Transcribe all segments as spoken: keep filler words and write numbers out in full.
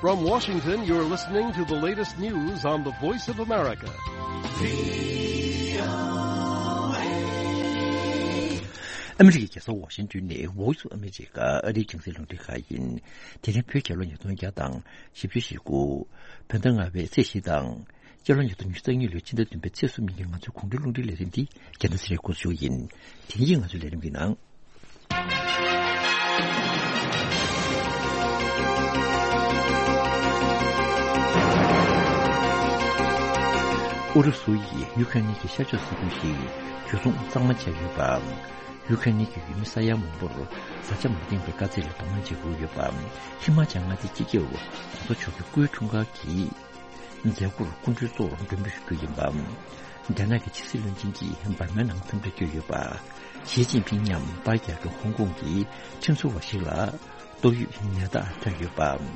From Washington, you're listening to the latest news on the Voice of America. ཨ་མི་རི་ཀའི་རྒྱལ་ས་ཝ་ཤིང་ཏོན་ནས་Voice of America ཨ་རིའི་རྒྱང་སྲིང་རླུང་འཕྲིན་ཁང་ཡིན། དེ་རིང་བོད་རྒྱལ་ལོ་ཉིས་སྟོང་བརྒྱ་དང་བཞི་བཅུ་ཞེ་དགུ། བོད་ཟླ་ལྔ་པའི་ཚེས་བཞི་དང་། སྤྱི་ལོ་ཉིས་སྟོང་ཉི་ཤུ་རྩ་གཉིས་ལོའི་ཕྱི་ཟླ་བདུན་པའི་ཚེས་གསུམ་ཉིན་གྱི་ང་ཚོའི་དགུང་ཁྲོད་རླུང་འཕྲིན་ལས་རིམ་འདི་རྒྱལ་ཐང་ཚེ་རིང་སྐུ་ཞུ་ཡིན། དེ་རིང་གི་ང་ཚོའི་ལས་རིམ་གྱི་ནང་། ཨུ་རུ་སུ་ཡིས་ཡུ་ཁ་རེན་གྱི་ཤར་ཕྱོགས་ས་ཁུལ་ཞིག་འཇུ་བཟུང་གཙང་མ་བྱས་ཡོད་པ། ཡུ་ཁ་རེན་གྱི་ཡུལ་མི་ས་ཡ་མང་པོར་བཟའ་བཅའ་མ་འདིང་བའི་དཀའ་ཚེགས་ལ་གདོང་ལེན་བྱེད་དགོས་ཡོད་པ། ཧི་མ་ཅལ་མངའ་སྡེའི་སྤྱི་ཁྱབ་གོང་ས་མཆོག་གི་སྐུའི་འཁྲུངས་སྐར་གྱི་མཛད་སྒོར་སྐུ་མགྲོན་གཙོ་བོར་མགྲོན་འབོད་ཞུ་རྒྱུ་ཡིན་པ། རྒྱ་ནག་གི་ཕྱི་སྲིད་བློན་ཆེན་གྱིས་འབར་མའི་ནང་འཚམས་འདྲིར་བསྐྱོད་ཡོད་པ། ཞི་ཅིན་ཕིང་མཉམ་པར་རྒྱག་འགྲོ་ཧོང་ཀོང་གི་ཁྲིམས་བཟོ་བ་ཞིག་ལ་ཏོག་དབྱིབས་ནད་རྟགས་ཐོན་ཡོད་པ།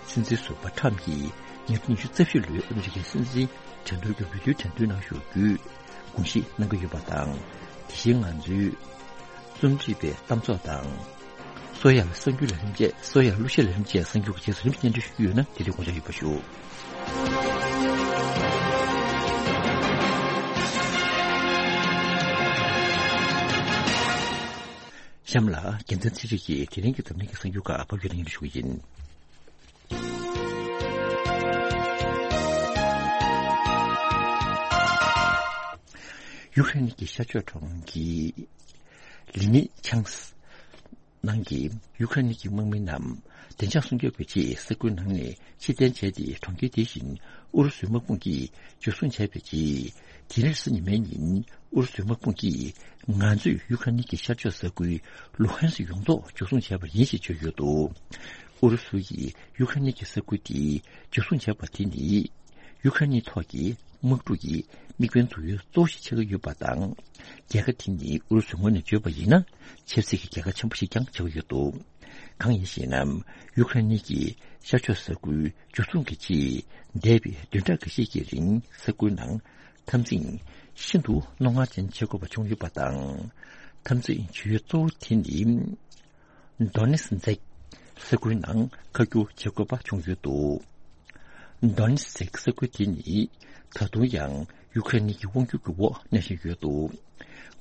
སྲིད་འཛིན་ཟུར་པ་ཁྲམ་གྱིས་ཉིས་སྟོང་ཉི་ཤུ་རྩ་བཞི་ལོའི་ཨ་མི་རི་ཀའི་སྲིད་འཛིན་དོན་གྲུབ་ཀྱི་འོས་བསྡུའི་དོན་ཚན་ནང་ཞུགས་རྒྱུའི་དགོངས་བཞེས་གནང་གི་ཡོད་པ་དང་། དེ་བཞིན་ང་ཚོའི་རྩོམ་སྒྲིག་པའི་གཏམ་ཚོགས་དང་། སོ་ཡར་གསར་འགྱུར་ལས་རིམ་བཅས། སོ་ཡར་གླུ་གཞས་ལས་རིམ་བཅས་གསར་འགྱུར་གྱི་རྗེས་སུ་རིམ་སྙན་སྒྲོན་ཞུ་རྒྱུ་ཡོད་ན་དེ་རིང་དགོངས་འཇགས་ཡོད་པ་ཞུ། གཤམ་ལ་རྒྱལ་མཚན་ཚེ་རིང་གིས་དེ་རིང་གི་འཛམ་གླིང་གི་གསར་འགྱུར་ཁག་ཕབ་སྒྱུར་སྙན་སྒྲོན་ཞུ་གི་ཡིན། ཡུ་ཁ་རེན་གྱི་ཤར་ཕྱོགས་གྲོང་ཁྱེར་ལི་ནི་ཆང་ནང་གི་ཡུ་ཁ་རེན་གྱི་དམག་མི་རྣམས་བདེ་འཇགས་སྲུང་སྐྱོབ་ཀྱི་ཆེད་ས་ཁུལ་ནང་ནས་ཕྱིར་འཐེན་བྱས་ཏེ། གྲོང་ཁྱེར་དེ་བཞིན་ཨུ་རུ་སུའི་དམག་དཔུང་གིས་འཇུ་བཟུང་བྱས་པའི་རྗེས། དེ་རིང་རེས་གཟའ་ཉི་མའི་ཉིན་ཨུ་རུ་སུའི་དམག་དཔུང་གིས་ང་ཚོས་ཡུ་ཁ་རེན་གྱི་ཤར་ཕྱོགས་ས་ཁུལ་ལུ་ཧན་སི་ཡོངས་རྫོགས་འཇུ་བཟུང་བྱས་པ་ཡིན་ཞེས་བརྗོད་ཡོད་འདུག་ཨུ་རུ་སུ་ཡིས་ཡུ་ཁ་རེན་གྱི་ས་ཁུལ་དེ་འཇུ་བཟུང་བྱས་པ་དེ་ནི། ཡུ་ཁ་རེན་ཐོག་གི་དམག་འཁྲུག་གི་དམིགས་འབེན་འཛུགས་ཡུལ་གཙོ་བོ་ཞིག་ཆགས་ཀྱི་ཡོད་པ་དང་། རྒྱལ་ཁ་དེ་ནི་ཨུ་རུ་སུའི་ངོས་ནས་བརྗོད་པ་ཡིན་ན། ཆབ་སྲིད་ཀྱི་རྒྱལ་ཁ་ཆེན་པོ་ཞིག་ཀྱང་ཆགས་ཀྱི་ཡོད་འདུག་གང་ཡིན་ཞེ་ན། ཡུ་ཁ་རེན་གྱི་ཤར་ཕྱོགས་ས་ཁུལ་འཇུ་བཟུང་གི་ཆེད། འདས་པའི་བདུན་ཕྲག་འགའ་ཤས་ཀྱི་རིང་ས་ཁུལ་ནང་འཐབ་འཛིང་ཤིན་ཏུ་རྣོ་ངར་ཅན་བྱེད་དགོས་པ་བྱུང་ཡོད་པ་དང་། འཐབ་འཛིང་བྱེད་ཡུལ་གཙོ་བོ་དེ་ནི། དོ་ནེ་སི་ཛེག་ས་ཁུལ་ནང་ཁ་བསྒྱུར་བྱེད་དགོས་པ་བྱུང་ཡོད་འདུག་དོ་ནེ་སི་ཛེག་ས་ཁུལ་དེ་ནི་ད་དུང་ཡང་ཡུ་ཁ་རེན་གྱི་དབང་སྒྱུར་གྱི་འོག་གནས་བཞིན་ཡོད་འདུག་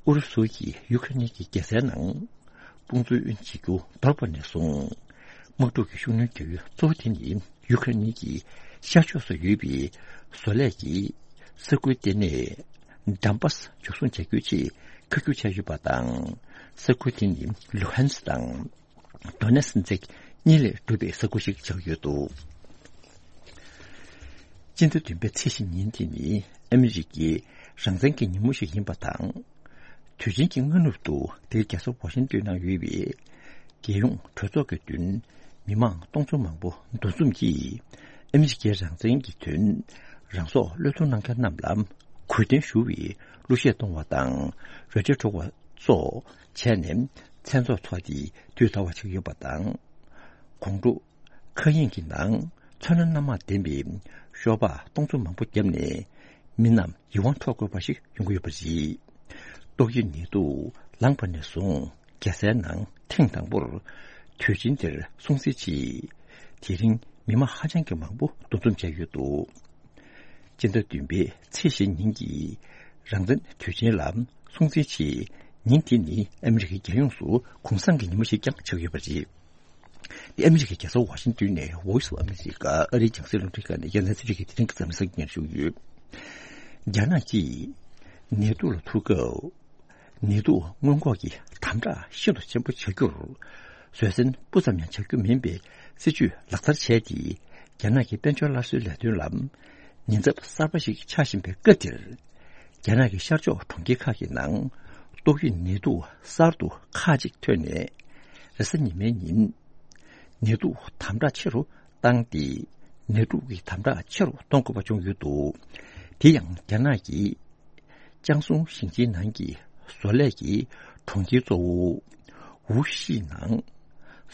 ཨུ་རུ་སུ་ཡིས་ཡུ་ཁ་རེན་གྱི་རྒྱལ་སའི་ནང་དཔུང་འཛུལ་བྱེད་རྒྱུ་འདོར་བ་ནས་བཟུང་། དམག་འཁྲུག་གི་ཤུགས་སྣོན་རྒྱག་ཡུལ་གཙོ་བོ་དེ་ནི་ཡུ་ཁ་རེན་གྱི་ཤར་ཕྱོགས་སུ་ཡོད་པའི་བཟོ་ལས་ཀྱི་ས་ཁུལ་ལྟེ་གནས་ཌོན་པཱ་སི་འཇུ་བཟུང་བྱ་རྒྱུའི་ཆེད་ཁ་བསྒྱུར་བྱས་ཡོད་པ་དང་། ས་ཁུལ་དེ་ནི་ལུ་ཧན་སི་དང་དོ་ནེ་སི་ཛེག་གཉིས་ལས་གྲུབ་པའི་ས་ཁུལ་ཞིག་ཆགས་ཡོད་འདུག་སྤྱི་ཟླ་བདུན་པའི་ཚེས་བཞི་ཉིན་དེ་ནི་ཨ་མི་རི་ཀའི་རང་བཙན་གྱི་ཉིན་མོ་ཞིག་ཡིན་པ་དང་། དུས་ཆེན་གྱི་སྔ་ནུབ་ཏུ་དེའི་རྒྱལ་ས་ཝ་ཤིང་ཏོན་ནང་ཡོད་པའི་རྒྱལ་ཡོངས་གྲོས་ཚོགས་ཀྱི་མདུན་མི་མང་སྟོང་ཚོ་མང་པོ་འདུ་འཛོམས་ཀྱིས་ཨ་མི་རི་ཀའི་རང་བཙན་གྱི་དོན་རང་སྲོག་བློས་གཏོང་གནང་མཁན་རྣམས་ལ་གུས་བརྟན་ཞུ་བའི་གླུ་གཞས་གཏོང་བ་དང་རོལ་ཆ་འཁྲབ་པ་སོགས་བྱས་ནས་མཚན་ཚོགས་ཚོགས་ཏེ་དུས་འདའ་བ་ཞིག་ཡོད་པ་དང་། དགོང་དྲོ་མཁའ་དབྱིངས་ཀྱི་ནང་ཚོན་སྣ་སྣ་མང་ལྡན་པའི་ཤོག་སྦག་སྟོང་ཚོ་མང་པོ་བརྒྱབ་ནས་མི་རྣམས་ཡིད་དབང་འཕྲོག་དགོས་པ་ཞིག་ཡོང་གི་ཡོད་པ་རེད། ཏོག་དབྱིབས་ནད་དུག་ལངས་པ་ནས་བཟུང་རྒྱལ་སའི་ནང་ཐེངས་དང་པོར་དུས་ཆེན་འདིར་སྲུང་བརྩི་ཆེད་དེ་རིང་མི་མང་ཧ་ཅང་གི་མང་པོ་འདུ་འཛོམས་བྱས་ཡོད་འདུག་སྤྱི་ཟླ་བདུན་པའི་ཚེས་བཞི་ཉིན་གྱི་རང་བཙན་དུས་ཆེན་ལ་སྲུང་བརྩིའི་ཆེད་ཉིན་དེ་ནི་ཨ་མི་རི་ཀའི་རྒྱལ་ཡོངས་སུ་གུང་སེང་གི་ཉིན་མོ་ཞིག་ཀྱང་ཆགས་ཡོད་པ་རེད། འདི་ཨ་མི་རི་ཀའི་རྒྱལ་ས་ཝ་ཤིང་ཏོན་ནས་Voice of America ཨ་རིའི་རྒྱང་སྲིང་རླུང་འཕྲིན་ཁང་ནས་རྒྱལ་མཚན་ཚེ་རིང་གིས་དེ་རིང་གི་འཛམ་གླིང་གསར་འགྱུར་ཞུ་གི་ཡོད། རྒྱ་ནག་གིས་ནད་དུག་ལ་ཐུག་སྐབས། ནད་དུག་སྔོན་འགོག་གི་དམ་དྲག་ཤིན་ཏུ་ཆེན་པོ་བྱ་རྒྱུར། བཟོད་བསྲན་སྤུ་ཙམ་ཡང་བྱ་རྒྱུ་མིན་པའི་སྲིད་ཇུས་ལག་བསྟར་བྱས་ཏེ། རྒྱ་ནག་གི་དཔལ་འབྱོར་སླར་གསོའི་ལས་དོན་ལ་ཉེན་ཚབས་གསར་པ་ཞིག་ཆགས་བཞིན་པའི་སྐབས་འདིར། རྒྱ་ནག་གི་ཤར་ཕྱོགས་གྲོང་ཁྱེར་ཁག་གི་ནང་ཏོག་དབྱིབས་ནད་དུག་གསར་དུ་ཁག་ཅིག་ཐོན་ནས། རེས་གཟའ་ཉི་མའི་ཉིན། ནད་དུག་དམ་དྲག་ཆེ་རུ་བཏང་སྟེ། ནད་དུག་གི་དམ་དྲག་ཆེ་རུ་གཏོང་དགོས་པ་བྱུང་ཡོད་འདུག་དེ་ཡང་རྒྱ་ནག་གི་ཅང་སུང་ཞིང་ཆེན་ནང་གི་བཟོ་ལས་ཀྱི་གྲོང་ཁྱེར་གཙོ་བོ་ཝུ་ཤི་ནང་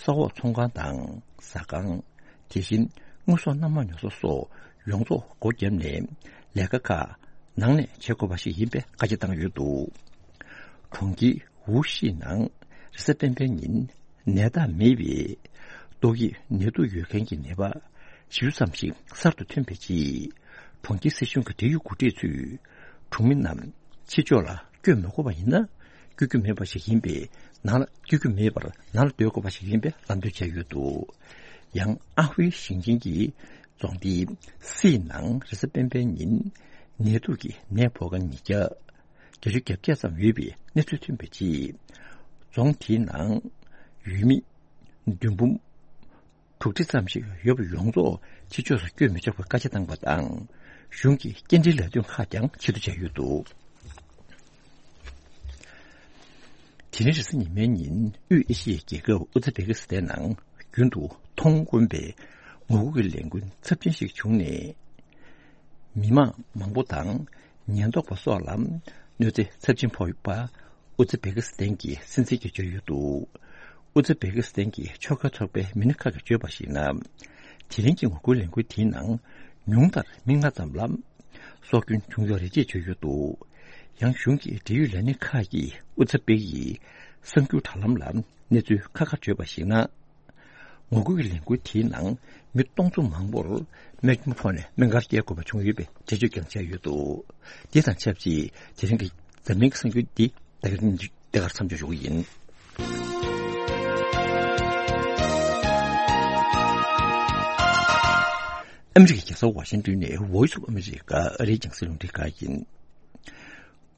ས་འོག་ཚོང་ཁང་དང་ཟ་ཁང་། དེ་བཞིན་དངོས་ཟོག་སྣ་མང་ཉོ་ས་སོགས་ཡོངས་རྫོགས་སྒོ་བརྒྱབ་ནས་ལས་ཀ་ཁག་ནང་ནས་བྱེད་དགོས་པ་ཞིག་ཡིན་པའི་བཀའ་རྒྱ་བཏང་ཡོད་འདུག་གྲོང་ཁྱེར་ཝུ་ཤི་ནང་རེས་གཟའ་སྤེན་པའི་ཉིན་ནད་རྟགས་མེད་པའི་ཏོག་དབྱིབས་ནད་དུག་ཡོད་མཁན་གྱི་ནད་པ་ བཞི་བཅུ་ཙམ་ཞིག་གསར་དུ་ཐོན་པའི་རྗེས། གྲོང་ཁྱེར་སྲིད་གཞུང་གི་འབྲེལ་ཡོད་འགོ་ཁྲིད་ཚོས་གྲོང་མི་རྣམས་ཕྱི་ཕྱོགས་ལ་བསྐྱོད་མི་དགོས་པ་ཡིན་ན། བསྐྱོད་རྒྱུ་མེད་པ་ཞིག་ཡིན་པས། ནང་ལ་བསྐྱོད་རྒྱུ་མེད་པར་ནང་ལ་སྡོད་དགོས་པ་ཞིག་ཡིན་པའི་ལམ་སྟོན་བྱས་ཡོད་འདུག། ཡང་ཨ་ཧུའེ་ཞིང་ཆེན་གྱི་རྫོང་སྡེ་སི་ནང་རེས་གཟའ་སྤེན་པའི་ཉིན་ནད་དུག་གི་ནད་ཕོག་མཁན་ཉིས་བརྒྱ་བརྒྱད་ཅུ་གྱ་བརྒྱད་ཙམ་ཡོད་པའི་གནས་ཚུལ་ཐོན་པའི་རྗེས། རྫོང་དེའི་ནང་ཡུལ་མི་བདུན་འབུམ་དྲུག་ཁྲི་ཙམ་ཞིག་ཡོད་པ་ཡོངས་རྫོགས་ཕྱི་ཕྱོགས་སུ་བསྐྱོད་མི་ཆོག་པའི་བཀའ་རྒྱ་བཏང་བ་དང་། གཞུང་གི་སྐྱེལ་འདྲེན་ལས་དོན་ཁག་ཀྱང་ཕྱིར་བསྡུ་བྱས་ཡོད་འདུག། དེ་རིང་རེས་གཟའ་ཉི་མའི་ཉིན་དབུས་ཨེ་ཤི་ཡའི་རྒྱལ་ཁབ་ཨུ་ཛི་བེ་ཀི་སི་ཐན་ནང་རྒྱུན་དུ་མཐོང་དཀོན་པའི་ངོ་རྒོལ་གྱི་ལས་འགུལ་ཚབས་ཆེན་ཞིག་བྱུང་ནས། མི་མང་མང་པོ་དང་ཉེན་རྟོག་པ་སོགས་ལ་གནོད་འཚེ་ཚབས་ཆེན་ཕོག་པ། ཨུ་ཛི་བེ་ཀི་སི་ཐན་གྱི་སྲིད་འཛིན་གྱིས་བརྗོད་ཡོད་འདུག། ཨུ་ཛི་བེ་ཀི་སི་ཐན་གྱི་ཆོལ་ཁ་ཚོགས་པའི་མི་སྣ་ཁག་གིས་བརྗོད་པར་གཞིགས་ན། དེ་རིང་གི་ངོ་རྒོལ་ལས་འགུལ་དེའི་ནང་ཉུང་མཐར་མི་ལྔ་ཙམ་ལ་སྲོག་སྐྱོན་བྱུང་ཡོད་རེད་ཅེས་བརྗོད་ཡོད་འདུག། ཡང་གཞུང་གི་འབྲེལ་ཡོད་ལས་སྣེ་ཁག་གིས་ཨུ་ཛི་བེ་ཀི་ཡི་གསར་འགྱུར་དྲ་ལམ་ལ་གནས་ཚུལ་ཁག་ཁག་བརྗོད་པར་གཞིགས་ན། ངོ་རྒོལ་གྱི་ལས་འགུལ་དེའི་ནང་མི་སྟོང་ཚོ་མང་པོར་རྨས་སྐྱོན་ཕོག་ནས་སྨན་ཁང་སྐྱེལ་དགོས་པ་བྱུང་ཡོད་པའི་འགྲེལ་བརྗོད་ཀྱང་བྱས་ཡོད་འདུག། དེ་དང་ཆབས་ཅིག་དེ་རིང་གི་འཛམ་གླིང་གི་གསར་འགྱུར་འདི་ད་ག་འདི་གར་མཚམས་འཇོག་ཞུ་གི་ཡིན། ཨ་མི་རི་ཀའི་རྒྱལ་ས་ཝ་ཤིང་ཏོན་ནས་Voice of America ཨ་རིའི་རྒྱང་སྲིང་རླུང་འཕྲིན་ཁང་ཡིན།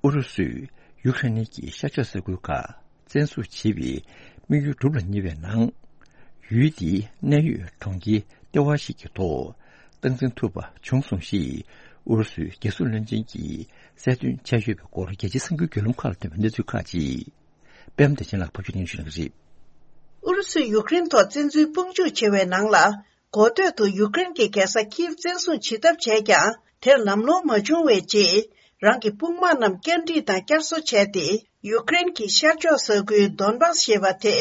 ཨུ་རུ་སུས་ཡུཀ་རེན་གྱི་ཤར་ཕྱོགས་ས་ཁུལ་ཁག་བཙན་བཟུང་བྱས་པའི་དམིགས་ཡུལ་བསྒྲུབས་ལ་ཉེ་བའི་ནང་། ཡུལ་དེའི་གནད་ཡོད་གྲོང་ཁྱེར་ལྟེ་བ་ཞིག་གི་ཐོག་སྟངས་འཛིན་ཐུབ་པ་བྱུང་སོང་ཞེས་ཨུ་རུ་སུའི་རྒྱལ་སྲུང་བློན་ཆེན་གྱིས་གསལ་སྟོན་བྱས་ཡོད་པའི་སྐོར། རྒྱལ་སྤྱིའི་གསར་འགྱུར་བརྒྱུད་ལམ་ཁག་ལ་ཐོན་པའི་གནས་ཚུལ་ཁག་ཅིག། པད་མ་བདེ་ཆེན་ལགས་ཕབ་སྒྱུར་སྙན་ཞུ་གནང་གི་རེད། ཨུ་རུ་སུས་ཡུཀ་རེན་ཐོག་བཙན་འཛུལ་དཔུང་འཇུག་བྱེད་པའི་ནང་ལ། གོ་ཐོས་དུ་ཡུཀ་རེན་གྱི་རྒྱལ་ས་ཁིབ་བཙན་བཟུང་བྱེད་ཐབས་བྱས་ཀྱང་། དེར་ལམ་ལྷོང་མ་བྱུང་བའི་རྗེས། རང་གི་དཔུང་དམག་རྣམས་བསྐྱར་སྒྲིག་དང་བསྐྱར་གསོ་བྱས་ཏེ། ཡུཀ་རེན་གྱི་ཤར་ཕྱོགས་ས་ཁུལ་དོན་བཱས་ཞེས་པ་དེ།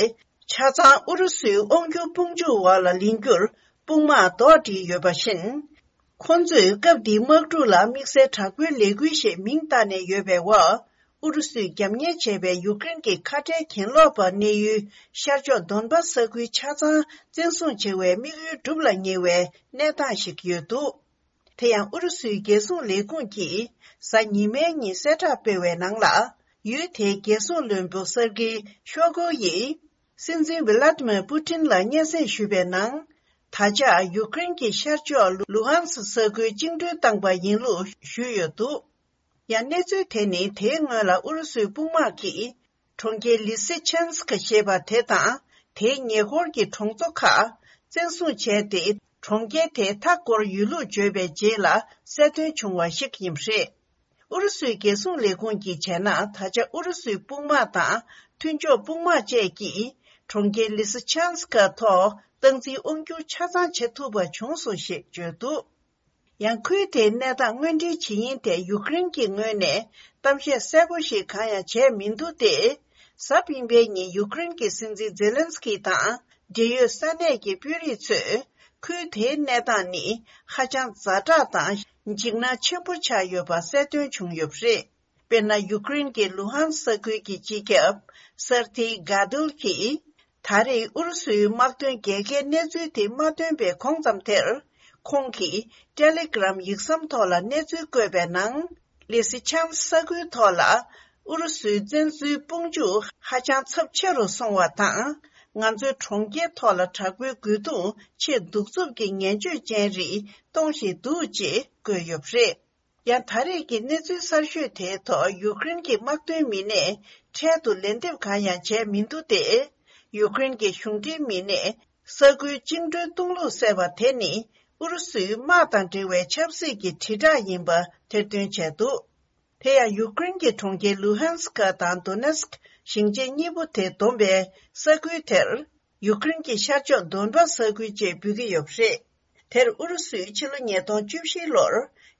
ཆ་ཚང་ཨུ་རུ་སུའི་དབང་སྒྱུར་དཔུང་འཇུག་འོག་ལ་ལེན་རྒྱུར་དཔུང་དམག་རྡོག་སྒྲིལ་ཡོད་པ་བཞིན། ཁོང་ཚོས་སྐབས་འདིའི་དམག་འཁྲུག་ལ་དམིགས་བསལ་དྲག་པོའི་ལས་འགུལ་ཞེས་མིང་བཏགས་ནས་ཡོད་པའི་འོག་ཨུ་རུ་སུས་རྒྱབ་གཉེར་བྱས་པའི་ཡུཀ་རེན་གྱི་ཁ་བྲལ་གྱེན་ལོག་པ་གནས་ཡུལ་ཤར་ཕྱོགས་དོན་བཱས་ས་ཁུལ་ཆ་ཚང་བཙན་བཟུང་བྱེད་པའི་དམིགས་ཡུལ་སྒྲུབ་ལ་ཉེ་བའི་གནས་སྟངས་ཤིག་ཡོད་འདུག། དེ་ཡང་ཨུ་རུ་སུའི་རྒྱལ་སྲུང་ལས་ཁུངས་ཀྱིས་གཟའ་ཉི་མའི་ཉིན་གསལ་བསྒྲགས་སྤེལ་བའི་ནང་ལ། ཡུལ་དེའི་རྒྱལ་སྲུང་བློན་པོ་སར་ཀི་ཤོ་གོ་ཡིས། སྲིད་འཛིན་ཝི་ལ་ཏི་མིར་པུ་ཏིན་ལ་སྙན་སེང་ཞུས་པའི་ནང་། ད་ཆ་ཡུཀ་རེན་གྱི་ཤར་ཕྱོགས་ལུ་ཧན་སི་ས་ཁུལ་བཅིངས་འགྲོལ་བཏང་པ་ཡིན་ལུགས་ཞུས་ཡོད་འདུག། ཡང་གནས་ཚུལ་དེ་ནི་དེའི་སྔོན་ལ་ཨུ་རུ་སུའི་དཔུང་དམག་གིས་གྲོང་ཁྱེར་ལི་སི་ཆན་སི་ཀ་ཞེས་པ་དེ་དང་དེའི་ཉེ་འཁོར་གྱི་གྲོང་ཚོ་ཁག་བཙན་བཟུང་བྱས་ཏེ། གྲོང་ཁྱེར་དེ་མཐའ་བསྐོར་ཡོད་ལུགས་བརྗོད་པའི་རྗེས་ལ་གསལ་སྟོན་བྱུང་བ་ཞིག་ཡིན་པ་རེད། ཨུ་རུ་སུའི་རྒྱལ་སྲུང་ལས་ཁུངས་ཀྱིས་བྱས་ན། ད་ཆ་ཨུ་རུ་སུའི་དཔུང་དམག་དང་མཐུན་ཕྱོགས་དཔུང་དམག་བཅས་ཀྱིས་གྲོང་ཁྱེར་ལི་སི་ཆན་སི་ཀ་ཐོག་སྟངས་འཛིན་དབང་སྒྱུར་ཆ་ཚང་བྱེད་ཐུབ་པ་བྱུང་སོང་ཞེས་བརྗོད་འདུག། ཡང་ཁུལ་དེའི་གནས་སྟངས་དངོས་འབྲེལ་ཇི་ཡིན་ཐད་ཡུཀ་རེན་གྱི་ངོས་ནས་གཏམ་བཤད་གསལ་པོ་ཞིག་གང་ཡང་བྱས་མི་འདུག་སྟེ། གཟའ་སྤེན་པའི་ཉིན་ཡུཀ་རེན་གྱི་སྲིད་འཛིན་ཛེ་ལན་སི་ཀི་དང་འབྲེལ་ཡོད་ས་གནས་ཀྱི་དཔོན་རིགས་ཚོས་ཁུལ་དེའི་གནས་སྟངས་ནི་ཧ་ཅང་ཛ་དྲག་དང་འཇིགས་སྣང་ཆེན་པོ་ཆགས་ཡོད་པ་གསལ་སྟོན་བྱུང་ཡོད་པ་རེད། དཔེར་ན། ཡུཀ་རེན་གྱི་ལུ་ཧན་ས་ཁུལ་གྱི་སྤྱི་ཁྱབ་སར་ཐི་གྷ་དུལ་གྱིས། ད་རེས་ཨུ་རུ་སུའི་དམག་དོན་རྒྱལ་ཁའི་གནས་ཚུལ་དེ་མ་ཐོན་པའི་གོང་ཙམ་དེར། ཁོང་གིས་ཏེ་ལེ་གྷི་རམ་ཡིག་ཟམ་ཐོག་ལ་གནས་ཚུལ་བཀོད་པའི་ནང་། ལི་སི་ཆན་ས་ཁུལ་ཐོག་ལ་ཨུ་རུ་སུའི་བཙན་འཛུལ་དཔུང་འཇུག་ཧ་ཅང་ཚབས་ཆེ་རུ་སོང་བ་དང་། ང་ཚོའི་གྲོང་ཁྱེར་ཐོག་ལ་དྲག་པོའི་རྒོལ་རྡུང་ཆེས་གདུག་རྩུབ་ཀྱི་ངན་སྤྱོད་ཅན་རིགས་གཏོང་བཞིན་འདུག་ཅེས་བཀོད་ཡོད་པ་རེད། ཡང་ད་རེས་ཀྱི་གནས་ཚུལ་གསར་ཤོས་དེའི་ཐོག་ཡུཀ་རེན་གྱི་དམག་དོན་མི་སྣས་འཕྲལ་དུ་ལན་འདེབས་གང་ཡང་བྱས་མི་འདུག་སྟེ། ཡུཀ་རེན་གྱི་གཞུང་འབྲེལ་མི་སྣས་ས་ཁུལ་བཅིངས་འགྲོལ་གཏོང་ལུགས་གསལ་བ་དེ་ནི་ཨུ་རུ་སུའི་དམག་དང་འབྲེལ་བའི་ཆབ་སྲིད་ཀྱི་དྲིལ་བསྒྲགས་ཡིན་པ་ཐེར་འདོན་བྱས་འདུག། དེ་ཡང་ཡུཀ་རེན་གྱི་གྲོང་ཁྱེར་ལུ་ཧན་སི་ཀ་དང་དོ་ནེ་སི་ཀི་ཞིང་ཆེན་གཉིས་པོ་དེ་བསྡོམས་པའི་ས་ཁུལ་དེར། ཡུཀ་རེན་གྱི་ཤར་ཕྱོགས་དོན་པ་ས་ཁུལ་ཅེས་འབོད་ཀྱི་ཡོད་པ་རེད། དེར་ཨུ་རུ་སུས་ཕྱི་ལོ་ཉིས་སྟོང་བཅུ་བཞི་ལོར་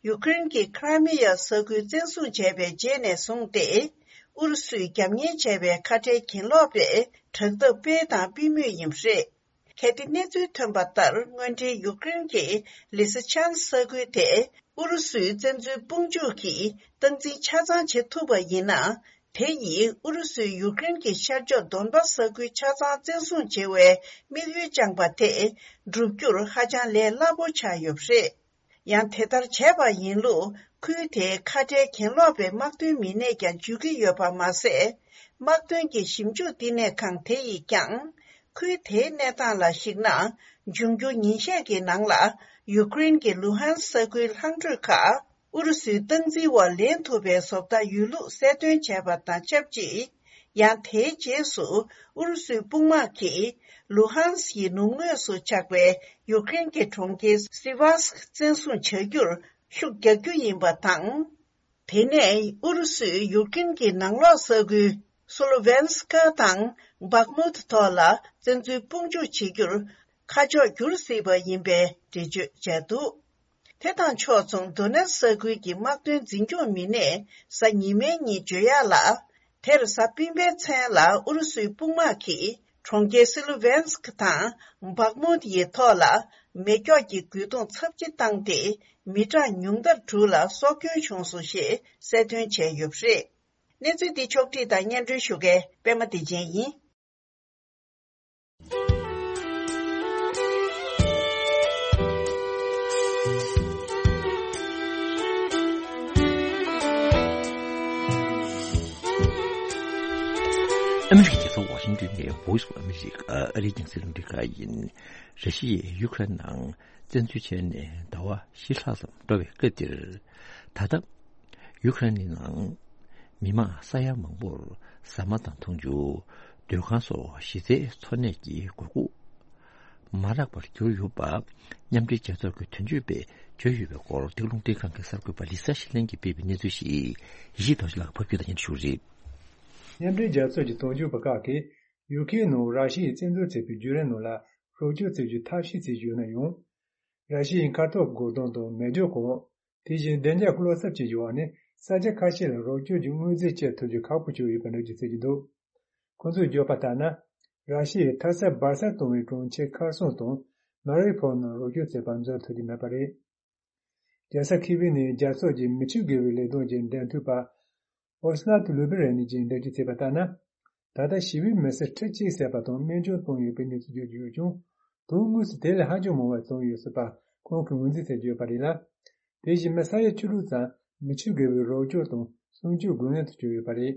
ཡུཀ་རེན་གྱི་ཁི་ར་མི་ཡ་ས་ཁུལ་བཙན་བཟུང་བྱས་པའི་རྗེས་ནས་བཟུང་སྟེ། ཨུ་རུ་སུས་རྒྱབ་གཉེར་བྱས་པའི་ཁ་བྲལ་གྱེན་ལོག་པས་དྲག་འཐབ་སྤེལ་དང་སྤེལ་མུས་ཡིན་པ་རེད། གལ་ཏེ་གནས་ཚུལ་ཐོན་པ་ལྟར། དངོས་འབྲེལ་ཡུཀ་རེན་གྱི་ལི་སི་ཆན་ས་ཁུལ་དེ་ཨུ་རུ་སུའི་བཙན་འཛུལ་དཔུང་འཇུག་གིས་སྟངས་འཛིན་ཆ་ཚང་བྱེད་ཐུབ་པ་ཡིན་ན། དེ་ཡིས་ཨུ་རུ་སུས་ཡུཀ་རེན་གྱི་ཤར་ཕྱོགས་དོན་པ་ས་ཁུལ་ཆ་ཚང་བཙན་བཟུང་བྱེད་པའི་དམིགས་ཡུལ་བཅངས་པ་དེ་འགྲུབ་རྒྱུར་ཧ་ཅང་ལས་སླ་པོ་ཆགས་ཡོད་པ་རེད། ཡང་དེ་ལྟར་བྱས་པ་ཡིན་ལུགས་ཁུལ་དེའི་ཁ་བྲལ་གྱེན་ལོག་པའི་དམག་དོན་མི་སྣས་ཀྱང་བརྗོད་ཀྱི་ཡོད་པ་མ་ཟད། དམག་དོན་གྱི་ཞིབ་འཇུག་བསྟི་གནས་ཁང་དེ་ཡིས་ཀྱང་། ཁུལ་དེའི་གནས་སྟངས་ལ་གཞིགས་ན། འབྱུང་འགྱུར་ཉིན་ཤས་ཀྱི་ནང་ལ་ཡུཀ་རེན་གྱི་ལུ་ཧན་ས་ཁུལ་ལྷག་འཕྲོས་ཁག་ཨུ་རུ་སུའི་སྟངས་འཛིན་འོག་ལེན་ཐུབ་པའི་བཟོ་ལྟ་ཡོད་ལུགས་གསལ་སྟོན་བྱས་པ་དང་ཆབས་ཅིག་ཡང་དེའི་རྗེས་སུ་ཨུ་རུ་སུའི་དཔུང་དམག་གིས་ལུ་ཧན་སི་ཡི་ནུབ་ངོས་སུ་ཆགས་པའི་ཡུཀ་རེན་གྱི་གྲོང་ཁྱེར་སི་ཝཱ་སི་ཀི་བཙན་བཟུང་བྱ་རྒྱུར་ཤུགས་རྒྱག་རྒྱུ་ཡིན་པ་དང་། དེ་ནས་ཨུ་རུ་སུས་ཡུཀ་རེན་གྱི་ནང་ལོགས་ས་ཁུལ་སོ་ལོ་ཝེན་སི་ཀ་དང་བྷག་མུད་ཐོག་ལ་བཙན་འཛུལ་དཔུང་འཇུག་བྱེད་རྒྱུར་ཁ་ཕྱོགས་བསྒྱུར་སྲིད་པ་ཡིན་པའི་འགྲེལ་བརྗོད་བྱས་འདུག་དེ་དང་ཕྱོགས་མཚུངས་དོ་ནེ་སི་ས་ཁུལ་གྱི་དམག་དོན་འཛིན་སྐྱོང་མི་སྣས་གཟའ་ཉི་མའི་ཉིན་བརྗོད་ཡག་ལ། དེར་གཟའ་སྤེན་པའི་མཚན་ལ་ཨུ་རུ་སུའི་དཔུང་དམག་གིས་གྲོང་ཁྱེར་སི་ལུ་ཝེན་སི་ཀི་དང་བྷག་མུད་ཡི་ཐོག་ལ་མེ་སྒྱོགས་ཀྱི་རྒོལ་རྡུང་ཚབས་ཆེ་བཏང་སྟེ། མི་གྲངས་ཉུང་མཐར་དྲུག་ལ་སྲོག་སྐྱོན་བྱུང་སོང་ཞེས་གསལ་སྟོན་བྱས་ཡོད་པ་རེད། གནས་ཚུལ་འདི་ཕྱོགས་བསྒྲིགས་དང་སྙན་སྒྲོན་ཞུ་མཁན་པད་མ་བདེ་ཆེན་ཡིན། ཨ་མི་རི་ཀའི་རྒྱལ་ས་ཝ་ཤིང་ཏོན་ནས་Voice of America ཨ་རིའི་རྒྱང་སྲིང་རླུང་འཕྲིན་ཁང་ཡིན། ར་ཤི་ཡས་ཡུ་ཀེ་རེན་ནང་བཙན་འཛུལ་བྱས་ནས་ཟླ་བ་བཞི་ལྷག་ཙམ་འགྲོ་བའི་སྐབས་འདིར། ད་ལྟ་ཡུ་ཀེ་རེན་ནི་ནང་མི་མང་ས་ཡ་མང་པོར་ཟ་མ་དང་འཐུང་ཆུ། སྡོད་ཁང་སོགས་གཞི་རྩའི་འཚོ་གནས་ཀྱི་དགོས་མཁོ་མ་རག་པར་གྱུར་ཡོད་པ། མཉམ་འབྲེལ་རྒྱལ་ཚོགས་ཀྱི་དོན་གཅོད་པས་བརྗོད་ཡོད་པའི་སྐོར་འདི་རླུང་འཕྲིན་ཁང་གི་གསར་འགོད་པ་ལི་ས་ཤི་ལན་གྱིས་སྤེལ་བའི་གནས་ཚུལ་ཞིག་ཡེ་ཤེས་རྡོ་རྗེ་ལགས་ཕབ་སྒྱུར་དང་སྙན་སྒྲོན་ཞུ་གི་རེད། མཉམ་འབྲེལ་རྒྱལ་ཚོགས་ཀྱི་དོན་གཅོད་པ་ཁག་གིས་ཡུ་ཁེ་ནང་ར་ཤི་ཡས་བཙན་འཛུལ་བྱས་པའི་བརྒྱུད་རིམ་ནང་ལ་རོགས་སྐྱོར་བྱེད་རྒྱུའི་ཐབས་ཤེས་བྱེད་བཞིན་ཡོད་ན་ཡང་། ར་ཤི་ཡའི་མཁའ་ཐོག་རྒོལ་རྡུང་དང་མེ་སྒྱོགས་གང་། དེ་བཞིན་བདེ་འཇགས་བློ་འཚབ་བྱེད་བཞིན་པ་ནི་ས་ཆ་ཁ་ཤས་ལ་རོགས་སྐྱོར་གྱི་དངོས་རྫས་སྤྱད་ཐུབ་རྒྱུ་ཁག་པོ་བྱུང་ཡོད་པའི་འགྲེལ་བརྗོད་བྱེད་ཀྱི་འདུག་ཁོང་ཚོས་བརྗོད་པ་ལྟར་ན། ར་ཤི་ཡས་མཐའ་གསར་སྦར་གསར་གཏོང་བའི་གྲོང་ཁྱེར་ཁར་སོང་དང་མ་རི་ཕོལ་ནང་རོགས་སྐྱོར་བྱེད་པར་འཛོམས་ཐུབ་ཀྱི་མེད་པ་རེད། རྒྱལ་ས་ཁི་བྷི་ནས་རྒྱལ་ཚོགས་ཀྱི་མི་ཆོས་དགེ་བའི་ལས་དོན་གྱི་འབྲེལ་མཐུད་པ་ཨོ་སི་ནཱ་ཏུ་ལུ་བི་རེ་ནི་གྱིས་འགྲེལ་བརྗོད་བྱས་པ་ལྟར་ན། ད་ལྟ་ཞི་བའི་མི་སེར་ཁྲི་གཅིག་བསད་པ་དང་རྨས་སྐྱོན་བཏང་ཡོད་པའི་གནས་ཚུལ་བརྗོད་ཀྱི་ཡོད་ཀྱང་། དོན་དངོས་སུ་དེ་ལས་ཧ་ཅང་མང་བ་བཏང་ཡོད་སྲིད་པ་ཁོང་གིས་ངོས་འཛིན་བྱེད་ཀྱི་ཡོད་པ་རེད་ལ། དེ་བཞིན་མི་ས་ཡ་བཅུ་དྲུག་ཙམ་མི་ཆོས་དགེ་བའི་རོགས་སྐྱོར་དང་སྲུང་སྐྱོབ་དགོས་ངེས་དུ་གྱུར་ཡོད་པ་རེད།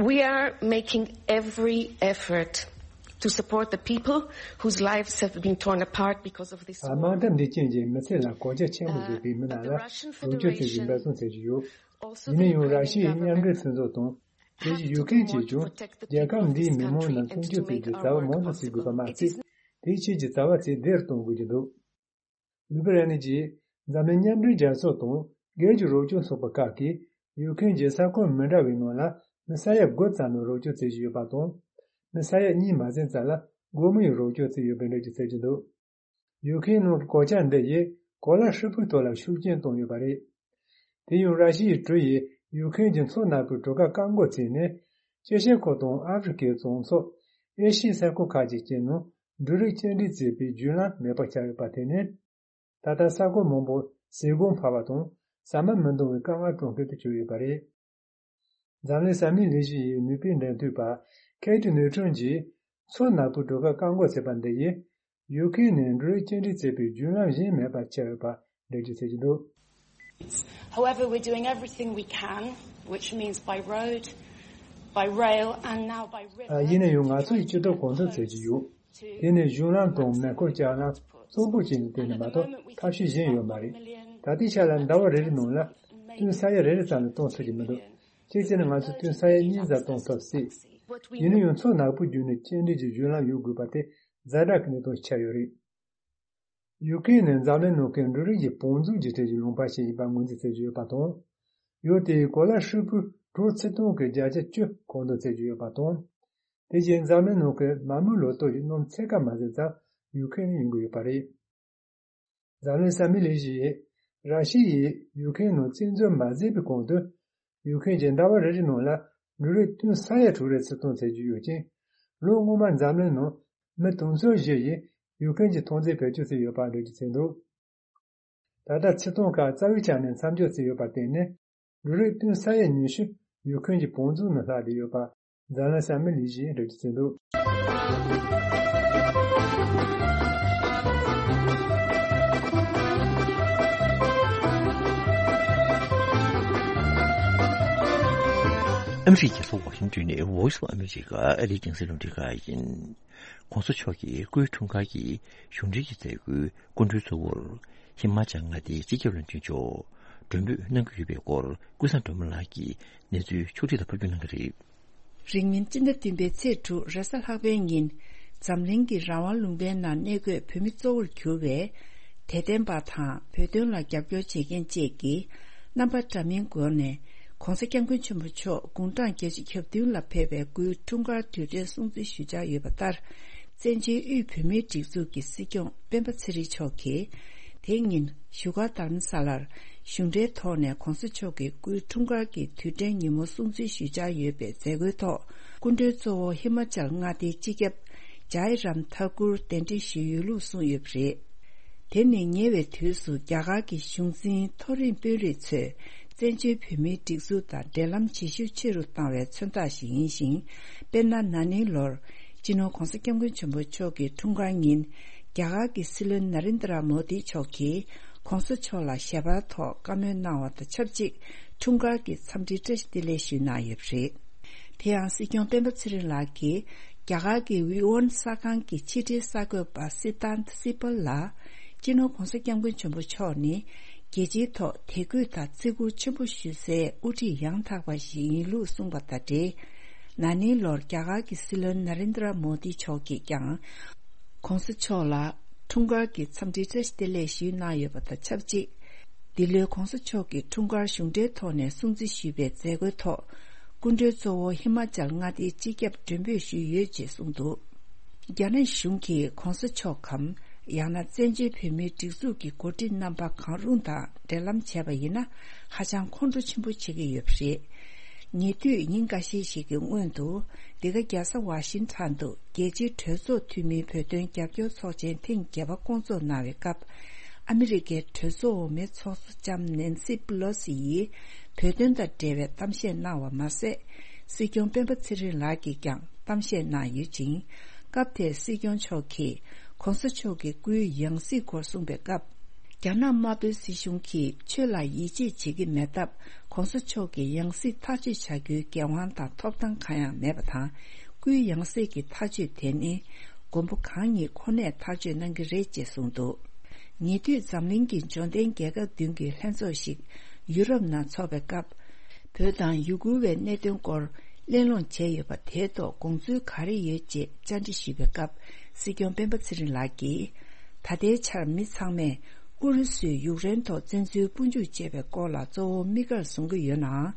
We are making every effort to support the people whose lives have been torn apart because of this war. དམག་འཐབ་འདིའི་རྐྱེན་གྱིས་མི་ཚེ་ལ་གོད་ཆག་ཆེན་པོ་བཟོས་པའི་མི་རྣམས་ལ་རོགས་སྐྱོར་བྱེད་རྒྱུའི་འབད་བརྩོན་བྱེད་ཀྱི་ཡོད། ཡིན་ན་ཡང་ར་ཤི་ཡའི་མཉམ་འབྲེལ་མཐུན་ཚོགས་དང་། དེ་བཞིན་ཡུ་ཁེན་གྱིས་ཀྱང་རྒྱལ་ཁབ་འདིའི་མི་མང་རྣམས་སྲུང་སྐྱོབ་བྱེད་རྒྱུའི་བྱ་བ་མང་དུ་བྱེད་དགོས་པ་མ་ཟད། དེའི་ཆེད་ཀྱི་བྱ་བ་ཚད་ལྡན་གཏོང་དགོས་ཀྱི་འདུག་ལུ་བི་ར་ནི་གྱིས་འཛམ་གླིང་མཉམ་འབྲེལ་རྒྱལ་ཚོགས་དང་སྒེར་གྱི་རོགས་སྐྱོར་ཚོགས་པ་ཁག་གིས་ཡུ་ཁེན་གྱི་ས་ཁུལ་མི་འདྲ་བའི་ནང་ལ་མི་ས་ཡ་དགུ་ཙམ་ལ་རོགས་སྐྱོར་བྱེད་བཞིན་ཡོད་པ་དང་། མི་ས་ཡ་གཉིས་མ་ཟིན་ཙམ་ལ་སྒོར་མོ་ཡི་རོགས་སྐྱོར་བྱས་ཡོད་པའི་འགྲེལ་བརྗོད་བྱེད་ཀྱི་འདུག་ཡུ་ཁེན་ནང་གི་གོད་ཆག་འདི་ཡིས་གོ་ལ་ཧྲིལ་པོའི་ཐོག་ལ་ཤུགས་རྐྱེན་བཏང་ཡོད་པ་རེད། དེ་ཡང་ར་ཤི་ཡའི་གྲུ་ཡིས་ཡུ་ཁེན་གྱི་མཚོ་ནག་པོའི་གྲུ་ཁ་བཀག་འགོག་བྱས་ནས། ཨེ་ཤི་ཡ་ཁུལ་དང་ཨ་ཧྥེ་རི་ཁའི་གྲོང་ཚོ། ཨེ་ཤི་ཡའི་ས་ཁུལ་ཁག་ཅིག་བཅས་ནང་འབྲུ་རིགས་སྐྱེལ་འདྲེན་བྱེད་པའི་བརྒྱུད་ལམ་མེད་པར་ཆགས་ཡོད་པ་དེ་ནི། ད་ལྟ་ས་ཁུལ་མང་པོར་ཟས་གོང་འཕར་བ་དང་ཟ་མ་མི་འདང་བའི་དཀའ་ངལ་སྤྲོད་མཁན་དུ་གྱུར་ཡོད་པ་རེད། འཛམ་གླིང་ས་མིང་ལས་གཞི་ཡི་ནུས་པའི་འབྲེལ་མཐུད་པ་ཁེ་ཏི་ནུས་ཁྲོན་གྱིས་མཚོ་ནག་པོའི་གྲུ་ཁ་བཀག་འགོག་བྱས་པ་འདི་ཡིས། ཡུ་ཁེན་ནས་འབྲུ་རིགས་སྐྱེལ་འདྲེན་བྱེད་པའི་བརྒྱུད་ལམ་གཞན་མེད་པ་ཆགས་ཡོད་པ་འགྲེལ་བརྗོད་བྱེད་ཀྱི་འདུག However, we're doing everything we can, which means by road, by rail, and now by river. ཨ། ཡིན་ན་ཡང་ང་ཚོས་ཅི་ཐུབ་གང་ཐུབ་བྱེད་ཀྱི་ཡོད། དེ་ནི་གཞུང་ལམ་དང་མེ་འཁོར་ལྕགས་ལམ་གཙང་པོ་བྱས་ནས་བསྟན་ནས་མ་གཏོགས་ཐབས་ཤེས་གཞན་ཡོད་མ་རེད། ད་ལྟའི་ཆ་ལ་ཟླ་བ་རེ་རེའི་ནང་ལ་ཏུན་ས་ཡ་རེ་རེ་ཙམ་ལས་གཏོང་ཐུབ་ཀྱི་མི་འདུག་གཅིག་བྱས་ན་ང་ཚོས་ཏུན་ས་ཡ་གཉིས་ཙམ་གཏོང་ཐུབ་སྲིད། ཡིན་ན་ཡང་མཚོ་ནག་པོའི་བརྒྱུད་ནས་སྐྱེལ་འདྲེན་གྱི་བརྒྱུད་ལམ་ཡོད་དགོས་པ་དེ་ཛ་དྲག་གི་གནད་དོན་ཆགས་ཡོད་རེད། ཡུ་ཀེ་རེན་ནི་འཛམ་གླིང་ནང་གི་འབྲུ་རིགས་ཀྱི་བང་མཛོད་ཀྱི་གྲས་ཀྱི་ལུང་པ་ཞིག་ཡིན་པ་ངོས་འཛིན་བྱེད་ཀྱི་ཡོད་པ་དང་། ཡུལ་དེའི་གོ་ལ་ཧྲིལ་པོའི་གྲོ་ཚིག་སྟོང་གི་བརྒྱ་ཆ་བཅུ་མཁོ་འདོན་བྱེད་ཀྱི་ཡོད་པ་དང་། དེ་བཞིན་འཛམ་གླིང་ནང་གི་མ་རྨོས་ལོ་ཏོག་གི་སྣུམ་ཕྱེད་ཀ་མ་ཟིན་ཙམ་ཡུ་ཀེ་རེན་ནས་ཡོང་གི་ཡོད་པ་རེད། འཛམ་གླིང་ས་མིང་ལས་གཞི་ཡིས་ར་ཤི་ཡས་ཡུ་ཀེ་རེན་ནང་བཙན་འཛུལ་མ་བྱས་པའི་གོང་དུ། ཡུ་ཀེ་རེན་གྱིས་ཟླ་བ་རེ་རེའི་ནང་ལ་འབྲུ་རིགས་ཏུན་ས་ཡ་དྲུག་རེ་ཚིག་གཏོང་བྱེད་ཀྱི་ཡོད་ཅིང་། ལོ་སྔོན་མར་འཛམ་གླིང་ནང་མི་དུང་ཕྱུར་བཞི་ཡིས་ཡུ་ཀེ་རེན་གྱི་ཐོན་རྫས་བེད་སྤྱོད་བྱས་ཡོད་པ་འགྲེལ་བརྗོད་བྱས་འདུག་ད་ལྟ་ཚིག་གཏོང་ཁག་རྩ་བའི་ཆ་ནས་མཚམས་འཇོག་བྱས་ཡོད་པར་བརྟེན་ནས། འབྲུ་རིགས་ཏུན་ས་ཡ་ཉི་ཤུ་ ཡུ་ཁུན་གྱི་བང་མཛོད་ནང་ལྷག་བསྡད་ཡོད་པ། འཛམ་གླིང་བསམ་མེད་ལས་གཞི་རེད་ཟེར་འདུག། ཨ་མི་རི་ཀའི་རྒྱལ་ས་ཝ་ཤིང་ཏོན་ནས་Voice of America ཨ་རིའི་རྒྱང་སྲིང་རླུང་འཕྲིན་ཁང་ཡིན། ྋགོང་ས་མཆོག་གི་སྐུའི་འཁྲུངས་སྐར་གྱི་གཞུང་འབྲེལ་གྱི་མཛད་སྒོའི་སྐུ་མགྲོན་གཙོ་བོར་ཧི་མ་ཅལ་མངའ་སྡེའི་སྤྱི་ཁྱབ་བློན་ཆེན་མཆོག་མགྲོན་འབོད་གནང་གི་ཡོད་པའི་སྐོར་ཀུན་བཟང་སྒྲོལ་མ་ལགས་ཀྱིས་གནས་ཚུལ་ཕྱོགས་བསྒྲིགས་དང་ཕབ་སྒྱུར་གནང་གི་རེད། རིང་མིན་སྤྱི་ཟླ་བདུན་པའི་ཚེས་དྲུག་རེས་གཟའ་ལྷག་པའི་ཉིན། འཛམ་གླིང་གི་རང་དབང་ལུང་པའི་ནང་གནས་འཁོད་བོད་མི་གཙོ་བོར་གྱུར་བའི་དད་ལྡན་པ་དང་བོད་དོན་ལ་རྒྱབ་སྐྱོར་བྱེད་མཁན་བཅས་ཀྱིས་རྣམ་པ་འདྲ་མིན་སྒོ་ནས་ྋགོང་ས་ྋསྐྱབས་མགོན་ཆེན་པོ་མཆོག་དགུང་གྲངས་བརྒྱད་ཅུ་གྱ་བདུན་ལ་ཕེབས་པའི་སྐུའི་འཁྲུངས་སྐར་དུས་དྲན་སྲུང་བརྩི་ཞུ་འཆར་ཡོད་པ་ལྟར། བཙན་བྱོལ་དབུས་བོད་མིའི་སྒྲིག་འཛུགས་ཀྱི་སྲིད་སྐྱོང་སྤེན་པ་ཚེ་རིང་མཆོག་གིས། དེ་ཉིན་བཞུགས་སྒར་རྡ་རམ་ས་ལར་གཞུང་འབྲེལ་ཐོག་ནས་ྋགོང་ས་མཆོག་གི་སྐུའི་འཁྲུངས་སྐར་གྱི་དུས་དྲན་ཉིན་མོ་སྲུང་བརྩི་ཞུ་འཆར་ཡོད་པའི་མཛད་སྒོའི་ཐོག་སྐུ་མགྲོན་གཙོ་བོ་ཧི་མ་ཅལ་མངའ་སྡེའི་སྤྱི་ཁྱབ་ཇའི་རམ་ཐ་ཀུར་གདན་འདྲེན་ཞུས་ཡོད་ལུགས་གསུངས་ཡོད་པ་རེད། དེ་ནི་ཉེ་བའི་དུས་སུ་རྒྱ་གར་གྱི་གཞུང་འཛིན་མཐོ་རིམ་དཔོན་རིགས་ཚོས་བཙན་བྱོལ་བོད་མིའི་སྒྲིག་འཛུགས་དང་འབྲེལ་ལམ་བྱེད་ཤུགས་ཆེ་རུ་བཏང་བའི་མཚོན་རྟགས་ཤིག་ཡིན་ཞིང་། དཔེར་ན། ན་ནིང་ལོར་སྤྱི་ནོར་ྋགོང་ས་ྋསྐྱབས་མགོན་ཆེན་པོ་མཆོག་གི་འཁྲུངས་སྐར་ཉིན། རྒྱ་གར་གྱི་སྲིད་བློན་ན་རེན་དྲ་མོ་དི་མཆོག་གིས་ྋགོང་ས་མཆོག་ལ་ཞལ་པར་ཐོག་བཀའ་མོལ་གནང་བ་དང་ཆབས་ཅིག་འཁྲུངས་སྐར་གྱི་འཚམས་འདྲིའི་བཀྲ་ཤིས་བདེ་ལེགས་ཞུས་གནང་ཡོད་པ་རེད། དེ་ཡང་སྲིད་སྐྱོང་སྤེན་པ་ཚེ་རིང་ལགས་ཀྱིས་རྒྱ་གར་གྱི་ཝི་ཝོན་གསར་ཁང་གི་ཕྱི་དྲིལ་གསར་འགོད་པ་སི་ཏཱན་སི་པལ་ལ། སྤྱི་ནོར་ྋགོང་ས་ྋསྐྱབས་མགོན་ཆེན་པོ་མཆོག་ནི། རྒྱལ་སྤྱིའི་ཐོག་དད་གུས་དང་བརྩི་བཀུར་ཆེན་པོ་ཞུ་སའི་དབུ་ཁྲིད་ཡང་དག་པ་ཞིག་ཡིན་ལུགས་གསུངས་པ་དང་འབྲེལ། ན་ནིང་ལོར་རྒྱ་གར་གྱི་སྲིད་བློན་ན་རེན་དྲ་མོ་དི་མཆོག་གིས་ཀྱང་། ྋགོང་ས་མཆོག་ལ་འཁྲུངས་སྐར་གྱི་འཚམས་འདྲིའི་བཀྲ་ཤིས་བདེ་ལེགས་ཞུས་གནང་ཡོད་པ་དང་ཆབས་ཅིག་འདི་ལོའི་ྋགོང་ས་མཆོག་གི་འཁྲུངས་སྐར་གཞུང་འབྲེལ་ཐོག་ནས་སྲུང་བརྩི་ཞུས་པའི་མཛད་སྒོའི་ཐོག་སྐུ་མགྲོན་གཙོ་བོ་ཧི་མ་ཅལ་མངའ་སྡེའི་སྤྱི་ཁྱབ་མགྲོན་འབོད་ཞུས་ཡོད་ཅེས་གསུངས་འདུག། རྒྱ་ནག་གཞུང་གིས་ྋགོང་ས་མཆོག་གམ། ཡང་ན་བཙན་བྱོལ་བོད་མིའི་སྒྲིག་འཛུགས་ཀྱི་འགོ་ཁྲིད་རྣམ་པ་གང་རུང་དང་འབྲེལ་ལམ་བྱས་པ་ཡིན་ན། ཧ་ཅང་ཁོང་ཁྲོ་ཆེན་པོ་བྱེད་ཀྱི་ཡོད་པ་རེད། ཉེ་དུས་ཉིན་འགའ་ཤས་ཤིག་གི་སྔོན་དུ། འདི་ག་རྒྱལ་ས་ཝ་ཤིང་ཊོན་དུ་རྒྱལ་སྤྱིའི་གྲོས་ཚོགས་འཐུས་མིའི་བོད་དོན་རྒྱབ་སྐྱོར་ཚོགས་ཆེན་ཐེངས་བརྒྱད་པ་བསྐོང་ཚོགས་གནང་བའི་སྐབས། ཨ་མི་རི་ཀའི་གྲོས་ཚོགས་འོག་མའི་ཚོགས་གཙོ་ལྕམ་ནེན་སི་པི་ལོ་སི་ཡིས་བོད་དོན་དང་འབྲེལ་བའི་གཏམ་བཤད་གནང་བ་མ་ཟད། སྲིད་སྐྱོང་སྤེན་པ་ཚེ་རིང་ལགས་ཀྱིས་ཀྱང་གཏམ་བཤད་གནང་ཡོད་ཅིང་། སྐབས་དེར་སྲིད་སྐྱོང་མཆོག་གིས་ྋགོང་ས་མཆོག་གི་སྐུའི་ཡང་སྲིད་སྐོར་གསུངས་པའི་སྐབས། རྒྱ་ནག་དམར་པོའི་སྲིད་གཞུང་གིས་ཆོས་ལ་ཡིད་ཆེས་བྱེད་ཀྱི་མེད་སྟབས། ྋགོང་ས་མཆོག་གི་ཡང་སྲིད་ཐག་གཅོད་བྱ་རྒྱུའི་འགན་དབང་དང་ཐོབ་ཐང་གང་ཡང་མེད་པ་དང་། སྐུའི་ཡང་སྲིད་ཀྱི་ཐག་གཅོད་དེ་ནི། མགོན་པོ་གང་ཉིད་ཁོ་ནས་ཐག་གཅོད་གནང་གི་རེད་ཅེས་གསུངས་འདུག། ཉེ་དུས་འཛམ་གླིང་གི་འབྱོར་ལྡན་རྒྱལ་ཁབ་བདུན་གྱི་ལྷན་ཚོགས་ཤིག་ཡུ་རོབ་ནང་འཚོགས་པའི་སྐབས། བོད་དང་ཡུ་གུར་བའི་གནད་དོན་སྐོར་གླེང་སློང་བྱས་ཡོད་པ་དེའི་ཐོག་དགོངས་ཚུལ་ག་རེ་ཡོད་ཅེས་བཅར་འདྲི་ཞུས་པའི་སྐབས། སྲིད་སྐྱོང་སྤེན་པ་ཚེ་རིང་ལགས་ཀྱིས། ད་ལྟའི་ཆར་མི་ཚང་མས་ཨུ་རུ་སུས་ཡུཀ་རེན་ཐོག་བཙན་འཛུལ་དབུ་འཇུག་བྱས་པའི་སྐོར་ལ་གཙོ་བོ་དམིགས་བཀར་བཟུང་གི་ཡོད་ནའང་།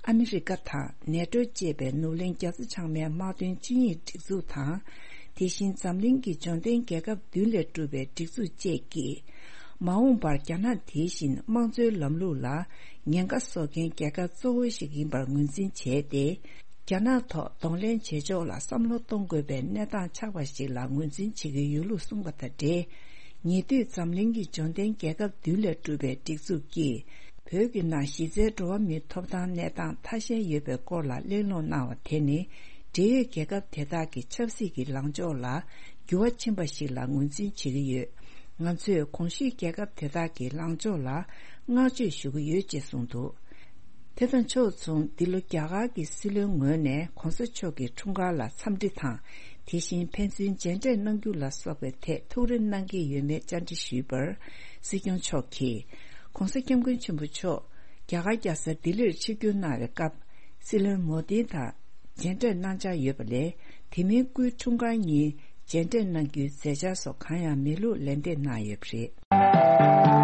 ཨ་མི་རི་ཀ་དང་ནེ་ཏྲོ་ཅེས་པའི་ནུབ་གླིང་རྒྱལ་ཚོགས་ཚང་མའི་དམག་དོན་ཆིངས་ཡིག་སྒྲིག་འཛུགས་དང་། དེ་བཞིན་འཛམ་གླིང་གི་འབྱོར་ལྡན་རྒྱལ་ཁབ་བདུན་ལས་གྲུབ་པའི་སྒྲིག་འཛུགས་བཅས་ཀྱིས། མ་འོངས་པར་རྒྱ་ནག་དེ་བཞིན་དམངས་གཙོའི་ལམ་ལུགས་ལ་ཉེན་ཁ་བཟོ་མཁན་རྒྱལ་ཁབ་གཙོ་བོ་ཞིག་ཡིན་པར་ངོས་འཛིན་བྱས་ཏེ། རྒྱ་ནག་ཐོག་གདོང་ལེན་བྱེད་ཕྱོགས་ལ་བསམ་བློ་གཏོང་དགོས་པའི་གནས་སྟངས་ཆགས་པ་ཞིག་ལ་ངོས་འཛིན་བྱེད་ཀྱི་ཡོད་ལུགས་གསུངས་པ་དང་འབྲེལ། ཉེ་དུས་འཛམ་གླིང་གི་འབྱོར་ལྡན་རྒྱལ་ཁབ་བདུན་ལས་གྲུབ་པའི་སྒྲིག་འཛུགས་ཀྱིས། བོད་ཀྱི་ནང་གཞི་རྩའི་འགྲོ་བ་མིའི་ཐོབ་ཐང་གནས་སྟངས་ཐ་ཞན་ཡོད་པའི་སྐོར་ལ་གླེང་སློང་གནང་བ་དེ་ནི། འབྲེལ་ཡོད་རྒྱལ་ཁབ་དེ་དག་གི་ཆབ་སྲིད་ཀྱི་ལངས་ཕྱོགས་ལ་འགྱུར་བ་ཕྱིན་པ་ཞིག་ལ་ངོས་འཛིན་བྱེད་ཀྱི་ཡོད། ང་ཚོས་གོང་ཞུས་རྒྱལ་ཁབ་དེ་དག་གི་ལངས་ཕྱོགས་ལ་བསྔགས་བརྗོད་ཞུ་གི་ཡོད་ཅེས་གསུངས་འདུག། དེ་དང་ཕྱོགས་མཚུངས། འདི་ལོ་རྒྱ་གར་གྱི་སྲིད་བློན་ངོས་ནས་ྋགོང་ས་མཆོག་གི་འཁྲུངས་སྐར་ལ་འཚམས་འདྲི་དང་། དེ་བཞིན་ཕན་ཚུན་མཇལ་འཕྲད་གནང་རྒྱུ་ལ་སོགས་པའི་ཐད་ཐུགས་རེ་གནང་གི་ཡོད་མེད་བཅར་འདྲི་ཞུས་པར། སྲིད་སྐྱོང་མཆོག་གིས། ྋགོང་ས་ྋསྐྱབས་མགོན་ཆེན་པོ་མཆོག་རྒྱ་གར་རྒྱལ་ས་ལྡི་ལིར་ཆིབས་བསྒྱུར་གནང་བའི་སྐབས། སྲིད་བློན་མོ་དི་དང་མཇལ་འཕྲད་གནང་འཆར་ཡོད་པ་ལས། དེ་མིན་སྐུའི་འཁྲུངས་སྐར་ཉིན་མཇལ་འཕྲད་གནང་རྒྱུའི་མཛད་འཆར་སོགས་གང་ཡང་མེད་ལུགས་ལན་འདེབས་གནང་ཡོད་པ་རེད།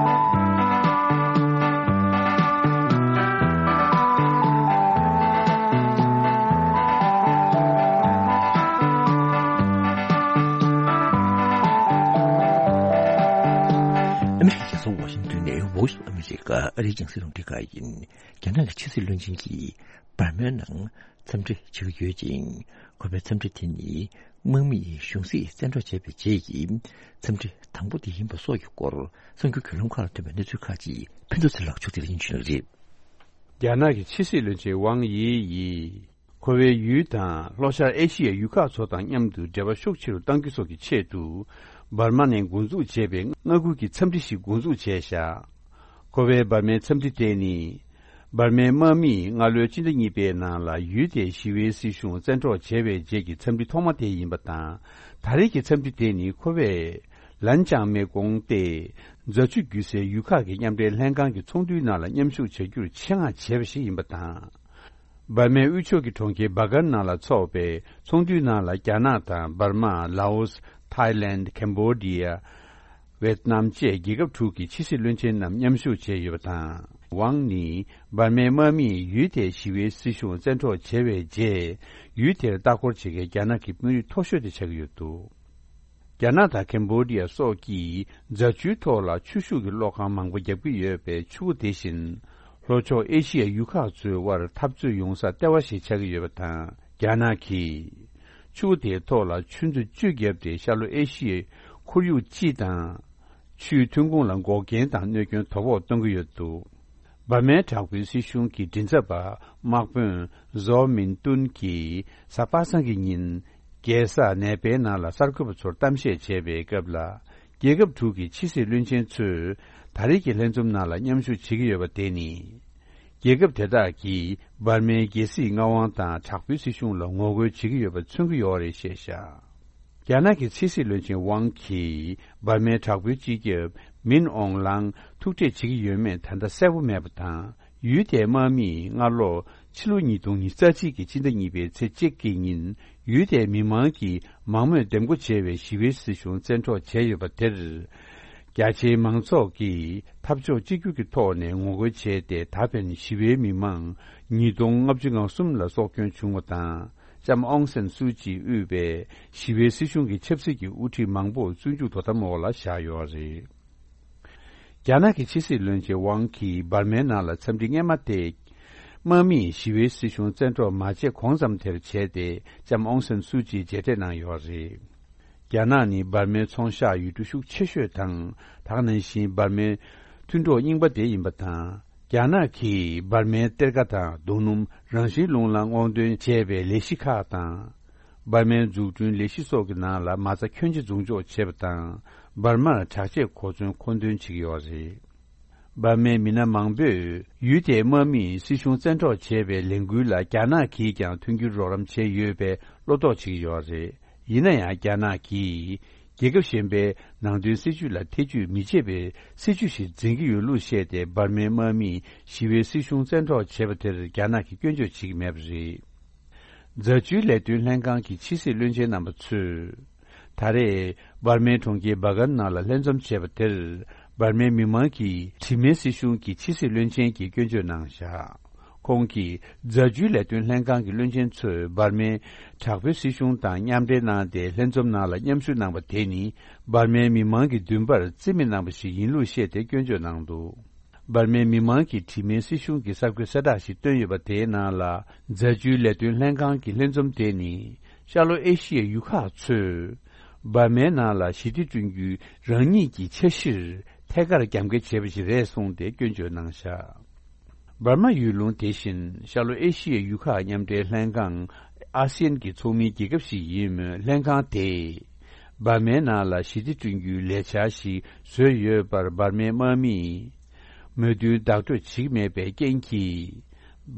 ཨ་མི་རི་ཀའི་རྒྱལ་ས་ཝ་ཤིང་ཏོན་ནས་Voice of America ཨ་རིའི་རྒྱང་སྲིང་རླུང་འཕྲིན་ཁང་ཡིན། རྒྱ་ནག་གི་ཕྱི་སྲིད་བློན་ཆེན་གྱིས་འབར་མའི་ནང་འཚམས་འདྲི་བྱེད་ཀྱི་ཡོད་ཅིང་། ཁོ་པའི་འཚམས་འདྲི་དེ་ནི་དམག་མིས་གཞུང་སྲིད་བཙན་འཕྲོག་བྱས་པའི་རྗེས་ཀྱི་འཚམས་འདྲི་དང་པོ་དེ་ཡིན་པ་སོགས་ཀྱི་སྐོར་གསར་འགྱུར་བརྒྱུད་ལམ་ཁག་ལ་ཐོན་པའི་གནས་ཚུལ་ཁག་ཅིག་ཕུན་ཚོགས་ཚེ་རིང་ལགས་ཕྱོགས་སྒྲིག་ལ་སྙན་ཞུ་གནང་གི་རེད། རྒྱ་ནག་གི་ཕྱི་སྲིད་བློན་ཆེན་ཝང་དབྱི་ཡིས། ཁོ་པའི་ཡུལ་དང་ལྷོ་ཤར་ཨེ་ཤི་ཡའི་ཡུལ་ཁག་ཚོ་དང་མཉམ་དུ་འབྲེལ་བ་ཤུགས་ཆེ་རུ་གཏང་རྒྱུ་སོགས་ཀྱི་ཆེད་དུ། འབར་མ་ནས་འགོ་འཛུགས་བྱས་པའི་མངའ་ཁུལ་གྱི་འཚམས་འདྲི་ཞིག་འགོ་འཛུགས་བྱས་བཞག་ཁོ་པའི་འབར་མའི་འཚམས་འདྲི་དེ་ནི། འབར་མའི་དམག་མིས་སྔ་ལོའི་སྤྱི་ཟླ་གཉིས་པའི་ནང་ལ་ཡུལ་དེའི་ཞི་བའི་སྲིད་གཞུང་བཙན་འཕྲོག་བྱས་པའི་རྗེས་ཀྱི་འཚམས་འདྲི་ཐོག་མ་དེ་ཡིན་པ་དང་། ད་རེས་ཀྱི་འཚམས་འདྲི་དེ་ནི་ཁོ་པས། ལན་ཅང་མེ་ཀོང་སྟེ། རྫ་ཆུ་རྒྱུད་སའི་ཡུལ་ཁག་གི་མཉམ་འབྲེལ་ལྷན་ཁང་གི་ཚོགས་འདུའི་ནང་ལ་མཉམ་ཞུགས་བྱ་རྒྱུར་ཆེད་མངགས་བྱས་པ་ཞིག་ཡིན་པ་དང་། འབར་མའི་དབུས་ཕྱོགས་ཀྱི་གྲོང་ཁྱེར་སྦ་གར་ནང་ལ་འཚོགས་པའི་ཚོགས་འདུའི་ནང་ལ་རྒྱ་ནག་དང་འབར་མ། ལའོ་སི། ཐའི་ལེནཌ། ཀེམ་བོ་ཌི་ཡ། ཝེད་ནམ་བཅས་རྒྱལ་ཁབ་དྲུག་གི་ཕྱི་སྲིད་བློན་ཆེན་རྣམས་མཉམ་ཞུགས་བྱས་ཡོད་པ་དང་། ཝང་ནི་འབར་མའི་དམག་མིས་ཡུལ་དེའི་ཞི་བའི་སྲིད་གཞུང་བཙན་འཕྲོག་བྱས་པའི་རྗེས། ཡུལ་དེར་ལྟ་སྐོར་བྱེད་མཁན་རྒྱ་ནག་གི་དཔོན་རིགས་མཐོ་ཤོས་དེ་ཆགས་ཀྱི་ཡོད་འདུག་རྒྱ་ནག་དང་ཀེམ་བོ་ཌི་ཡ་སོགས་ཀྱིས་རྫ་ཆུའི་ཐོག་ལ་ཆུ་ཤུགས་ཀྱི་གློག་ཁང་མང་པོ་བརྒྱབ་ཀྱི་ཡོད་པས། ཆུ་བོ་དེ་བཞིན་ལྷོ་ཕྱོགས་ཨེ་ཤི་ཡའི་ཡུལ་ཁག་ཚོའི་དབར་འཐབ་རྩོད་ཡོང་སར་ལྟེ་བ་ཞིག་ཆགས་ཀྱི་ཡོད་པ་དང་། རྒྱ་ནག་གིས་ཆུ་བོ་དེའི་ཐོག་ལ་ཆུ་མཛོད་བཅུ་བརྒྱབ་སྟེ། ཤར་ལྷོ་ཨེ་ཤི་ཡའི་ཁོར་ཡུག་སྤྱི་དང་། ཆུའི་ཐོན་ཁུངས་ལ་འགོག་རྐྱེན་དང་གནོད་སྐྱོན་དོ་ཕོག་གཏོང་གི་ཡོད་འདུག་འབར་མའི་དྲག་པོའི་སྲིད་གཞུང་གི་མགྲིན་ཚབ་པ་དམག་དཔོན་ཛོ་མིན་ཏུན་གྱིས་གཟའ་པ་སངས་ཀྱི་ཉིན། རྒྱལ་ས་ནེ་པའི་ནང་ལ་གསར་འགོད་པ་ཚོར་གཏམ་བཤད་བྱས་པའི་སྐབས་ལ། རྒྱལ་ཁབ་དྲུག་གི་ཕྱི་སྲིད་བློན་ཆེན་ཚོས་ད་རེས་ཀྱི་ལྷན་འཛོམས་ནང་ལ་མཉམ་ཞུགས་བྱེད་ཀྱི་ཡོད་པ་དེ་ནི། རྒྱལ་ཁབ་དེ་དག་གིས་འབར་མའི་རྒྱལ་སྲིད་མངའ་དབང་དང་དྲག་པོའི་སྲིད་གཞུང་ལ་ངོ་རྒོལ་བྱེད་ཀྱི་ཡོད་པ་མཚོན་གྱི་ཡོད་རེད་ཞེས་བཤད། རྒྱ་ནག་གི་ཕྱི་སྲིད་བློན་ཆེན་ཝང་གིས་འབར་མའི་དྲག་པོའི་སྤྱི་ཁྱབ་མིན་ཨོང་ལང་ཐུག་འཕྲད་བྱེད་ཀྱི་ཡོད་མེད་ད་ལྟ་གསལ་པོ་མེད་པ་དང་། ཡུལ་དེའི་དམག་མིས་སྔ་ལོ་ཕྱི་ལོ་ཉིས་སྟོང་ཉི་ཤུ་རྩ་གཅིག་གི་ཕྱི་ཟླ་གཉིས་པའི་ཚེས་གཅིག་གི་ཉིན། ཡུལ་དེའི་མི་མང་གིས་མང་མོས་འདེམས་བསྐོ་བྱས་པའི་ཞི་བའི་སྲིད་གཞུང་བཙན་འཕྲོག་བྱས་ཡོད་པ་དེར། རྒྱ་ཆེའི་མང་ཚོགས་ཀྱིས་འཐབ་ཕྱོགས་གཅིག་གྱུར་གྱི་ཐོག་ནས་ངོ་རྒོལ་བྱས་ཏེ། ད་ཕན་ཞི་བའི་མི་མང་ཉིས་སྟོང་ལྔ་བཅུ་ང་གསུམ་ལ་སྲོག་སྐྱོན་བྱུང་བ་དང་། ལྕམ་ཨོང་སན་སུའུ་ཅིས་དབུས་པའི་ཞི་བའི་སྲིད་གཞུང་གི་ཆབ་སྲིད་ཀྱི་དབུ་ཁྲིད་མང་པོ་བཙོན་འཇུག་དོ་དམ་འོག་ལ་བཞག་ཡོད་རེད། རྒྱ་ནག་གི་ཕྱི་སྲིད་བློན་ཆེན་ཝང་གིས་འབར་མའི་ནང་ལ་འཚམས་འདྲི་སྔོན་མ་དེ། དམག་མིས་ཞི་བའི་སྲིད་གཞུང་བཙན་འཕྲོག་མ་བྱས་གོང་ཙམ་དེར་བྱས་ཏེ། ལྕམ་ཨོང་སན་སུའུ་ཅིའི་མཇལ་འཕྲད་གནང་ཡོད་རེད། རྒྱ་ནག་ནི་འབར་མའི་ཚོང་ཤག་ཡུལ་གྲུ་ཤུགས་ཆེ་ཤོས་དང་། དེ་ནང་བཞིན་འབར་མའི་མཐུན་གྲོགས་རྙིང་པ་དེ་ཡིན་པ་དང་། རྒྱ་ནག་གིས་འབར་མའི་གཏེར་ཁ་དང་རྡོ་སྣུམ། རང་བཞིན་རླུང་ལ་སྔོག་འདོན་བྱས་པའི་ལས་གཞི་ཁག་དང་། འབར་མའི་འཛུགས་སྐྲུན་ལས་གཞི་སོགས་ཀྱི་ནང་ལ་མ་རྩ་ཁྱོན་ཆེ་འཛུགས་འཇོག་བྱས་པ་དང་། འབར་མར་དྲག་ཆས་གོ་མཚོན་མཁོ་འདོན་བྱེད་ཀྱི་ཡོད་རེད། འབར་མའི་མི་སྣ་མང་པོས་ཡུལ་དེའི་དམག་མིས་སྲིད་གཞུང་བཙན་འཕྲོག་བྱས་པའི་ལས་འགུལ་ལ་རྒྱ་ནག་གིས་ཀྱང་མཐུན་འགྱུར་རོགས་རམ་བྱས་ཡོད་པའི་བློ་དོགས་བྱེད་ཀྱི་ཡོད་རེད། ཡིན་ན་ཡང་། རྒྱ་ནག་གིས་རྒྱལ་ཁབ་གཞན་པའི་ནང་དོན་སྲིད་ཇུས་ལ་ཐེ་ཇུས་མི་བྱེད་པའི་སྲིད་ཇུས་ཤིག་འཛིན་གྱི་ཡོད་ལུགས་བཤད་དེ། འབར་མའི་དམག་མིས་ཞི་བའི་སྲིད་གཞུང་བཙན་འཕྲོག་བྱས་པ་དེར་རྒྱ་ནག་གིས་སྐྱོན་བརྗོད་བྱེད་ཀྱི་མེད་པ་རེད། རྫ་ཆུའི་ལས་དོན་ལྷན་ཁང་གི་ཕྱི་སྲིད་བློན་ཆེན་རྣམ་པ་ཚོས། ད་རེས་འབར་མའི་གྲོང་ཁྱེར་སྦ་གར་ནང་ལ་ལྷན་འཛོམས་བྱས་པ་དེར། འབར་མའི་མི་མང་གིས་དྲི་མེད་སྲིད་གཞུང་གི་ཕྱི་སྲིད་བློན་ཆེན་གྱིས་སྐྱོན་བརྗོད་གནང་བཞག་ཁོང་གིས་རྫ་ཆུའི་ལས་དོན་ལྷན་ཁང་གི་བློན་ཆེན་ཚོས་འབར་མའི་དྲག་པོའི་སྲིད་གཞུང་དང་མཉམ་འབྲེལ་གནང་སྟེ། ལྷན་འཛོམས་ནང་ལ་མཉམ་ཞུགས་གནང་པ་དེ་ནི། འབར་མའི་མི་མང་གི་འདུན་པར་རྩིས་མེད་གནང་པ་ཞིག་ཡིན་ལུགས་བཤད་དེ། སྐྱོན་བརྗོད་གནང་འདུག་འབར་མའི་མི་མང་གིས་དྲི་མེད་སྲིད་གཞུང་གི་གསར་འགོད་གསལ་བསྒྲགས་ཤིག་བཏོན་ཡོད་པ། དེའི་ནང་ལ། རྫ་ཆུའི་ལས་དོན་ལྷན་ཁང་གི་ལྷན་འཛོམས་དེ་ནི། ཤར་ལྷོ་ཨེ་ཤི་ཡའི་ཡུལ་ཁག་ཚོས། འབར་མའི་ནང་ལ་ཞི་བདེ་བསྐྲུན་རྒྱུའི་རང་ཉིད་ཀྱི་འཆར་གཞིར་ཐད་ཀར་རྒྱབ་འགལ་བྱས་པ་ཞིག་རེད་གསུངས་ཏེ། སྐྱོན་བརྗོད་གནང་བཞག་འབར་མ་ཡུལ་ལུང་དེ་བཞིན་ཤར་ལྷོ་ཨེ་ཤི་ཡའི་ཡུལ་ཁག་མཉམ་འབྲེལ་ལྷན་ཁང་། ཨ་སི་ཡན་གྱི་ཚོགས་མིའི་རྒྱལ་ཁབ་ཞིག་ཡིན་མོད། ལྷན་ཁང་དེས། འབར་མའི་ནང་ལ་ཞི་བདེ་བསྐྲུན་རྒྱུའི་ལས་འཆར་ཞིག་བཟོས་ཡོད་པར། འབར་མའི་དམག་མིས། མོས་མཐུན་བདག་སྤྲོད་བྱེད་ཀྱི་མེད་པའི་རྐྱེན་གྱིས།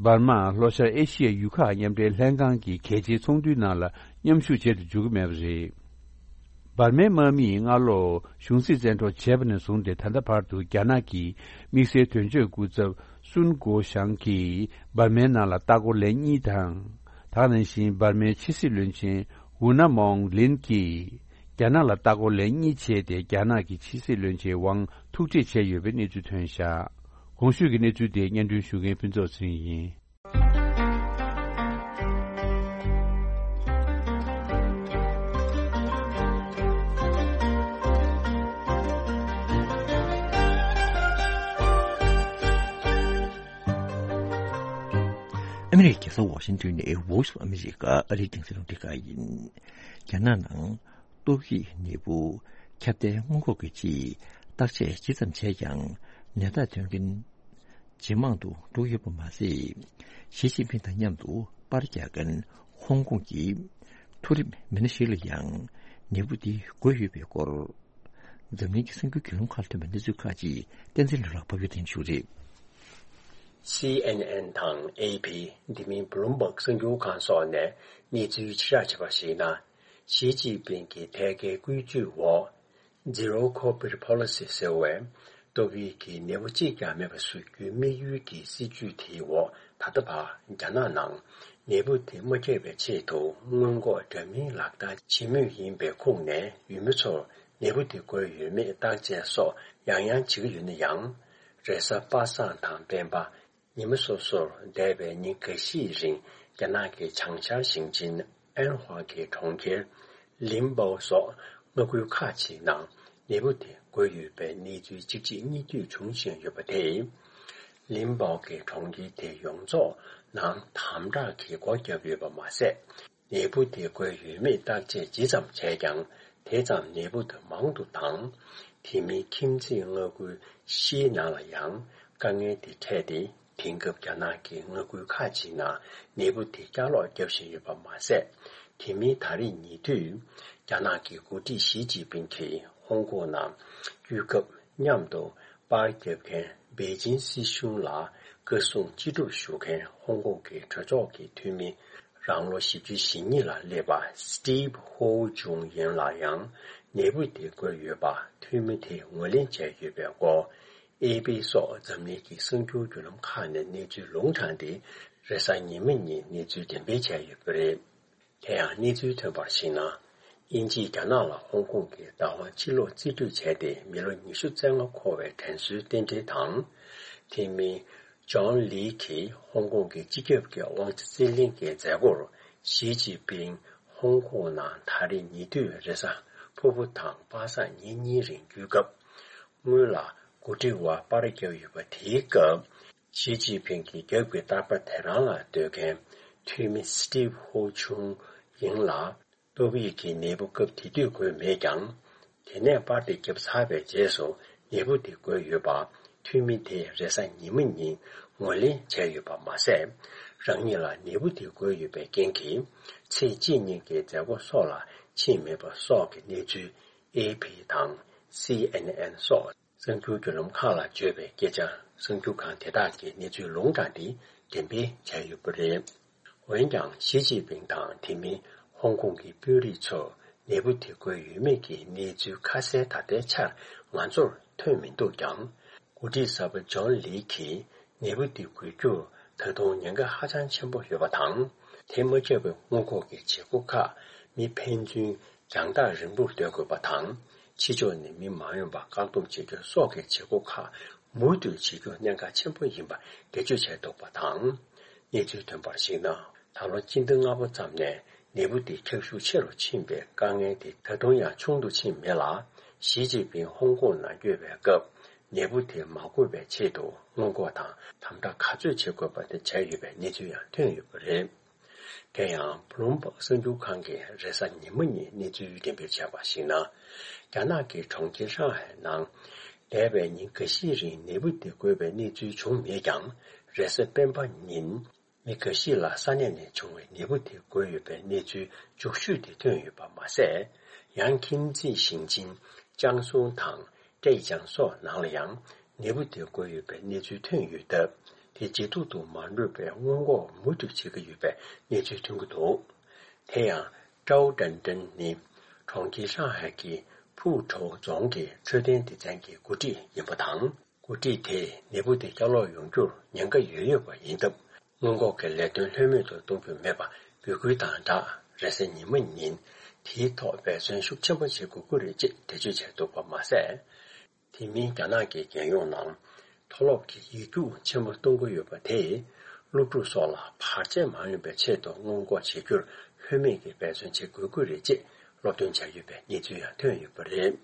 འབར་མ་ལྷོ་ཤར་ཨེ་ཤི་ཡའི་ཡུལ་ཁག་མཉམ་འབྲེལ་ལྷན་ཁང་གི་གལ་ཆེའི་ཚོགས་འདུའི་ནང་ལ་མཉམ་ཞུགས་བྱེད་དུ་འཇུག་གི་མེད་པ་རེད། འབར་མའི་དམག་མིས་སྔ་ལོ་གཞུང་སྲིད་བཙན་འཕྲོག་བྱས་པ་ནས་བཟུང་སྟེ། ད་ལྟ་བར་དུ་རྒྱ་ནག་གི་དམིགས་བསལ་དོན་གཅོད་སྐུ་ཚབ་སུན་གོ་ཞང་གིས་འབར་མའི་ནང་ལ་ལྟ་སྐོར་ལན་གཉིས་དང་། དེ་ནང་བཞིན་འབར་མའི་ཕྱི་སྲིད་བློན་ཆེན་ཝུ་ན་མོང་ལིན་གྱིས། རྒྱ་ནག་ལ་ལྟ་སྐོར་ལན་གཉིས་བྱས་ཏེ། རྒྱ་ནག་གི་ཕྱི་སྲིད་བློན་ཆེན་ཝང་ཐུག་འཕྲད་བྱས་ཡོད་པའི་གནས་ཚུལ་ཐོན་བཞག་གོང་ཞུས་ཀྱི་གནས་ཚུལ་དེ་སྙན་སྒྲོན་ཞུ་མཁན་ཕུན་ཚོགས་ཚེ་རིང་ཡིན། ཨ་མི་རི་ཀའི་རྒྱལ་ས་ཝ་ཤིང་ཏོན་ནས་Voice of America ཨ་རིའི་རྒྱང་སྲིང་རླུང་འཕྲིན་ཁང་ཡིན། རྒྱ་ནག་ནང་ཏོག་དབྱིབས་ནད་འབུ་ཁྱབ་གདལ་སྔོན་འགོག་གི་ཆེད་བརྟག་དཔྱད་ཇི་ཙམ་བྱས་ཀྱང་ནད་རྟགས་ཐོན་མཁན། ཇེ་མང་དུ་འགྲོ་ཡོད་པ་མ་ཟད། ཞི་ཅིན་ཕིང་དང་མཉམ་དུ་པར་རྒྱག་མཁན་ཧོང་ཀོང་གི་མཐོ་རིམ་མི་སྣ་ཞིག་ལ་ཡང་ནད་འབུ་དེ་འགོས་ཡོད་པའི་སྐོར། འཛམ་གླིང་གི་གསར་འགྱུར་བརྒྱུད་ལམ་ཁག་ལ་ཐོན་པའི་གནས་ཚུལ་ཁག་ཅིག་བསྟན་འཛིན་ལྷུན་གྲུབ་ལགས་ཕབ་སྒྱུར་གཏན་འབེབས་ཞུ་རེད། སི་ཨེན་ཨེན་དང་ཨེ་ཕི། དེ་མིན་བྷུ་ལུམ་བྷག་གསར་འགྱུར་ཁང་སོགས་ནས་གནས་ཚུལ་ཕྱིར་བསྒྲགས་བྱས་པར་གཞིགས་ན། ཞི་ཅིན་ཕིང་གི་ཐད་ཀའི་བཀོད་ཇུས་འོག Zero Covid Policy ཟེར་བའི་ཏོག་དབྱིབས་ཀྱི་ནད་འབུ་གཅིག་ཀྱང་མེད་པ་བཟོ་རྒྱུའི་དམིགས་ཡུལ་གྱི་སྲིད་ཇུས་དེའི་འོག་ད་ལྟ་བར་རྒྱ་ནག་ནང་ནད་འབུ་དེ་མ་ཁྱབ་པའི་ཆེད་དུ་སྔོན་འགོག་འདྲ་མིན་ལག་བསྟར་བྱེད་མུས་ཡིན་པའི་ཁོངས་ནས་ཡུལ་མི་ཚོར་ནད་འབུ་དེ་འགོས་ཡོད་མེད་བརྟག་དཔྱད་སོགས་ཡང་ཡང་བྱེད་ཀྱི་ཡོད་ན་ཡང་། རེས་གཟའ་པ་སངས་དང་སྤེན་པ། ཉི་མ་སོ་སོར་འདས་པའི་ཉིན་འགའ་ཤས་རིང་རྒྱ་ནག་གི་བྱང་ཤར་ཞིང་ཆེན་ཨན་ཧྭ་གི་གྲོང་ཁྱེར་ལིན་པའོ་སོགས་མངའ་ཁུལ་ཁག་ཅིག་ནང་ནད་འབུ་དེ་འགོས་ཡོད་པའི་གནས་ཚུལ་གཅིག་རྗེས་གཉིས་མཐུད་འབྱུང་བཞིན་ཡོད་པ་དེས། ལིན་པའོ་གི་གྲོང་ཁྱེར་དེ་ཡོངས་རྫོགས་ནང་དམ་དྲག་གིས་སྒོ་བརྒྱབ་ཡོད་པ་མ་ཟད། ནད་འབུ་དེ་འགོས་ཡོད་མེད་བརྟག་དཔྱད་ཇི་ཙམ་བྱས་ཀྱང་དེ་ཙམ་ནད་འབུ་དེ་མང་དུ་བཏང་། དེ་མིན་ཁྱིམ་མཚེས་མངའ་ཁུལ་བཞིའི་ནང་ལ་ཡང་དཀའ་ངལ་དེ་འཕྲད་དེ། དེང་སྐབས་རྒྱ་ནག་གི་མངའ་ཁུལ་ཁག་ཅིག་ནང་ནད་འབུ་དེ་བསྐྱར་ལོག་བརྒྱབ་བཞིན་ཡོད་པ་མ་ཟད། དེ་མིན་ད་རེས་ཉེ་དུས་རྒྱ་ནག་གི་འགོ་ཁྲིད་ཞི་ཅིན་ཕིང་གིས་ཧོང་ཀོང་ནང་དུས་སྐབས་མཉམ་དུ་པར་རྒྱབ་མཁན་པེ་ཅིན་སྲིད་གཞུང་ལ་བཀའ་གསུང་ཅི་སྒྲུབ་ཞུ་མཁན་ཧོང་ཀོང་གི་གྲོས་ཚོགས་ཀྱི་འཐུས་མི་རང་ལོ་བཞི་བཅུ་ཞེ་གཉིས་ལ་སླེབས་པ་སི་ཊིབ་ཧོ་ཅུང་ཡིན་ལ་ཡང་ནད་འབུ་དེ་འགོས་ཡོད་པ་འཐུས་མི་དེས་ངོས་ལེན་བྱས་ཡོད་པའི་སྐོར། ཨེ་པི་སོགས་འཛམ་གླིང་གི་གསར་འགྱུར་བརྒྱུད་ལམ་ཁག་ནས་གནས་ཚུལ་ལུང་དྲངས་ཏེ་རེས་གཟའ་ཉི་མ་ཉིན་གནས་ཚུལ་འགྲེམས་སྤེལ་བྱས་ཡོད་པ་རེད། དེ་ཡང་གནས་ཚུལ་ཐོན་པར་གཞིགས་ན། དབྱིན་ཇིས་རྒྱ་ནག་ལ་ཧོང་ཀོང་གི་བདག་དབང་ཕྱིར་སློག་རྩིས་སྤྲོད་བྱས་ཏེ་མི་ལོ་ཉི་ཤུ་རྩ་ལྔ་འཁོར་བའི་དྲན་གསོའི་རྟེན་འབྲེལ་དང་། དེ་མིན། ཇོན་ལི་གིས་ཧོང་ཀོང་གི་སྤྱི་ཁྱབ་ཀྱི་དབང་ཆ་རྩིས་ལེན་གྱི་མཛད་སྒོར་ཞི་ཅིན་ཕིང་ཧོང་ཀོང་ནང་ད་རེས་ཉེ་དུས་རེས་གཟའ་ཕུར་བུ་དང་པ་སངས་ཉིན་གཉིས་རིང་བསྐྱོད་སྐབས། སྔོན་ལ་འགོ་ཁྲིད་དབར་པར་བརྒྱབ་ཡོད་པ་དེའི་སྐབས། ཞི་ཅིན་ཕིང་གི་རྒྱབ་ཀྱི་རྟག་པར་དེ་རང་ལ་སྡོད་མཁན་འཐུས་མི་སི་ཊིབ་ཧོ་ཆུང་ཡིན་ལ། ཏོག་དབྱིབས་ཀྱི་ནད་འབུ་སྐབས་དེ་དུས་འགོས་མེད་ཀྱང་། དེ་ནས་པར་དེ་བརྒྱབ་ཚར་བའི་རྗེས་སུ་ནད་འབུ་དེ་འགོས་ཡོད་པ་འཐུས་མི་དེས་རེས་གཟའ་ཉི་མ་ཉིན་ངོས་ལེན་བྱས་ཡོད་པ་མ་ཟད། རང་ཉིད་ལ་ནད་འབུ་དེ་འགོས་ཡོད་པའི་རྐྱེན་གྱིས་ཚེ་གཅིག་གཉིས་ཀྱི་མཛད་སྒོ་སོགས་ལ་ཕྱིན་མེད་པ་སོགས་ཀྱི་གནས་ཚུལ་ཨེ་ཕི་དང་སི་ཨེན་ཨེན་སོགས། གསར་འགྱུར་བརྒྱུད་ལམ་ཁག་ལ་བརྗོད་པའི་སྐད་ཆར་གསར་འགྱུར་ཁང་དེ་དག་གིས་གནས་ཚུལ་ལུང་དྲངས་ཏེ་འགྲེམས་སྤེལ་བྱས་ཡོད་པ་རེད། འོན་ཀྱང་ཞི་ཅིན་ཕིང་དང་དེ་མིན་ཧོང་ཀོང་གི་དཔོན་རིགས་ཚོར་ནད་འབུ་དེ་འགོས་ཡོད་མེད་ཀྱི་གནས་ཚུལ་ཁ་གསལ་ད་ལྟའི་ཆར་ང་ཚོར་ཐོན་མི་འདུག་ཀྱང་། འགོ་ཁྲིད་གསར་པ་ཇོན་ལི་གིས་ནད་འབུ་དེ་འགོས་རྒྱུར་ད་དུང་ཉེན་ཁ་ཧ་ཅང་ཆེན་པོ་ཡོད་པ་དང་། དེ་མ་ཁྱབ་པའི་སྔོན་འགོག་གི་བྱེད་སྒོ་ཁག་མི་ཕན་ཚུན། རྒྱང་ཐག་རིང་པོར་སྡོད་དགོས་པ་དང་། ཕྱི་ཕྱོགས་ནས་མི་མ་ཡོང་བར་བཀག་སྡོམ་བྱེད་རྒྱུ་སོགས་ཀྱི་བྱེད་སྒོ་ཁག་མུ་མཐུད་བྱེད་རྒྱུ་གནད་འགག་ཆེན་པོ་ཡིན་པ་འགྲེལ་བརྗོད་བྱས་འདུག་པ་དང་། གནས་ཚུལ་ཐོན་པར་གཞིགས་ན། ད་ལོ་སྤྱི་ཟླ་ལྔ་པ་ཙམ་ནས་ནད་འབུ་དེ་ཁྱབ་ཤུགས་ཆེ་རུ་ཕྱིན་པའི་དཀའ་ངལ་དེ་ད་དུང་ཡང་ཆུང་དུ་ཕྱིན་མེད་ལ། ཞི་ཅིན་ཕིང་ཧོང་ཀོང་ནང་བསྐྱོད་པའི་སྐབས་ནད་འབུ་དེ་མ་འགོས་པའི་ཆེད་དུ་སྔོན་འགོག་དང་དམ་དྲག་ག་ཚོད་བྱེད་དགོས་པ་དེ་བྱས་ཡོད་པའི་གནས་ཚུལ་ཡང་ཐོན་ཡོད་པ་རེད། དེ་ཡང་བྷུ་ལུམ་བྷག་གསར་འགྱུར་ཁང་གིས་རེས་གཟའ་ཉི་མ་ཉིན་གནས་ཚུལ་འགྲེམས་སྤེལ་བྱས་པར་གཞིགས་ན། རྒྱ་ནག་གི་གྲོང་ཁྱེར་ཧྲང་ཧའེ་ནང་འདས་པའི་ཉིན་འགའ་ཤས་རིང་ནད་འབུ་དེ་འགོས་པའི་གནས་ཚུལ་བྱུང་མེད་ཀྱང་། རེས་གཟའ་སྤེན་པ་ཉིན་མི་འགའ་ཤས་ལ་ས་གནས་ནས་བྱུང་བའི་ནད་འབུ་དེ་འགོས་ཡོད་པའི་གནས་ཚུལ་མཇུག་ཤོས་དེ་ཐོན་ཡོད་པ་མ་ཟད། ཡང་ཁྱིམ་མཚེས་ཞིང་ཆེན་ཅང་སུའུ་དང་ཀྲེ་ཅང་སོགས་ནང་ལ་ཡང་། ནད་འབུ་དེ་འགོས་ཡོད་པའི་གནས་ཚུལ་ཐོན་ཡོད་སྟབས། དེ་ཇེ་སྡུག་ཏུ་མ་འགྲོ་བའི་སྔོན་འགོག་མུ་མཐུད་བྱེད་ཀྱི་ཡོད་པའི་གནས་ཚུལ་ཐོན་གྱི་འདུག་དེ་ཡང་ཀྲའོ་ཀྲན་ཀྲན་ནི་གྲོང་ཁྱེར་ཧྲང་ཧའེ་གི་ཕུའུ་ཁྲོའུ་རྫོང་གི་འཕྲོད་བསྟེན་སྡེ་ཚན་གྱི་འགོ་ཁྲིད་ཡིན་པ་དང་། འགོ་ཁྲིད་དེས་ནད་འབུ་དེ་བསྐྱར་ལོག་ཡོང་རྒྱུར་ཉེན་ཁ་ཡོད་ཡོད་པ་ཡིན་སྟབས། སྔོན་འགོག་གི་ལས་དོན་ལྷོད་མེད་དུ་གཏོང་རྒྱུ་མེད་པར་འབོད་སྐུལ་དང་སྦྲགས། རེས་གཟའ་ཉི་མ་ཉིན་དེའི་ཐོག་འབད་བརྩོན་ཤུགས་ཆེན་པོ་བྱེད་དགོས་ཀྱི་རེད་ཅེས་འགྲེལ་བརྗོད་བྱས་འདུག་པ་མ་ཟད། དེ་མིན་རྒྱ་ནག་གི་རྒྱལ་ཡོངས་ནང་མཐོ་སློབ་ཀྱི་ཡིག་རྒྱུགས་ཆེན་པོ་གཏོང་གི་ཡོད་པ་དེས་སློབ་ཕྲུག་སོགས་ལ་བར་ཆད་མ་ཡོང་བའི་ཆེད་དུ་སྔོན་འགོག་བྱེད་རྒྱུར་ལྷོད་མེད་ཀྱི་འབད་བརྩོན་བྱེད་དགོས་ཀྱི་རེད་ཅེས་སློབ་སྟོན་བྱ་ཡོད་པའི་གནས་ཚུལ་ཡང་ཐོན་ཡོད་པ་རེད།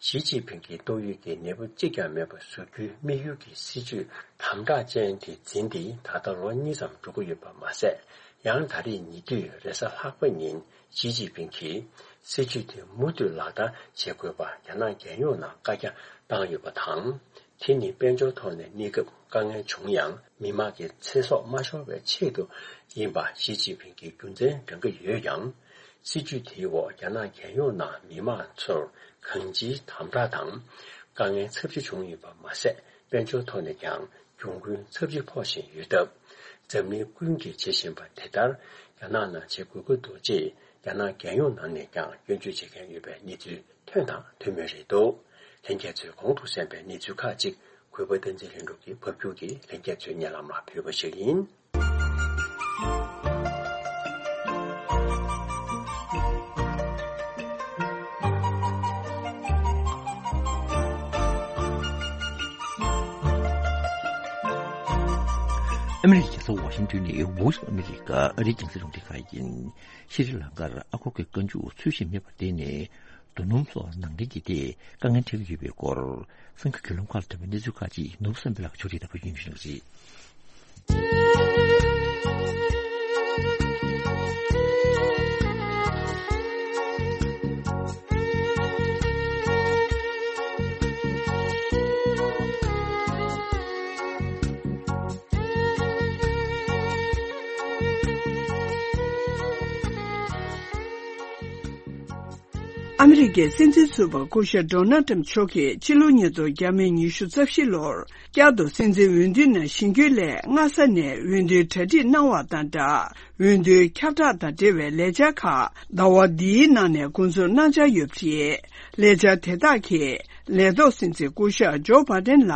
ཞི་ཅིན་ཕིང་གིས་ཏོག་དབྱིབས་ཀྱི་ནད་འབུ་གཅིག་ཀྱང་མེད་པ་བཟོ་རྒྱུའི་དམིགས་ཡུལ་གྱི་སྲིད་ཇུས་དམ་དྲག་ཅན་དེ་འཛིན་ཏེ་ད་ལྟ་ལོ་གཉིས་ཙམ་འགྲོ་གི་ཡོད་པ་མ་ཟད། ཡང་ད་རེས་ཉེ་དུས་རེས་གཟའ་ལྷག་པ་ཉིན་ཞི་ཅིན་ཕིང་གིས་སྲིད་ཇུས་དེ་མུ་མཐུད་ལག་བསྟར་བྱེད་དགོས་པར་རྒྱ་ནག་རྒྱལ་ཡོངས་ནང་བཀའ་རྒྱ་བཏང་ཡོད་པ་དང་། དེ་ནི་དཔལ་འབྱོར་ཐོག་ནས་གནས་སྐབས་དཀའ་ངལ་བྱུང་ཡང་མི་དམངས་ཀྱི་ཚེ་སྲོག་མ་ཤོར་བའི་ཆེད་དུ་ཡིན་པ་ཞི་ཅིན་ཕིང་གིས་རྒྱུ་མཚན་བགྲང་གི་ཡོད་ཀྱང་། སྲིད་ཇུས་དེའི་འོག་རྒྱ་ནག་རྒྱལ་ཡོངས་ནང་མི་དམངས་ཚོར་གང་ཅིའི་དམ་དྲག་དང་དཀའ་ངལ་ཚབས་ཆེ་བྱུང་ཡོད་པ་མ་ཟད། དཔལ་འབྱོར་ཐོག་ནས་ཀྱང་གྱོང་གུན་ཚབས་ཆེ་ཕོག་བཞིན་ཡོད་སྟབས། འཛམ་གླིང་ཀུན་གྱིས་བྱེད་བཞིན་པ་དེ་ལྟར་རྒྱ་ནག་ནང་བྱེད་དགོས་ཀྱི་འདུག་ཅེས་རྒྱ་ནག་རྒྱལ་ཡོངས་ནང་ནས་ཀྱང་སྐྱོན་བརྗོད་བྱེད་མཁན་ཡོད་པའི་གནས་ཚུལ་ཐོན་དང་ཐོན་མུས་རེད་འདུག་ལྷན་རྒྱས་ཚོས་གོང་དུ་གསན་པའི་གནས་ཚུལ་ཁག་ཅིག་གུས་པ་བསྟན་འཛིན་ལྷུན་གྲུབ་ཀྱིས་ཕབ་སྒྱུར་གྱིས་ལྷན་རྒྱས་ཚོའི་སྙན་ལམ་ལ་ཕུལ་བ་ཞིག་ཡིན། ཨ་མི་རི་ཀའི་རྒྱལ་ས་ཝ་ཤིང་ཏོན་ནས་Voice of America ཨ་རིའི་རྒྱང་སྲིང་རླུང་འཕྲིན་ཁང་ཡིན། ཤྲི་ལང་ཀར་ཨ་སྒོར་གྱི་རྐང་མཇུག་ཚུལ་བཞིན་མེད་པར་བརྟེན་ནས། རྡོ་སྣུམ་སོགས་ནང་འདྲེན་གྱི་ཐད་དཀའ་ངལ་འཕྲད་ཀྱི་ཡོད་པའི་སྐོར། གསར་འགྱུར་བརྒྱུད་ལམ་ཁག་ལ་ཐོན་པའི་གནས་ཚུལ་ཁག་ཅིག་ནོར་བུ་བསམ་འཕེལ་ལགས་ཀྱིས་ཕྱོགས་སྒྲིག་དང་ཕབ་སྒྱུར་ཞུ་གནང་གི་རེད། ཨ་མི་རི་ཀའི་སྲིད་འཛིན་ཟུར་པ་སྐུ་ཞབས་ཌོ་ནལ་ཏྲམ་མཆོག་གིས་ཕྱི་ལོ་ཉིས་སྟོང་ཉི་ཤུ་རྩ་བཞི་ལོར་བསྐྱར་དུ་སྲིད་འཛིན་འོས་བསྡུའི་ནང་བཞེངས་རྒྱུའི་སླད་སྔ་ས་ནས་འོས་བསྡུའི་གྲ་སྒྲིག་གནང་བ་དང་སྦྲགས། འོས་བསྡུའི་ཁྱབ་བསྒྲགས་དང་འབྲེལ་བའི་ལས་འཆར་ཁག་ཟླ་བ་འདིའི་ནང་ནས་འགོ་འཛུགས་གནང་འཆར་ཡོད་པ་རེད། ལས་འཆར་དེ་དག་གིས་ལས་ཐོག་སྲིད་འཛིན་སྐུ་ཞབས་ཇོ་བྷ་དན་ལ་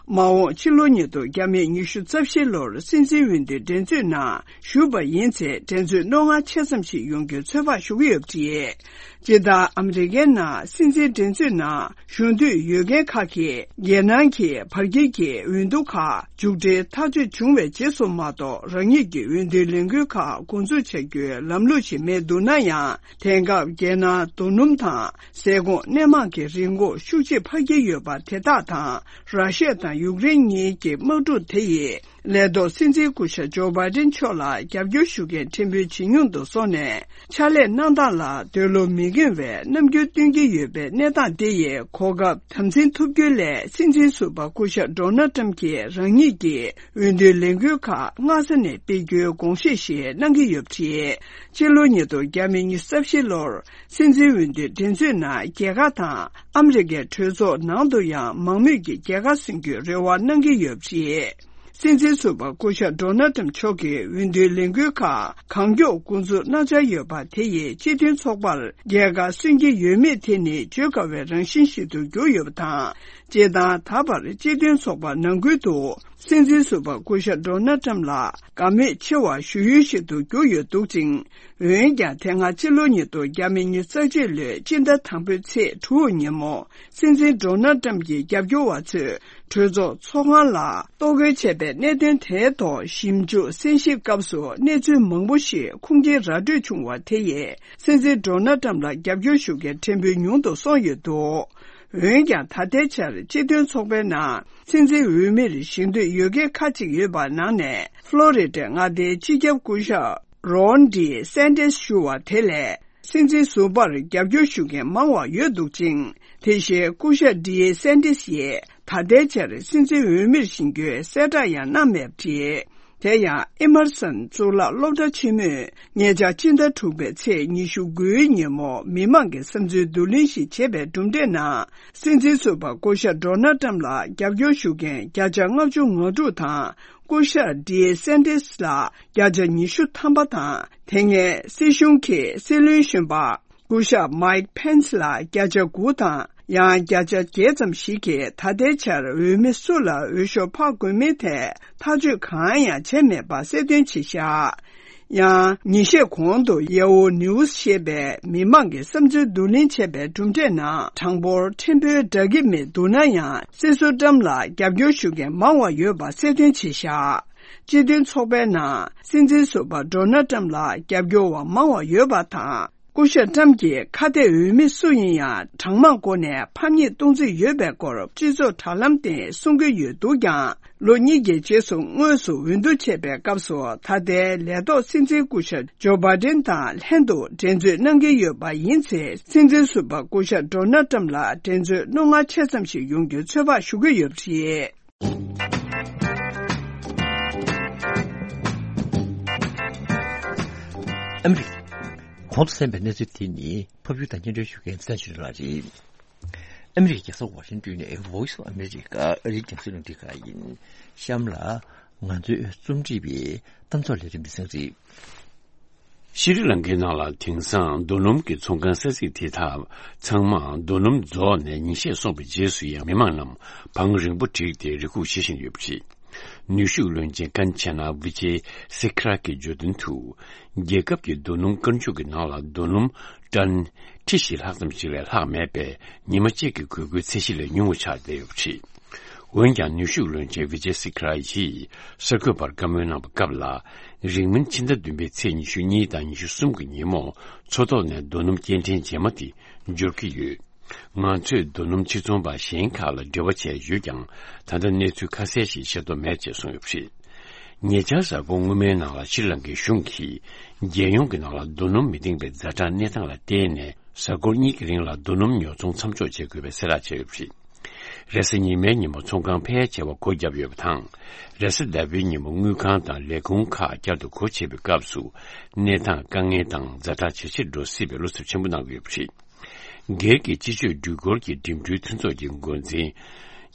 མ་འོངས་ཕྱི་ལོ་ཉིས་སྟོང་ཉི་ཤུ་རྩ་བཞི་ལོར་སྲིད་འཛིན་འོས་བསྡུའི་འགྲན་རྩོད་ནང་ཞུགས་པ་ཡིན་ཚེ་འགྲན་རྩོད་རྣོ་ངར་ཆེ་ཙམ་ཞིག་ཡོང་རྒྱུའི་ཚོད་དཔག་ཞུ་གི་ཡོད་པ་རེད། སྤྱིར་བཏང་ཨ་མི་རི་ཀའི་ནང་སྲིད་འཛིན་འགྲན་རྩོད་ནང་ཞུགས་འདོད་ཡོད་མཁན་ཁག་གིས་རྒྱལ་ནང་གི་བར་ཁྱིམ་གྱི་འོས་བསྡུ་ཁག་མཇུག་སྒྲིལ་ཐག་གཅོད་བྱུང་བའི་རྗེས་སུ་མ་གཏོགས་རང་ཉིད་ཀྱི་འོས་བསྡུའི་ལས་འགུལ་ཁག་འགོ་འཛུགས་བྱ་རྒྱུའི་ལམ་ལུགས་ཤིག་མེད་འདུག་ན་ཡང་། དེང་སྐབས་རྒྱལ་ནང་རྡོ་སྣུམ་དང་ཟས་སྐོམ་སྣེ་མང་གི་རིན་གོང་ཤུགས་ཆེ་འཕར་གྱི་ཡོད་པ་དེ་དག་དང་། ར་ཤི་ཡ་དང་ཡུཀ་རེན་གཉིས་ཀྱི་དམག་འཁྲུག་དེ་ཡིས། ལས་ཐོག་སྲིད་འཛིན་སྐུ་ཞབས་ཇོ་བྷའི་ཌེན་མཆོག་ལ་རྒྱབ་སྐྱོར་ཞུ་མཁན་ཕྲན་བུ་ཇེ་ཉུང་དུ་སོང་ནས། ཕྱག་ལས་གནང་སྟངས་ལ་འདོད་བློ་མི་འགེངས་པའི་རྣམ་འགྱུར་སྟོན་གྱི་ཡོད་པའི་གནས་སྟངས་དེ་ཡི་གོ་སྐབས་དམ་འཛིན་ཐུབ་རྒྱུའི་སླད། སྲིད་འཛིན་ཟུར་པ་སྐུ་ཞབས་ཌོ་ནལ་ཏྲམ་གྱིས་རང་ཉིད་ཀྱི་འོས་བསྡུའི་ལས་འགུལ་ཁག་སྔ་ས་ནས་སྤེལ་རྒྱུའི་དགོངས་བཞེས་ཤིག་གནང་གི་ཡོད་པ་རེད། སྤྱི་ལོ་ཉིས་སྟོང་ཉི་ཤུ་རྩ་བཞི་ལོར། སྲིད་འཛིན་འོས་བསྡུའི་འགྲན་རྩོད་ནང་རྒྱལ་ཁ་དང་ཨ་མི་རི་ཀའི་གྲོས་ཚོགས་ནང་དུ་ཡང་མང་མོས་ཀྱིས་རྒྱལ་ཁ་སོན་རྒྱུའི་རེ་བ་གནང་གི་ཡོད་པ་རེད། སྲིད་འཛིན་ཟུར་པ་སྐུ་ཞབས་ཌོ་ནལ་ཏྲམ་མཆོག་གིས་འོས་བསྡུའི་ལས་འགུལ་ཁག་གང་མགྱོགས་འགོ་འཛུགས་གནང་འཆར་ཡོད་པ་དེ་ཡིས་སྤྱི་མཐུན་ཚོགས་པར་རྒྱལ་ཁ་སོན་གྱི་ཡོད་མེད་དེ་ནི་བརྗོད་དཀའ་བའི་རང་བཞིན་ཞིག་ཏུ་གྱུར་ཡོད་པ་དང་། སྤྱིར་བཏང་ད་བར་སྤྱི་མཐུན་ཚོགས་པ་ནང་ཁུལ་དུ་སྲིད་འཛིན་ཟུར་པ་སྐུ་ཞབས་ཌོ་ནལ་ཏྲམ་ལ་དགའ་མོས་ཆེ་བ་ཞུ་ཡུལ་ཞིག་ཏུ་གྱུར་ཡོད་འདུག་ཅིང་། འོན་ཀྱང་དེ་སྔ་ཕྱི་ལོ་ཉིས་སྟོང་ཉི་ཤུ་རྩ་གཅིག་ལོའི་སྤྱི་ཟླ་དང་པོའི་ཚེས་དྲུག་ཉིན་མོ། སྲིད་འཛིན་ཌོ་ནལ་ཏྲམ་གྱི་རྒྱབ་སྐྱོར་བ་ཚོས་གྲོས་ཚོགས་ཚོགས་ཁང་ལ་གཏོར་རྒོལ་བྱས་པའི་གནད་དོན་དེའི་ཐོག་ཞིབ་འཇུག་གསན་ཞིབ་སྐབས་སུ་གནས་ཚུལ་མང་པོ་ཞིག་ཁུངས་སྐྱེལ་ར་སྤྲོད་བྱུང་བ་དེ་ཡིས་སྲིད་འཛིན་ཌོ་ནལ་ཏྲམ་ལ་རྒྱབ་སྐྱོར་ཞུ་མཁན་ཕྲན་བུ་ཉུང་དུ་སོང་ཡོད་འདུག་འོན་ཀྱང་ད་ལྟའི་ཆར་སྤྱི་མཐུན་ཚོགས་པའི་ནང་སྲིད་འཛིན་འོས་མིར་བཞེངས་འདོད་ཡོད་མཁན་ཁག་ཅིག་ཡོད་པ་ནང་ནས་ཕློ་རི་ཌའི་མངའ་སྡེའི་སྤྱི་ཁྱབ་སྐུ་ཞབས། རོན་ཌི་སན་ཏེས་ཞུ་བ་དེ་ལས་སྲིད་འཛིན་ཟུར་པར་རྒྱབ་སྐྱོར་ཞུ་མཁན་མང་བ་ཡོད་འདུག་ཅིང་། དེ་བཞིན་སྐུ་ཞབས་ཌི་ཨེ་སན་ཏེས་ཡིས་ད་ལྟའི་ཆར་སྲིད་འཛིན་འོས་མིར་བཞེངས་རྒྱུའི་གསལ་བསྒྲགས་ཡང་གནང་མེད་པ་རེད། དེ་ཡང་ཨི་མར་སན་གཙུག་ལག་སློབ་གྲྭ་ཆེན་མོས་ཉེ་ཆར་ཕྱི་ཟླ་དྲུག་པའི་ཚེས་ཉི་ཤུ་དགུའི་ཉིན་མོ་མི་མང་གི་བསམ་ཚུལ་བསྡུ་ལེན་ཞིག་བྱས་པའི་གྲུབ་འབྲས་ནང་། སྲིད་འཛིན་ཟུར་པ་སྐུ་ཞབས་ཌོ་ནལ་ཏྲམ་ལ་རྒྱབ་སྐྱོར་ཞུ་མཁན་བརྒྱ་ཆ་ལྔ་བཅུ་ང་དྲུག་དང་། སྐུ་ཞབས་ཌི་ཨེ་སན་ཏེས་ལ་བརྒྱ་ཆ་ཉི་ཤུ་ཐམ་པ་དང་། དེ་སྔའི་སྲིད་གཞུང་གི་སྲིད་བློན་གཞོན་པ་སྐུ་ཞབས་མའིག་ཕེན་སི་ལ་བརྒྱ་ཆ་དགུ་དང་། ཡང་བརྒྱ་ཆ་བརྒྱད་ཙམ་ཞིག་གིས་ད་ལྟའི་ཆར་འོས་མི་སུ་ལ་འོས་ཤོག་ཕབ་དགོས་མིན་ཐད་ཐག་གཅོད་གང་ཡང་བྱས་མེད་པ་གསལ་སྟོན་བྱས་བཞག་ཡང་ཉིན་ཤས་གོང་དུ་ཡ་ཧུ་ནིའུ་སི་ཞེས་པས་མི་མང་གི་བསམ་ཚུལ་བསྡུ་ལེན་བྱས་པའི་གྲུབ་འབྲས་ནང་གྲངས་འབོར་ཕྲན་བུ་འདྲ་གི་མི་འདུག་ན་ཡང་། སྲིད་ཟུར་ཏྲམ་ལ་རྒྱབ་སྐྱོར་ཞུ་མཁན་མང་བ་ཡོད་པ་གསལ་སྟོན་བྱས་བཞག་སྤྱི་མཐུན་ཚོགས་པའི་ནང་སྲིད་འཛིན་ཟུར་པ་ཌོ་ནལ་ཏྲམ་ལ་རྒྱབ་སྐྱོར་བ་མང་བ་ཡོད་པ་དང་། སྐུ་ཞབས་ཊམ་གྱིས་ཁ་གཏད་འོས་མི་སུ་ཡིན་ཡང་གྲངས་མང་སྒོ་ནས་ཕམ་ཉེས་གཏོང་རྩིས་ཡོད་པའི་སྐོར་སྤྱི་ཚོགས་དྲ་ལམ་སྟེང་གསུང་གི་ཡོད་འདུག་ཀྱང་། ལོ་གཉིས་ཀྱི་རྗེས་སུ་དངོས་སུ་འོས་བསྡུ་བྱས་པའི་སྐབས་སུ། ད་ལྟའི་ལས་ཐོག་སྲིད་འཛིན་སྐུ་ཞབས་ཇོ་བྷའི་ཌེན་དང་ལྷན་དུ་འགྲན་རྩོད་གནང་གི་ཡོད་པ་ཡིན་ཚེ། སྲིད་འཛིན་ཟུར་པ་སྐུ་ཞབས་ཌོ་ནལ་ཊམ་ལ་འགྲན་རྩོད་རྣོ་ངར་ཆེ་ཙམ་ཞིག་ཡོང་རྒྱུའི་ཚོད་དཔག་ཞུ་གི་ཡོད་པ་རེད། ཨ་མི་རི་ཀ། གོང་དུ་གསན་པའི་གནས་ཚུལ་དེ་ནི་ཕབ་སྒྱུར་དང་སྙན་སྒྲོན་ཞུ་མཁན་བསྟན་ཆོས་ལགས་རེད། ཨ་མི་རི་ཀའི་རྒྱལ་ས་ཝ་ཤིང་ཏོན་ནས་Voice of America ཨ་རིའི་རྒྱང་སྲིང་རླུང་འཕྲིན་ཁང་ཡིན། གཤམ་ལ་ང་ཚོའི་རྩོམ་སྒྲིག་པའི་གཏམ་ཚོགས་ལས་རིམ་འདི་ཚང་རེད། ཤྲི་ལང་ཀའི་ནང་ལ་དེང་སང་རྡོ་སྣུམ་གྱི་ཚོང་ཁང་ས་ཚིགས་དེ་དག་ཚང་མ་རྡོ་སྣུམ་རྫོགས་ནས་ཉིན་ཤས་སོང་བའི་རྗེས་སུ་ཡང་མི་མང་རྣམས་བང་རིང་པོ་བསྒྲིགས་ཏེ་རེ་སྒུག་བྱེད་བཞིན་ཡོད་པ་རེད། ནུས་ཤུགས་བློན་ཆེན་ཀན་ཆེ་ན་བི་ཅེ་སི་ཁ་ར་གིས་བརྗོད་དོན་དུ། རྒྱལ་ཁབ་ཀྱི་རྡོ་སྣུམ་དཀར་མཇུག་གི་ནང་ལ་རྡོ་སྣུམ་ཊན་ཁྲི་བཞི་ལྷག་ཙམ་ཞིག་ལས་ལྷག་མེད་པས། ཉི་མ་གཅིག་གི་དགོས་མཁོའི་ཚད་གཞི་ལས་ཉུང་བ་ཆགས་བསྡད་ཡོད་པ་རེད། འོན་ཀྱང་ནུས་ཤུགས་བློན་ཆེན་བི་ཇེ་སི་ཁ་ར་ཡིས་གསར་འགོད་པར་བཀའ་མོལ་གནང་བའི་སྐབས་ལ། རིང་མིན་ཕྱི་ཟླ་བདུན་པའི་ཚེས་ཉི་ཤུ་གཉིས་དང་ཉི་ཤུ་གསུམ་གྱི་ཉིན་མོ་མཚོ་ཐོག་ནས་རྡོ་སྣུམ་སྐྱེལ་འདྲེན་རྗེས་མ་དེ་འབྱོར་གྱི་ཡོད། ང་ཚོས་རྡོ་སྣུམ་ཕྱིར་ཚོང་པ་གཞན་ཁག་ལ་འབྲེལ་བ་བྱས་ཡོད་ཀྱང་། ད་ལྟ་གནས་ཚུལ་ཁ་གསལ་ཞིག་ཤེས་རྟོགས་མེད་ཅེས་གསུངས་ཡོད་པ་རེད། ཉེ་ཆར་གཟའ་འཁོར་སྔོན་མའི་ནང་ལ་ཤྲི་ལང་ཀའི་གཞུང་གིས་རྒྱལ་ཡོངས་ཀྱི་ནང་ལ་རྡོ་སྣུམ་མི་འདེང་བའི་ཛ་དྲག་གནས་སྟངས་ལ་བརྟེན་ནས། གཟའ་འཁོར་གཉིས་ཀྱི་རིང་ལ་རྡོ་སྣུམ་ཉོ་ཚོང་མཚམས་འཇོག་བྱེད་དགོས་པའི་གསལ་བསྒྲགས་བྱས་ཡོད་པ་རེད། རེས་གཟའ་ཉི་མའི་ཉིན་མོ་ཚོང་ཁང་ཕལ་ཆེ་བ་སྒོ་བརྒྱབ་ཡོད་པ་དང་། རེས་གཟའ་ཟླ་བའི་ཉིན་མོ་དངུལ་ཁང་དང་ལས་ཁུངས་ཁག་བསྐྱར་དུ་སྒོ་ཕྱེ་བའི་སྐབས་སུ། གནས་སྟངས་དཀའ་ངལ་དང་ཛ་དྲག་ཇེ་ཆེར་འགྲོ་སྲིད་པའི་བློ་འཚབ་ཆེན་པོ་གནང་གི་ཡོད་པ་རེད། སྒེར་གྱི་སྤྱི་སྤྱོད་འགྲུལ་འཁོར་གྱི་འགྲིམ་འགྲུལ་མཐུན་ཚོགས་ཀྱི་འགོ་འཛིན་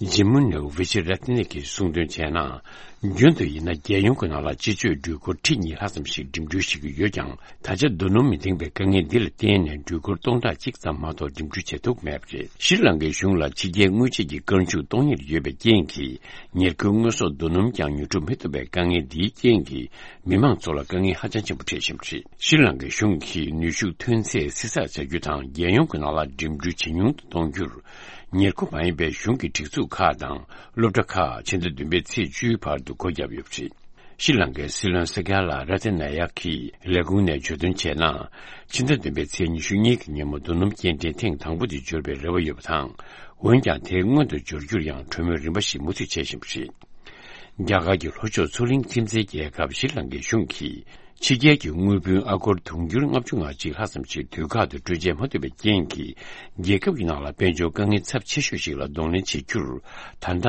ཇི་མུ་ནེ་ཝི་ཆི་ར་ཏི་ནེ་གིས་གསུངས་དོན་བྱས་ན། རྒྱུན་དུ་ཡིན་ན་རྒྱལ་ཡོངས་ཀྱི་ནང་ལ་སྤྱི་སྤྱོད་འགྲུལ་འཁོར་ཁྲི་གཉིས་ལྷག་ཙམ་ཞིག་འགྲིམ་འགྲུལ་བྱེད་ཀྱི་ཡོད་ཀྱང་། ད་ཆ་རྡོ་སྣུམ་མི་འདེང་བའི་དཀའ་ངལ་འདི་ལ་བརྟེན་ནས་འགྲུལ་འཁོར་སྟོང་ཕྲག་གཅིག་ཙམ་མ་གཏོགས་འགྲིམ་འགྲུལ་བྱེད་ཐུབ་མེད་པ་རེད། ཤྲི་ལང་ཀའི་གཞུང་ལ་ཕྱི་རྒྱལ་དངུལ་ཆད་ཀྱི་བཀའ་འཇུག་གཏོང་ཉེར་ཡོད་པའི་རྐྱེན་གྱིས། ཉེར་མཁོའི་དངོས་ཟོག་རྡོ་སྣུམ་ཀྱང་ཉོ་སྒྲུབ་མི་ཐུབ་པའི་དཀའ་ངལ་འདིའི་རྐྱེན་གྱིས། མི་མང་ཚོ་ལ་དཀའ་ངལ་ཧ་ཅང་ཆེན་པོ་འཕྲད་བཞིན་པ་རེད། ཤྲི་ལང་ཀའི་གཞུང་གིས་ནུས་ཤུགས་ཐོན་ཚད་བསྲི་ཚགས་བྱ་རྒྱུ་དང་། རྒྱལ་ཡོངས་ཀྱི་ནང་ལ་འགྲིམ་འགྲུལ་ཇེ་ཉུང་དུ་གཏོང་རྒྱུར། ཉེར་མཁོ་མ་ཡིན་པའི་གཞུང་གི་སྒྲིག་འཛུགས་ཁག་དང་སློབ་གྲྭ་ཁག་ཕྱི་ཟླ་བདུན་པའི་ཚེས་བཅུའི་བར་དུ་སྒོ་བརྒྱབ་ཡོད་པ་རེད། ཤྲི་ལང་ཀའི་སྲིད་བློན་སི་ཀ་ལ་ར་ཏི་ན་ཡ་ཁིས་ལས་ཁུངས་ནས་བརྗོད་དོན་བྱས་ན། ཕྱི་ཟླ་བདུན་པའི་ཚེས་ཉི་ཤུ་གཉིས་ཀྱི་ཉིན་མོ་རྡོ་སྣུམ་སྐྱེལ་འདྲེན་ཐེངས་དང་པོ་དེ་འབྱོར་བའི་རེ་བ་ཡོད་པ་དང་། འོན་ཀྱང་། དེ་སྔོན་དུ་འབྱོར་རྒྱུར་ཡང་གྲོས་མོལ་རིམ་པ་ཞིག་མུ་མཐུད་བྱེད་བཞིན་པ་རེད། རྒྱ་གར་གྱི་ལྷོ་ཕྱོགས་མཚོ་གླིང་ཁྱིམ་མཚེས་རྒྱལ་ཁབ་ཤྲི་ལང་ཀའི་གཞུང་གིས། ཕྱི་རྒྱལ་གྱི་དངུལ་བུན་ཨ་སྒོར་དུང་ཕྱུར་ལྔ་བཅུ་ང་གཅིག་ལྷག་ཙམ་ཞིག་དུས་བཀག་ཏུ་སྤྲོད་འཇལ་མ་ཐུབ་པའི་རྐྱེན་གྱིས། རྒྱལ་ཁབ་ཀྱི་ནང་ལ་དཔལ་འབྱོར་དཀའ་ངལ་ཚབས་ཆེ་ཤོས་ཤིག་ལ་གདོང་ལེན་བྱེད་རྒྱུར། ད་ལྟ།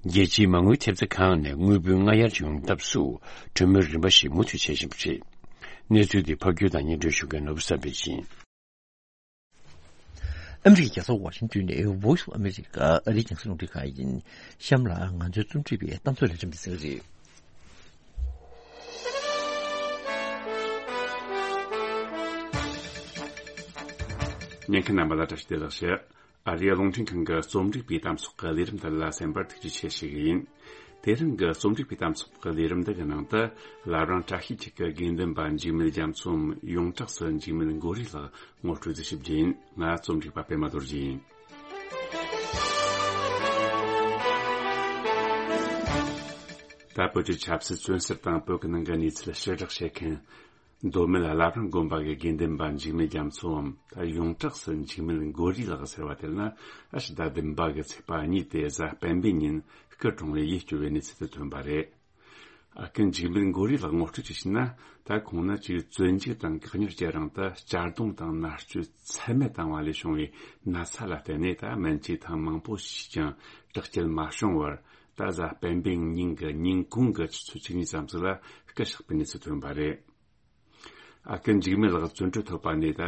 རྒྱལ་སྤྱིའི་མ་དངུལ་ཐེབས་རྩ་ཁང་ནས་དངུལ་བུན་སྔ་གཡར་ཡོང་ཐབས་སུ། གྲོས་མོལ་རིམ་པ་ཞིག་མུ་མཐུད་བྱེད་བཞིན་པ་རེད། གནས་ཚུལ་འདི་ཕབ་སྒྱུར་དང་སྙན་སྒྲོན་ཞུ་མཁན་ནོར་བུ་བསམ་འཕེལ་ཡིན། ཨ་མི་རི་ཀའི་རྒྱལ་ས་ཝ་ཤིང་ཏོན་ནས་Voice of America ཨ་རིའི་རྒྱང་སྲིང་རླུང་འཕྲིན་ཁང་ཡིན། གཤམ་ལ་ང་ཚོའི་རྩོམ་སྒྲིག་པའི་གཏམ་ཚོགས་ལས་རིམ་འདི་ཚང་རེད། ཉན་མཁན་རྣམ་པ་ལ་བཀྲ་ཤིས་བདེ་ལེགས་ཞུ། ཨ་རིའི་རླུང་འཕྲིན་ཁང་གི་རྩོམ་སྒྲིག་པའི་གཏམ་ཚོགས་ཀྱི་ལས་རིམ་དེ་ལ་གསན་པར་ཐུགས་རྗེ་ཆེ་ཞུ་གི་ཡིན། དེ་རིང་གི་རྩོམ་སྒྲིག་པའི་གཏམ་ཚོགས་ཀྱི་ལས་རིམ་འདི་གི་ནང་དུ། བླ་བྲང་བཀྲ་ཤིས་འཁྱིལ་གྱི་དགེ་འདུན་པ་འཇིགས་མེད་རྒྱ་མཚོའམ་ཡོངས་གྲགས་སུ་འཇིགས་མེད་མགོ་རིལ་ལགས་ངོ་སྤྲོད་དུ་ཞིབ་རྒྱས་ཡིན། ང་རྩོམ་སྒྲིག་པ་པད་མ་རྡོ་རྗེ་ཡིན། ད་བོད་ཀྱི་ཆབ་སྲིད་བཙོན་ཟུར་དང་བོད་ཀྱི་ནང་གི་གནས་ཚུལ་ཕྱིར་བསྒྲགས་བྱེད་མཁན། མདོ་སྨད་བླ་བྲང་དགོན་པ་གི་དགེ་འདུན་པ་འཇིགས་མེད་རྒྱ་མཚོའམ། ད་ཡོངས་གྲགས་སུ་འཇིགས་མེད་མགོ་རིལ་ལགས་ཟེར་བ་དེ་ལ་ཨ་ཕྱི་ཟླ་བདུན་པ་གི་ཚེས་པ་གཉིས་ཏེ་གཟའ་སྤེན་པའི་ཉིན་སྐུ་གྲོངས་བའི་ཡིད་སྐྱོ་བའི་གནས་ཚུལ་དེ་ཐོན་པ་རེད། ཨ་ཁུ་འཇིགས་མེད་མགོ་རིལ་ལགས་ངོ་སྤྲོད་ཅིག་བྱས་ན། ད་ཁོང་ནི་ཅིག་བཙོན་འཇུག་དང་བཀག་ཉར་གྱི་རིང་དུ་གཅར་རྡུང་དང་མནར་གཅོད་ཚད་མེད་བཏང་བ་ལས་བྱུང་བའི་ན་ཚ་ལ་བརྟེན་ནས། ད་སྨན་བཅོས་ཐེངས་མང་པོ་བྱས་ཀྱང་དྲག་སྐྱེད་མ་བྱུང་བར། ད་གཟའ་སྤེན་པའི་ཉིན་གྱི་ཉིན་གུང་གི་ཆུ་ཚོད་བཅུ་གཉིས་ཙམ་ཞིག་ལ་སྐུ་གཤེགས་པའི་གནས་ཚུལ་ཐོན་པ་རེད། ཨ་ཁུ་འཇིགས་མེད་ལགས་བཙོན་གྲོལ་ཐོབ་པ་ནས་ད་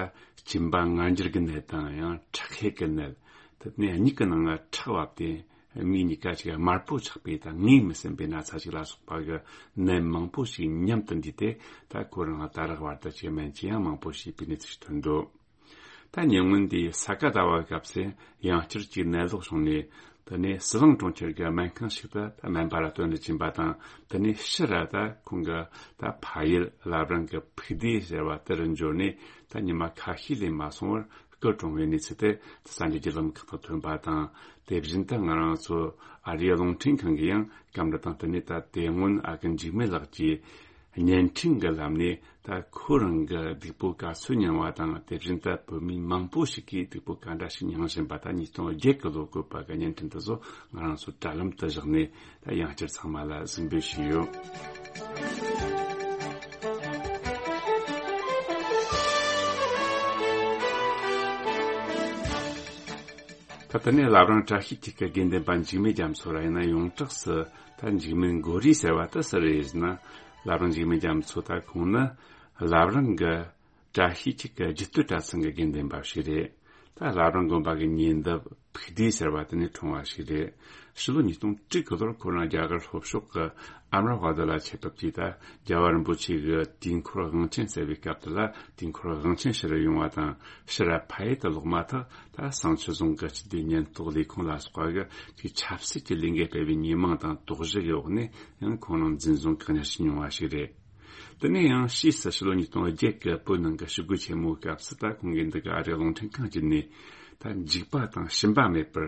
གཅིན་པ་ངར་འགྱུར་གྱི་ནད་དང་ཡང་ཁྲག་ཤེད་ཀྱི་ནད། དེ་ནས་མྱིག་གི་ནང་ང་ཁྲག་བབས་ཏེ་མིག་གཉིས་ཀ་ཅིག་དམར་པོ་ཆགས་པའི་ད་ངོས་མི་ཟིན་པའི་ན་ཚ་ཞིག་ལ་སོགས་པ་གི་ནད་མང་པོ་ཞིག་མཉམ་དུ་འདུས་ཏེ། ད་ཁོ་རང་ད་རག་བར་དུ་ཅིག་སྨན་བཅོས་ཡང་མང་པོ་བྱས་པའི་གནས་ཚུལ་ཞིག་ཐོན་འདུག་ད་ཉེ་སྔོན་དེའི་ས་ག་ཟླ་བའི་སྐབས་སུ་ཡང་བསྐྱར་གྱི་ནད་ལོག་བྱུང་ནས། དེ་ནས་ཟི་ལིང་གྲོང་ཁྱེར་གྱི་སྨན་ཁང་ཞིག་ཏུ་སྨན་པ་ལ་སྟོན་དུ་ཕྱིན་པ་དང་། དེ་ནས་ཕྱིར་ར་ད་ཁོང་གི་ད་ཕ་ཡུལ་བླ་བྲང་གི་ཕུག་སྡེ་ཟེར་བ་དེ་རུ་འབྱོར་ནས། ད་ཉི་མ་ཁ་ཤས་ལས་མ་སོང་བར་སྐུ་གྲོངས་པའི་གནས་ཚུལ་དེ་གསར་འགྱུར་གྱི་ལམ་ཁག་ཏུ་ཐོན་པ་དང་། དེ་བཞིན་དུ་ང་རང་ཚོ་ཨ་རིའི་རླུང་འཕྲིན་ཁང་གིས་ཡང་སྐབས་འདི་དང་བསྟུན་ནས། ད་དེ་སྔོན་ཨ་ཁུ་འཇིགས་མེད་ལགས་ཀྱིས། བརྙན་འཕྲིན་གྱི་ལམ་ནས་ད་ཁོ་རང་གི་སྡུག་པོ་ག་ཚོད་མྱངས་པ་དང་། དེ་བཞིན་དུ་བོད་མི་མང་པོ་ཞིག་གིས་སྡུག་པོ་ག་འདྲ་ཞིག་མྱངས་བཞིན་པ། ད་ཉིས་སྟོང་བརྒྱད་ཀྱི་ལོ་བཀོད་པ་གི་བརྙན་འཕྲིན་དེ་ཚོ་ང་རང་ཚོ་དྲ་ལམ་དུ་བཞག་ནས། ད་ཡང་བསྐྱར་ཚང་མ་ལ་གཟིགས་འབུལ་ཞུས་ཡོད། ད་དེ་ནས་བླ་བྲང་བཀྲ་ཤིས་འཁྱིལ་གྱི་དགེ་འདུན་པ་འཇིགས་མེད་རྒྱ་མཚོ་ར་ཡིན་ན། ཡོངས་གྲགས་སུ་ད་འཇིགས་མེད་མགོ་རིལ་ཟེར་བ་དེ་སུ་རེད་ཟེར་ན། བླ་བྲང་འཇིགས་མེད་རྒྱ་མཚོ་ད་ཁོང་ནི་བླ་བྲང་གི་བཀྲ་ཤིས་འཁྱིལ་གྱི་རྒྱུད་སྟོད་གྲྭ་ཚང་གི་དགེ་འདུན་པ་ཞིག་རེད། ད་བླ་བྲང་དགོན་པ་གི་ཉེ་འདབས་ཕུག་སྡེ་ཟེར་བ་དེ་ནས་འཁྲུངས་པ་ཞིག་རེད། ཕྱི་ལོ་ཉིས་སྟོང་དྲུག་གི་ལོར་ཁོ་རང་རྒྱ་གར་ལྷོ་ཕྱོགས་ཀྱི་ཨ་མྲ་ཝ་དྷ་ལ་ཆེད་ཕེབས་ཀྱིས། ད་རྒྱལ་བ་རིན་པོ་ཆེ་གི་དུས་འཁོར་དབང་ཆེན་སྩལ་བའི་སྐབས་དེ་ལ། དུས་འཁོར་དབང་ཆེན་ཕྱིར་ཡོང་བ་དང་ཕྱིར་ཕ་ཡུལ་དུ་ལོག་མ་ཐག། ད་བསང་མཆོད་རྫོང་གི་སྤྱི་བདེ་ཉེན་རྟོག་ལས་ཁུངས་ལ་སོགས་པ་གིས་ཆབ་སྲིད་ཀྱི་ལས་འགུལ་སྤེལ་བའི་ཉེས་མིང་དང་དོགས་གཞི་གི་འོག་ནས་ཡང་ཁོང་རང་འཛིན་བཟུང་བཀག་ཉར་བྱས་མྱོང་བ་ཞིག་རེད། དེ་ནས་ཡང་ཕྱིས་སུ་ཕྱི་ལོ་ཉིས་སྟོང་བརྒྱད་ཀྱི་བོད་ནང་གི་ཞི་རྒོལ་ཆེན་མོའི་སྐབས་སུ། ད་ཁོང་གིས་འདི་ག་ཨ་རིའི་རླུང་འཕྲིན་ཁང་བརྒྱུད་ནས། ད་འཇིགས་པ་དང་ཞུམ་པ་མེད་པར་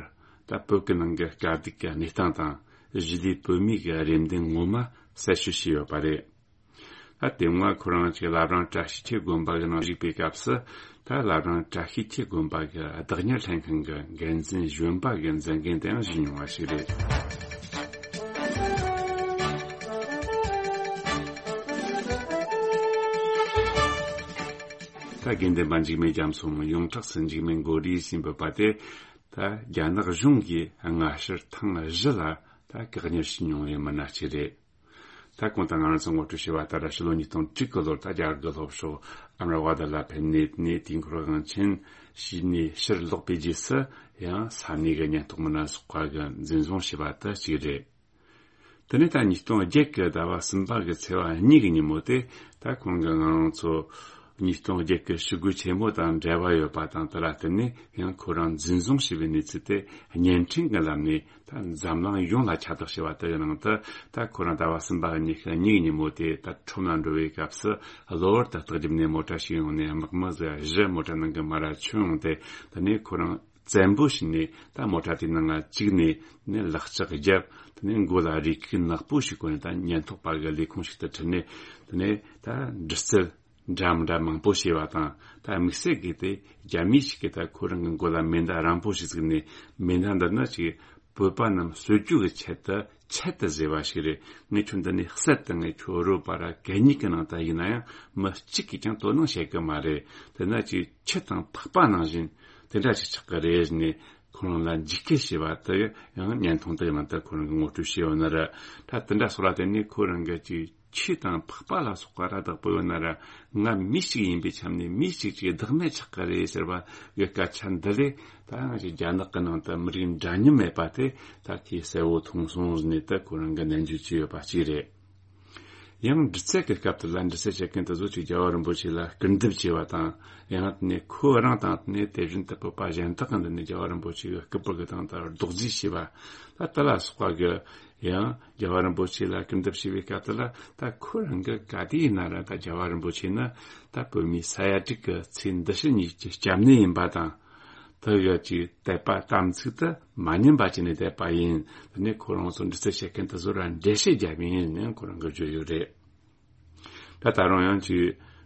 ད་བོད་ཀྱི་ནང་གི་དཀའ་སྡུག་གི་གནས་སྟངས་དང་། གཞིས་ལུས་བོད་མིའི་གི་རེ་འདུན་ངོ་མ་གསལ་བཤད་བྱས་ཡོད་པ་རེད། ད་དེ་སྔ་ཁོ་རང་ཅིག་བླ་བྲང་བཀྲ་ཤིས་འཁྱིལ་དགོན་པ་གི་ནང་བཞུགས་པའི་སྐབས་སུ། ད་བླ་བྲང་བཀྲ་ཤིས་འཁྱིལ་དགོན་པ་གི་བདག་གཉེར་ལྷན་ཁང་གི་འགན་འཛིན་གཞོན་པ་གི་མཛད་འགན་དེའང་བཞེས་མྱོང་བ་ཞིག་རེད། ད་དགེ་འདུན་པ་འཇིགས་མེད་རྒྱ་མཚོ་མོ། ཡོངས་གྲགས་སུ་འཇིགས་མེད་མགོ་རིལ་ཞེས་འབོད་པ་དེ། ད་རྒྱ་ནག་གཞུང་གིས་སྔ་ཕྱིར་ཐེངས་བཞི་ལ་ད་བཀག་ཉར་བྱས་མྱོང་བའི་མི་སྣ་ཞིག་རེད། ད་གོང་དུ་ང་རང་ཚོ་ངོ་སྤྲོད་བྱས་པ་ལྟར། ཕྱི་ལོ་ཉིས་སྟོང་དྲུག་གི་ལོར་ད་རྒྱ་གར་གྱི་ལྷོ་ཕྱོགས་ཨ་མྲ་ཝ་དྷ་ལ་ཕེབས་ནས། དེ་ནས་དུས་འཁོར་དབང་ཆེན་བྱས་ནས་ཕྱིར་ལོག་པའི་རྗེས་སུ། ཡང་ས་གནས་ཀྱི་ཉེན་རྟོག་མི་སྣ་སོགས་པ་གིས་འཛིན་བཟུང་བྱས་པ་དེ་གཅིག་རེད། དེ་ནས་ད་ཉིས་སྟོང་བརྒྱད་ཀྱི་ཟླ་བ་གསུམ་པ་གི་ཚེས་པ་གཉིས་ཀྱི་ཉིན་མོ་དེ། ད་ཁོང་གིས་ང་རང་ཚོ་ཉིས་སྟོང་བརྒྱད་ཀྱི་ཞི་རྒོལ་ཆེན་མོ་དང་འབྲེལ་བ་ཡོད་པ་དང་། དེ་ལ་བརྟེན་ནས་ཡང་ཁོ་རང་འཛིན་བཟུང་བྱས་པའི་གནས་ཚུལ་དེ་བརྙན་འཕྲིན་གྱི་ལམ་ནས། ད་འཛམ་གླིང་ཡོངས་ལ་ཁྱབ་བསྒྲགས་བྱས་པ་དེ་གི་ནང་དུ། ད་ཁོ་རང་ཟླ་བ་གསུམ་པ་གི་ཉི་ཤུ་གཉིས་ཉིན་མོ་དེ་ད་ཁྲོམ་ལ་འགྲོ་བའི་སྐབས་སུ། གློ་བུར་དུ་སྟག་རྒྱབ་ནས་མོ་ཊ་ཞིག་ཡོང་ནས། དམག་མི་ཟིག་བཞི་མོ་ཊ་ནང་གི་མར་ར་མཆོངས་ཡོང་སྟེ། དེ་ནས་ཁོ་རང་བཙན་པོ་བྱས་ནས་ད་མོ་ཊ་དེའི་ནང་ང་བཅུག་ནས། ནས་ལག་ལྕགས་བརྒྱབ། དེ་ནས་མགོ་ལ་རས་ཁུག་ནག་པོ་ཞིག་གོན་ནས། ད་ཉེན་རྟོག་པ་གི་ལས་ཁུངས་ཤིག་ཏུ་ཁྲིད་ནས། དེ་ནས་ད་འདྲི་རྩད་འདྲ་མི་འདྲ་མང་པོ་བྱས་པ་དང་། ད་དམིགས་བསལ་གྱིས་དེ་རྒྱ་མི་ཞིག་གིས་ད་ཁོ་རང་གི་མགོ་ལ་མེ་མདའ་རིང་པོ་ཞིག་བཙུགས་ནས། མེ་མདའ་འདི་ནི་ཅིག་བོད་པ་རྣམས་གསོད་རྒྱུ་གི་ཆེད་དུ་ཆེད་དུ་བཟོས་པ་ཞིག་རེད། ངས་ཁྱོད་འདི་ནས་བསད་དེ། ངས་ཁྱོད་རོ་པ་ར་གད་སྙིགས་ཀྱི་ནང་དུ་ཡིན་ན་ཡང་མི་གཅིག་གིས་ཀྱང་དོ་སྣང་བྱེད་གི་མ་རེད། དེ་ན་ཅིག་ཁྱི་དང་ཕག་པ་ནང་བཞིན་དེ་འདྲ་ཞིག་ཆགས་གི་རེད་ཟེར་ནས། ཁོ་རང་ལ་འཇིགས་སྐུལ་བྱས་པ་དེ་ཡང་བརྙན་ཐུང་དེ་ནང་དུ་ཁོ་རང་གིས་ངོ་སྤྲོད་བྱས་ཡོད་ནི་རེད། ད་དེ་འདྲ་སོགས་ལ་བརྟེན་ནས་ཁོ་རང་གིས་ཅིག་ཁྱི་དང་ཕག་པ་ལ་སོགས་པ་ར་བདག་པོ་ཡོད་ན་ར། ང་མི་ཞིག་ཡིན་པའི་ཆ་ནས་མི་ཞིག་ཅིག་བདག་མེད་ཆགས་ཀྱི་རེད་ཟེར་བ་གི་སྐད་ཆ་འདི་ལས། ད་ང་ཅིག་རྒྱ་ནག་གི་ནང་དུ་མི་རིགས་འདྲ་མཉམ་མེད་པ་དེ་ད་ཁོས་གསལ་བོ་མཐོང་སོང་ཟེར་ནས། ད་ཁོ་རང་གིས་ནན་བརྗོད་བྱས་ཡོད་པ་གཅིག་རེད། ཡང་འདྲི་རྩད་ཀྱི་སྐབས་དེ་ལ་འདྲི་རྩད་བྱེད་མཁན་དེ་ཚོ་ཅིག་རྒྱལ་བ་རིན་པོ་ཆེ་ལ་སྐུར་འདེབས་བྱས་པ་དང་། ཡང་དེ་ནས་ཁོ་རང་དང་། དེ་ནས་དེ་བཞིན་དུ་བོད་པ་གཞན་དག་གིས་འདི་ནས་རྒྱལ་བ་རིན་པོ་ཆེ་གི་སྐུ་པར་གི་སྟེང་དུ་རྡོག་རྫིས་བྱས་པ། ད་དེ་ལ་སོགས་པ་གིས་ཡང་རྒྱལ་བ་རིན་པོ་ཆེ་ལ་སྐུར་འདེབས་བྱས་པའི་སྐབས་དེ་ལ། ད་ཁོ་རང་གིས་ག་དུས་ཡིན་ན་ར། ད་རྒྱལ་བ་རིན་པོ་ཆེ་ནི་ད་བོད་མིའི་ས་ཡ་དྲུག་གི་ཚེ་འདི་ཕྱི་གཉིས་ཀྱི་སྐྱབས་གནས་ཡིན་པ་དང་། དེ་གི་ཅིག་དད་པ་དམ་ཚིག་དེ་མ་ཉམས་པ་བྱས་ནས་བསྡད་པ་ཡིན། དེ་ནས་ཁོ་རང་ཚོ་འདྲི་རྩད་བྱེད་མཁན་དེ་ཚོ་ར་འགྲེལ་བཤད་བརྒྱབ་ཡིན་ནས་ཁོ་རང་གིས་བརྗོད་ཡོད་རེད། ད་ད་རུང་ཡང་ཅིག་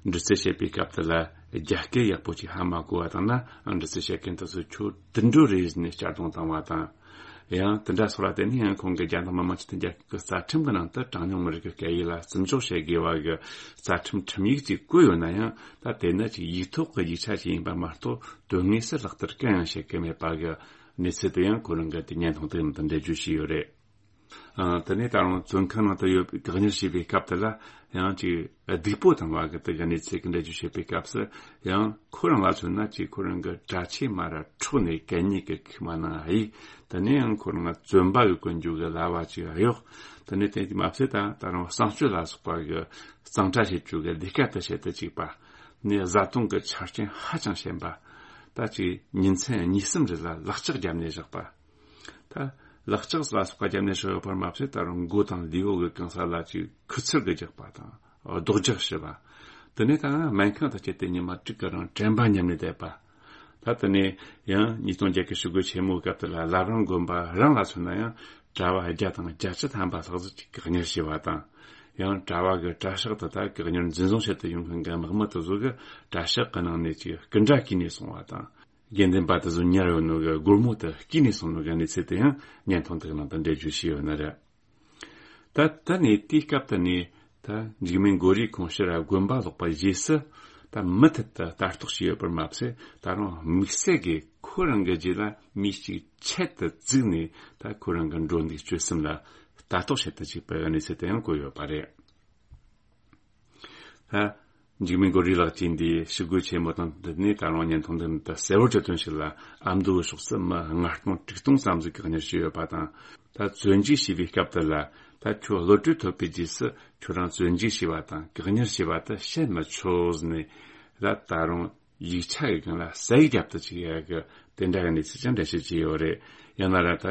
འདྲི་རྩད་བྱེད་པའི་སྐབས་དེ་ལ་རྒྱ་སྐད་ཡག་པོ་ཅིག་ཧ་མ་གོ་བ་དང་ན། འདྲི་རྩད་བྱེད་མཁན་དེ་ཚོ་ཁྱོད་དུད་འགྲོ་རེད་ཟེར་ནས་གཅར་རྡུང་བཏང་བ་དང་། ཡང་དེ་འདྲ་སོགས་ལ་བརྟེན་ནས་ཡང་ཁོང་གིས་རྒྱ་ནག་མི་དམངས་སྤྱི་མཐུན་རྒྱལ་ཁབ་ཀྱི་རྩ་ཁྲིམས་ཀྱི་ནང་དུ་གྲངས་ཉུང་མི་རིགས་ཀྱི་སྐད་ཡིག་ལ་བརྩི་འཇོག་བྱེད་དགོས་པ་གི་རྩ་ཁྲིམས་ཁྲིམས་ཡིག་ཅིག་བཀོད་ཡོད་ན་ཡང་། ད་དེ་ནི་ཅིག་ཡིག་ཐོག་གི་ཡིག་ཆ་ཞིག་ཡིན་པ་མ་གཏོགས། དོན་དངོས་སུ་ལག་བསྟར་གང་ཡང་བྱེད་ཀྱི་མེད་པ་གི་གནས་ཚུལ་དེ་ཡང་ཁོ་རང་གིས་དེ་བརྙན་ཐུང་དེའི་ནང་དུ་འགྲེལ་བརྗོད་བྱས་ཡོད་རེད། ཨ། དེ་ནས་ད་རུང་བཙོན་ཁང་ནང་དུ་ཡོད་པའི་བཀག་ཉར་བྱས་པའི་སྐབས་དེ་ལ་ཡང་ཅིག་སྡུག་པོ་བཏང་བ་གི་དེ་གི་གནས་ཚུལ་གྱི་འགྲེལ་བརྗོད་བྱེད་པའི་སྐབས་སུ། ཡང་ཁོ་རང་ལ་མཚོན་ན་ཅིག་ཁོ་རང་གི་གྲྭ་ཆས་མར་ར་འཕྲོག་ནས་གད་སྙིགས་ཀྱི་ཁུག་མ་ནང་གཡུགས། དེ་ནས་ཡང་ཁོ་རང་བཙོན་པ་གི་གོན་རྒྱུ་གི་ལྭ་བ་ཅིག་གཡོགས། དེ་ནས་དེ་མ་ཟད་ད་ད་རུང་གསང་སྤྱོད་ལ་སོགས་པ་གི་གཙང་སྦྲ་བྱེད་རྒྱུ་གི་ལས་ཀ་དེ་བྱེད་དུ་བཅུག་པ། ནས་བཟའ་བཏུང་གི་ཆ་རྐྱེན་ཧ་ཅང་ཞན་པ། ད་ཅིག་ཉིན་མཚན་གཉིས་གསུམ་རེ་ལ་ལག་ལྕགས་བརྒྱབ་ནས་བཞག་པ། ད་ལག་ལྕགས་ལ་སོགས་པ་བརྒྱབ་ནས་བཞག་ཡོད་པར་མ་ཟད། ད་རུང་མགོ་དང་ལུས་པོ་གི་གང་ས་ལ་ཅིག་ཁུ་ཚུར་གིས་རྒྱག་པ་དང་། རྡོག་རྒྱག་བྱེད་པ། དེ་ནས་ད་སྨན་ཁང་དུ་བསྐྱལ་ཏེ་ཉི་མ་དྲུག་གི་རིང་དྲན་པ་ཉམས་ནས་བསྡད་པ། ད་དེ་ནས་ཡང་ཉིས་སྟོང་བརྒྱད་ཀྱི་ཞི་རྒོལ་ཆེན་མོའི་སྐབས་དེ་ལ་བླ་བྲང་དགོན་པ་རང་ལ་མཚོན་ན་ཡང་གྲྭ་པ་བརྒྱ་དང་བརྒྱད་ཅུ་ཐམ་པ་ལྷག་ཙམ་ཅིག་བཀག་ཉར་བྱས་པ་དང་། ཡང་གྲྭ་བ་གི་གྲྭ་ཤག་ཏུ་ད་བཀག་ཉར་འཛིན་བཟུང་བྱེད་དུ་ཡོང་མཁན་གྱི་དམག་མི་དེ་ཚོ་གི་གྲྭ་ཤག་གི་ནང་ནས་ཅིག་སྐུ་འདྲ་གྱིས་ནས་སོང་བ་དང་། དགེ་འདུན་པ་དེ་ཚོ་ཉར་ཡོད་ནོ་གི་སྒོར་མོ་དེ་གྱིས་ནས་སོང་ནོ་གི་གནས་ཚུལ་དེ་ཡང་བརྙན་ཐུང་དེ་གི་ནང་དུ་འགྲེལ་བརྗོད་བྱས་ཡོད་ནི་རེད། ད་ད་ནས་དེའི་སྐབས་དེ་ནས་ད་འཇིགས་མེད་མགོ་རིས་ཁོང་ཕྱིར་དགོན་པ་ལོག་པ་རྗེས་སུ། ད་མུ་མཐུད་དུ་ལྟ་རྟོག་བྱས་ཡོད་པར་མ་ཟད། ད་རུང་དམིགས་བསལ་གྱིས་ཁོ་རང་གི་རྗེས་ལ་མི་གཅིག་ཆེད་དུ་བཙུགས་ནས། ད་ཁོ་རང་གི་འགྲོ་འདུག་སྤྱོད་གསུམ་ལ་ལྟ་རྟོག་བྱེད་དུ་བཅུག་པའི་གནས་ཚུལ་དེ་ཡང་བཀོད་ཡོད་པ་རེད། ད་འཇིགས་མེད་མགོ་རིས་ལགས་ཀྱིས་འདིའི་ཞི་རྒོལ་ཆེན་མོ་དང་བསྟུན་ནས། ད་རུང་བརྙན་ཐུང་འདི་ནི་ད་གསལ་བོར་གྱི་དོན་ཞིག་ལ། ཨ་མདོའི་ཕྱོགས་སུ་མི་ལྔ་སྟོང་དྲུག་སྟོང་ཙམ་ཟིག་བཀག་ཉར་བྱས་ཡོད་པ་དང་། ད་བཙོན་འཇུག་བྱས་པའི་སྐབས་དེ་ལ། ད་ཁྱོད་གློད་གྲོལ་ཐོབ་པའི་རྗེས་སུ་ཁྱོད་རང་བཙོན་འཇུག་བྱས་པ་དང་བཀག་ཉར་བྱས་པ་དེ་བཤད་མི་ཆོག་ཟེར་ནས། ད་ད་རུང་ཡིག་ཆ་གི་སྒང་ལ་ཟས་རྒྱབ་ཏུ་བཅུག་ཡ་གི་དེ་འདྲ་གི་གནས་ཚུལ་ཀྱང་འགྲེལ་བཤད་བྱས་ཡོད་རེད། ཡང་ན་ར་ད་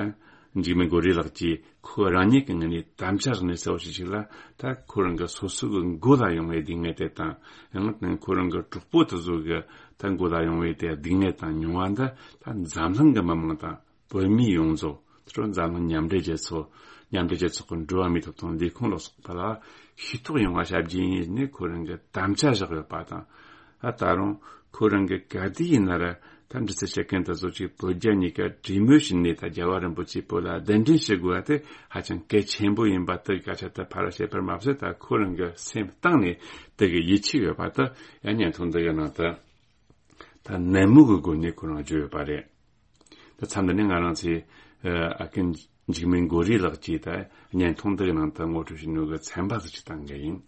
འཇིགས་མེད་མགོ་རིས་ལགས་ཀྱིས་ཁོ་རང་ཉིད་ཀྱི་ངོས་ནས་དམ་བཅའ་བཞག་ནས་གསལ་བོ་ཞིག་ཞིག་ལ། ད་ཁོ་རང་གི་སོ་སོ་གི་མགོ་ལ་ཡོང་བའི་སྡུག་བསྔལ་དེ་དང་། ཡང་ན་ཁོ་རང་གི་གྲོགས་པོ་དེ་ཚོ་གི་ད་མགོ་ལ་ཡོང་བའི་དེ་སྡུག་བསྔལ་དང་མྱོང་བ་འདི། ད་འཛམ་གླིང་གི་མི་མང་དང་བོད་མི་ཡོངས་རྫོགས། དེ་རུ་འཛམ་གླིང་མཉམ་འབྲེལ་རྒྱལ་ཚོགས། མཉམ་འབྲེལ་རྒྱལ་ཚོགས་ཀྱི་འགྲོ་བ་མིའི་ཐོབ་ཐང་ལས་ཁུངས་ལ་སོགས་པ་ལ་ཤེས་རྟོགས་ཡོང་བ་བྱ་རྒྱུ་ཡིན་ནས་ཁོ་རང་གི་དམ་བཅའ་བཞག་ཡོད་པ་དང་། ཨ་ད་རུང་ཁོ་རང་གི་ག་དུས་ཡིན་ན་ར། ད་འདྲི་རྩད་བྱེད་མཁན་དེ་ཚོ་གཅིག་བོད་རྒྱ་གཉིས་ཀ་གྲོས་མོལ་བྱས་ནས། ད་རྒྱལ་བ་རིན་པོ་ཆེ་བོད་ལ་གདན་འདྲེན་བྱེད་དགོས་པ་དེ་ཧ་ཅང་གལ་ཆེན་པོ་ཡིན་པ་དེ་སྐད་ཆ་དེ་ཕར་བཤད་པར་མ་ཟད། ད་ཁོ་རང་གི་སེམས་གཏིང་ནས་དེ་གི་ཡིད་ཆེས་ཡོད་པ་དེ་ཡང་བརྙན་ཐུང་འདི་གི་ནང་དུ་ད་ནན་མོ་གི་སྒོ་ནས་ཁོ་རང་བརྗོད་ཡོད་པ་རེད། ད་མཚམས་འདི་ནས་ང་རང་ཚོས་ཨ་ཀུན་འཇིགས་མེད་མགོ་རིས་ལགས་ཀྱིས་ད་བརྙན་ཐུང་འདི་གི་ནང་དུ་ངོ་སྤྲོད་བྱས་ནོ་གི་ཚན་པ་ཟིག་ཅིག་བཏང་གི་ཡིན།